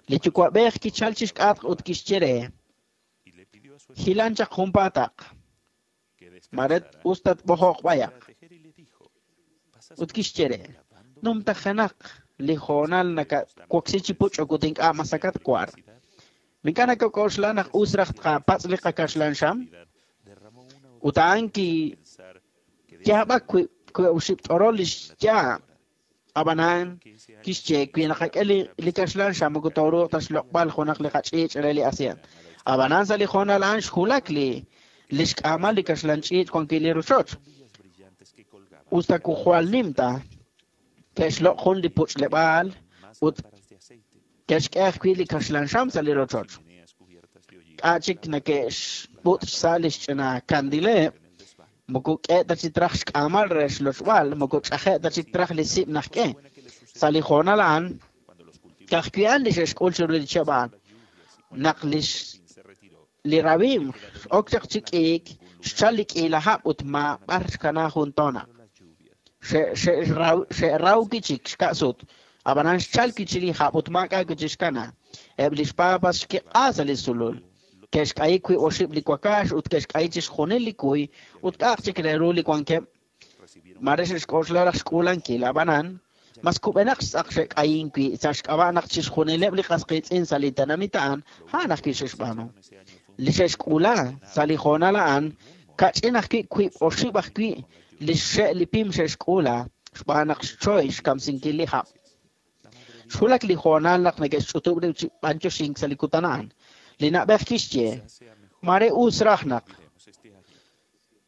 li yuwa'b'ej kichal chi xk'atq ut kixye re hilan chaq junpaataq, mare us tatb'ojoq b'ayaq. Ut kixye re numtajenaq li hoonal nakawoksi chi puch'uk ut ink'a' masakat war. Mink'a' nakak'oxla naq us raj tqapatz' li qakaxlan xam? Ut a'an kiyaab'ak wi' oxib' t'orol li xyaab'. Ab'anan kixye wi naqak'e li kaxlan xam moko tooruuq ta xloq'b'al junaq li qach'iich' re li asyent. Ab'anan sa' li hoonal a'an xhulak li li xk'aamal li kaxlan ch'iich' wan wi' li rochoch. Us ta kujwal nim ta ke'xloq' jun li puch'leb'aal ut ke'xk'e ajwi' li kaxlan xam sa' li rochoch. K'a' chik neke'xb'ut' xsa' li xch'ina kandileb', moko k'e ta chi traj xk'aamal re xlochb'al, moko ch'aje' ta chik traj li sib' najk'e. Sa' li hoonal a'an, ka'ajwi' a'an li xe'xk'ul chiru li chihab' a'an. Naq li li rab'im x'ok chaq chi k'iik, xchal li k'iila hab' ut maab'ar xkana jun toonaq. Xe'raw kichik xka'sut, ab'anan xchal kichi li hab' ut maak'a' kichi xkana. Eb' li xpapas xkiq'a sa' li sulul. Ke'xk'ayi wi' oxib' li wakax ut ke'xk'ayi chixjunil li kuy ut k'a'aq chik re ru li wankeb'. Mare xe'xk'oxla raj xk'uulankil, ab'anan mas kub'enaq xtz'aq xe'k'ayin wi' sa' xk'ab'a' naq chixjunileb' li qasqiitz'in sa' li tenamit a'an a'an ajwi' xe'xb'aanu. Li xe'xk'uula sa' li hoonal a'an kach'in ajwi' wiib' oxib' ajwi' li xxe' li pim xe'xk'uula xb'aan naq xchoy xkamsinkil li hab'. Xhulak li hoonal naq neke'xch'utub' rib' chi b'anyoxink sa' li kutan a'an. Li na'b'ej kixye mare us raj naq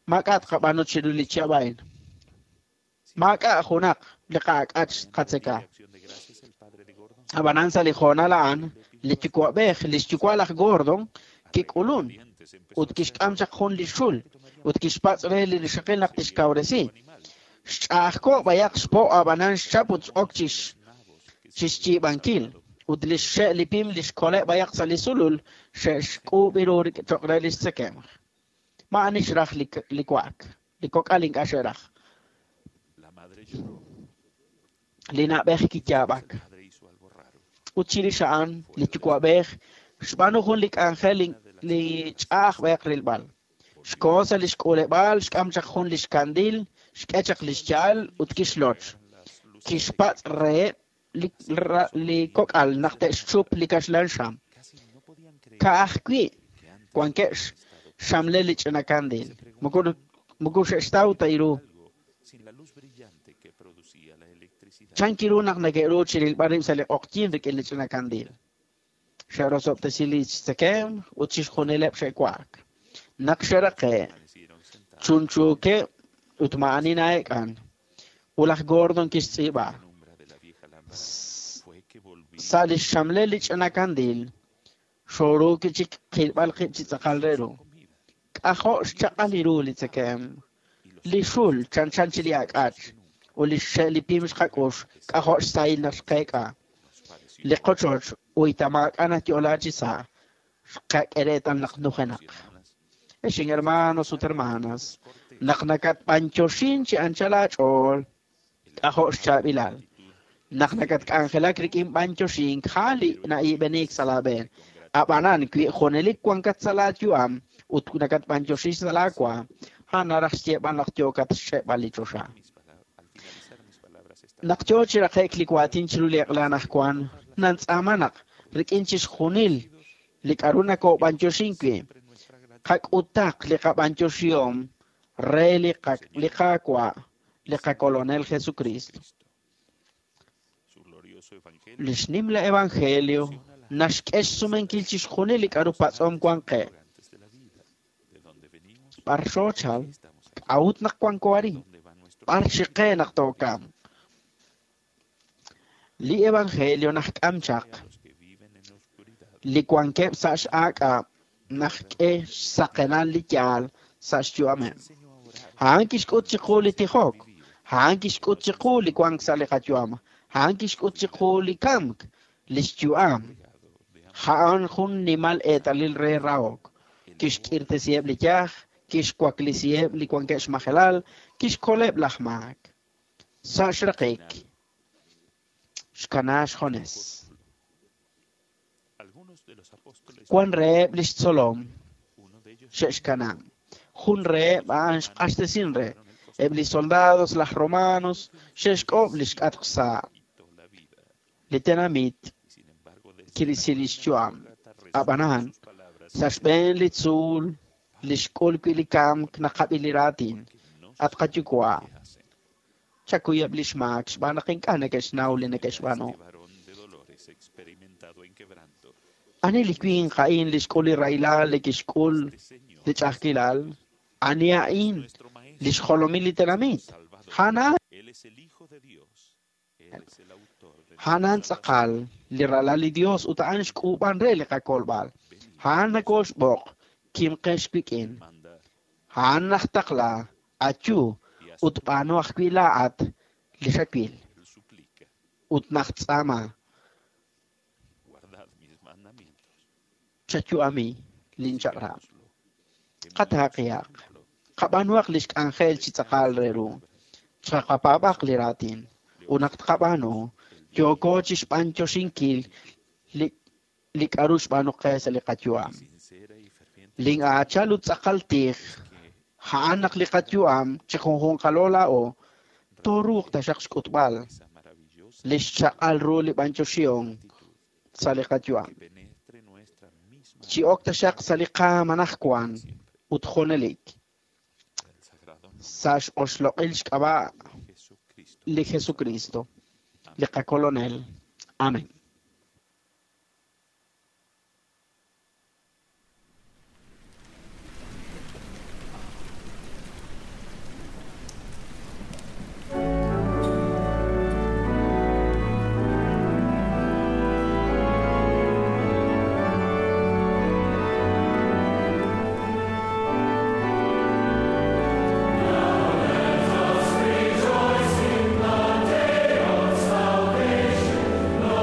maak'a' tqab'aanu chiru li chihab' a'in. Maak'a' junaq li qa'ak'ach qatzeka. Ab'anan sa' li hoonal a'an, li yuwa'b'ej, li xyuwa' laj Gordon kik'ulun ut kixk'am chaq jun li xul ut kixpatz' re li rixaqil naq tixkawresi. Xch'a'ajko' b'ayaq xpo' ab'anan xchap ut x'ok chi xyiib'ankil. Ut li xxe' li pim li xkole' b'ayaq sa' li sulul xe'xk'uub' ru cho'q re li xtzekemq. Ma'ani xraj li wa'ak, li kok'al ink'a' xe'raj. Li na'b'ej kiyaab'ak. Ut chirix a'an li yuwa'b'ej xb'aanu jun li k'anjel li ch'a'aj b'ayaq rilb'al. Xkoho sa' li xk'uuleb'aal, xk'am chaq jun li xkandil, xk'e chaq li xya'al ut kixloch. Kixpatz' reheb' li, li kok'al naq te'xchup li kaxlan xam. Ka'ajwi' wankeb' xxamle li ch'ina kandil. Moko moko xe'xtaw ta iru. Chan kiru naq neke'ru chi rilb'al rib' sa' li q'oqyin rik'in li ch'ina kandil. Xe'rosob'tesi li tzekemq ut chixjunileb' xe'wa'ak. Naq xeraqe', chunchuukeb' ut ma'ani na'eek'an. Ut laj Gordon kixtz'iib'a. Sa' li xxamle li ch'ina kandil, xoruki chik qilb'al qib' chi tz'aqal re ru. K'ajo' xchaq'al ru li tzekemq. Li xul chanchan chi li ak'ach. Ut li xe' li pim xqak'ux, k'ajo' xsahil naq xqeek'a. Li qochoch uyta maak'a' nayo'la chi sa', xqak'e reetal naq nujenaq. Ex hermanos ut hermanas, naq nakatb'antioxin chi anchal aach'ool, k'ajo' xchaab'ilal. Naq nakatk'anjelak rik'in b'antioxink, jali na'ib'enik sa' laab'een. Ab'anan wi junelik wankat sa' laayu'am ut nakatb'antioxin sa' laawa, a'an naraj xyeeb'al naq yookat xch'e'b'al li choxa. Naq yoo chi raqe'k li waatin chiru li eq'la anaqwan, nantz'aama naq rik'in chixjunil li k'a'ru nakob'antioxin wi', qak'utaq li qab'antioxihom re li qa- li Qaawa', li qakolonel Jesucristo. Li xnimla evangelio naxk'e xsumenkil chixjunil li k'a'ru patz'om wan qe. B'ar xoochal, k'a'ut naq wanko arin, b'ar xiqe naq tookam. Li evangelio naxk'am chaq li wankeb' sa' x'aak'ab' naxk'e xsaqenal li yaal sa' xyu'ameb'. A'an kixk'ut chiqu li tijok, a'an kixk'ut chiqu li wank sa' li qayu'am, a'an kixk'ut chiqu li kamk, li xyu'am. A'an jun nimal eetalil re rahok. Kixk'irtesiheb' li yaj, kixwaklisiheb' li wankeb' xmajelal, kixkoleb' laj maak. Sa' xraqik, xkana xjones. Wan reheb' li xtzolom xe'xkana. Jun reheb' a'an xq'axtesin re. Eb' li soldados, laj romanos, xe'xk'ob' li xk'atq sa' li tenamit kirisi li xyu'am. Ab'anan, sa' xb'een li tzuul, li xk'ul wi' li kamk naqab'i li raatin. At qayuwa', chakuyeb' li xmaak xb'aan naq ink'a' neke'xnaw li neke'xb'aanu. Ani li winq a'in li xk'ul li rahilal li kixk'ul li ch'a'ajkilal? Ani a'in li xjolomil li tenamit? A'an a'an tz'aqal li ralal li Dios ut a'an xk'uub'an re li qakolb'al. A'an nakoxb'oq kimqex wik'in. A'an najtaqla ayu ut b'aanu ajwi' laa'at li xawil. Ut najtz'aama chayu'ami linchaq'rab'. Qataaqihaq, qab'aanuhaq li xk'anjel chi tz'aqal re ru. Chaqapaab'aq li raatin. Ut naq tqab'aanu, yooko chi xb'antioxinkil li li k'a'ru xb'aanu qe sa' li qayu'am. Lin'aachal ut tz'aqal tij, a'an naq li qayu'am chi junjunqalo laa'o, tooruuq taxaq xk'utb'al li xchaq'al ru li b'antioxihom sa' li qayu'am. Chi ok taxaq sa' li qaam anaqwan ut junelik. Sa' x'oxloq'il xk'ab'a' li Jesucristo, li qakolonel. Amén. Rejoice in the day of salvation, no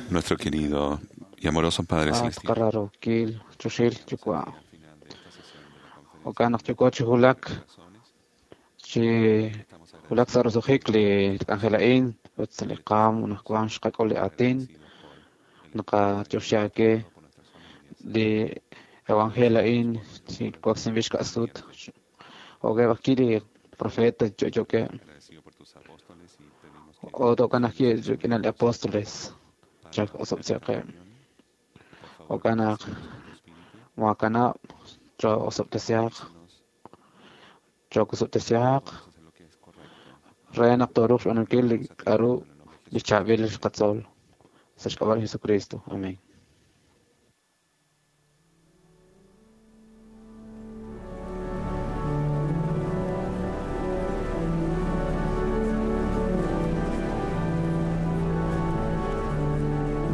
Nuestro querido y amoroso Padre Celestial. Qararokil choxil yuwa' jo'kan naq yuwa' chi wulak chi wulak sa' roso'jik li k'anjel a'in ut sa' li qaam anaqwan xqak'ul li aatin naqatioxi aawe li evangelio a'in chi waksinb'il xka'sut jo'keb' ajwi' li profeta yo'yookeb' ut jo'kan ajwi' rik'in li apóstoles chak osob'tesiqeb' jo'kan naq maakanab' choo'osob'tesiaq chookusob'tesiaq re naq tooruuq xb'aanunkil li k'a'ru li chaab'il xqatzol sa' xk'ab'a' li Jesucristo. Amén.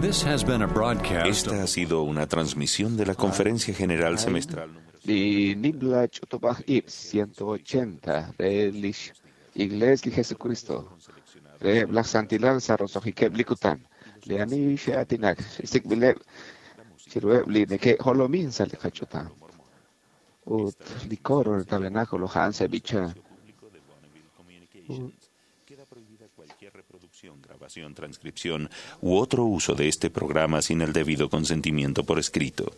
This has been a broadcast. Esta ha sido una transmisión de la Conferencia General Semestral Li nimla ch'utub'aj ib' ciento ochenta re lix Iglesia li Jesucristo re laj santilal sa' roso'jikeb' li kutan li ani xe'aatinak xsik'b'ileb' chiruheb' li neke'jolomin sa' li qach'utam ut li coro del tabernáculo a'an seb'icha. Grabación, transcripción u otro uso de este programa sin el debido consentimiento por escrito.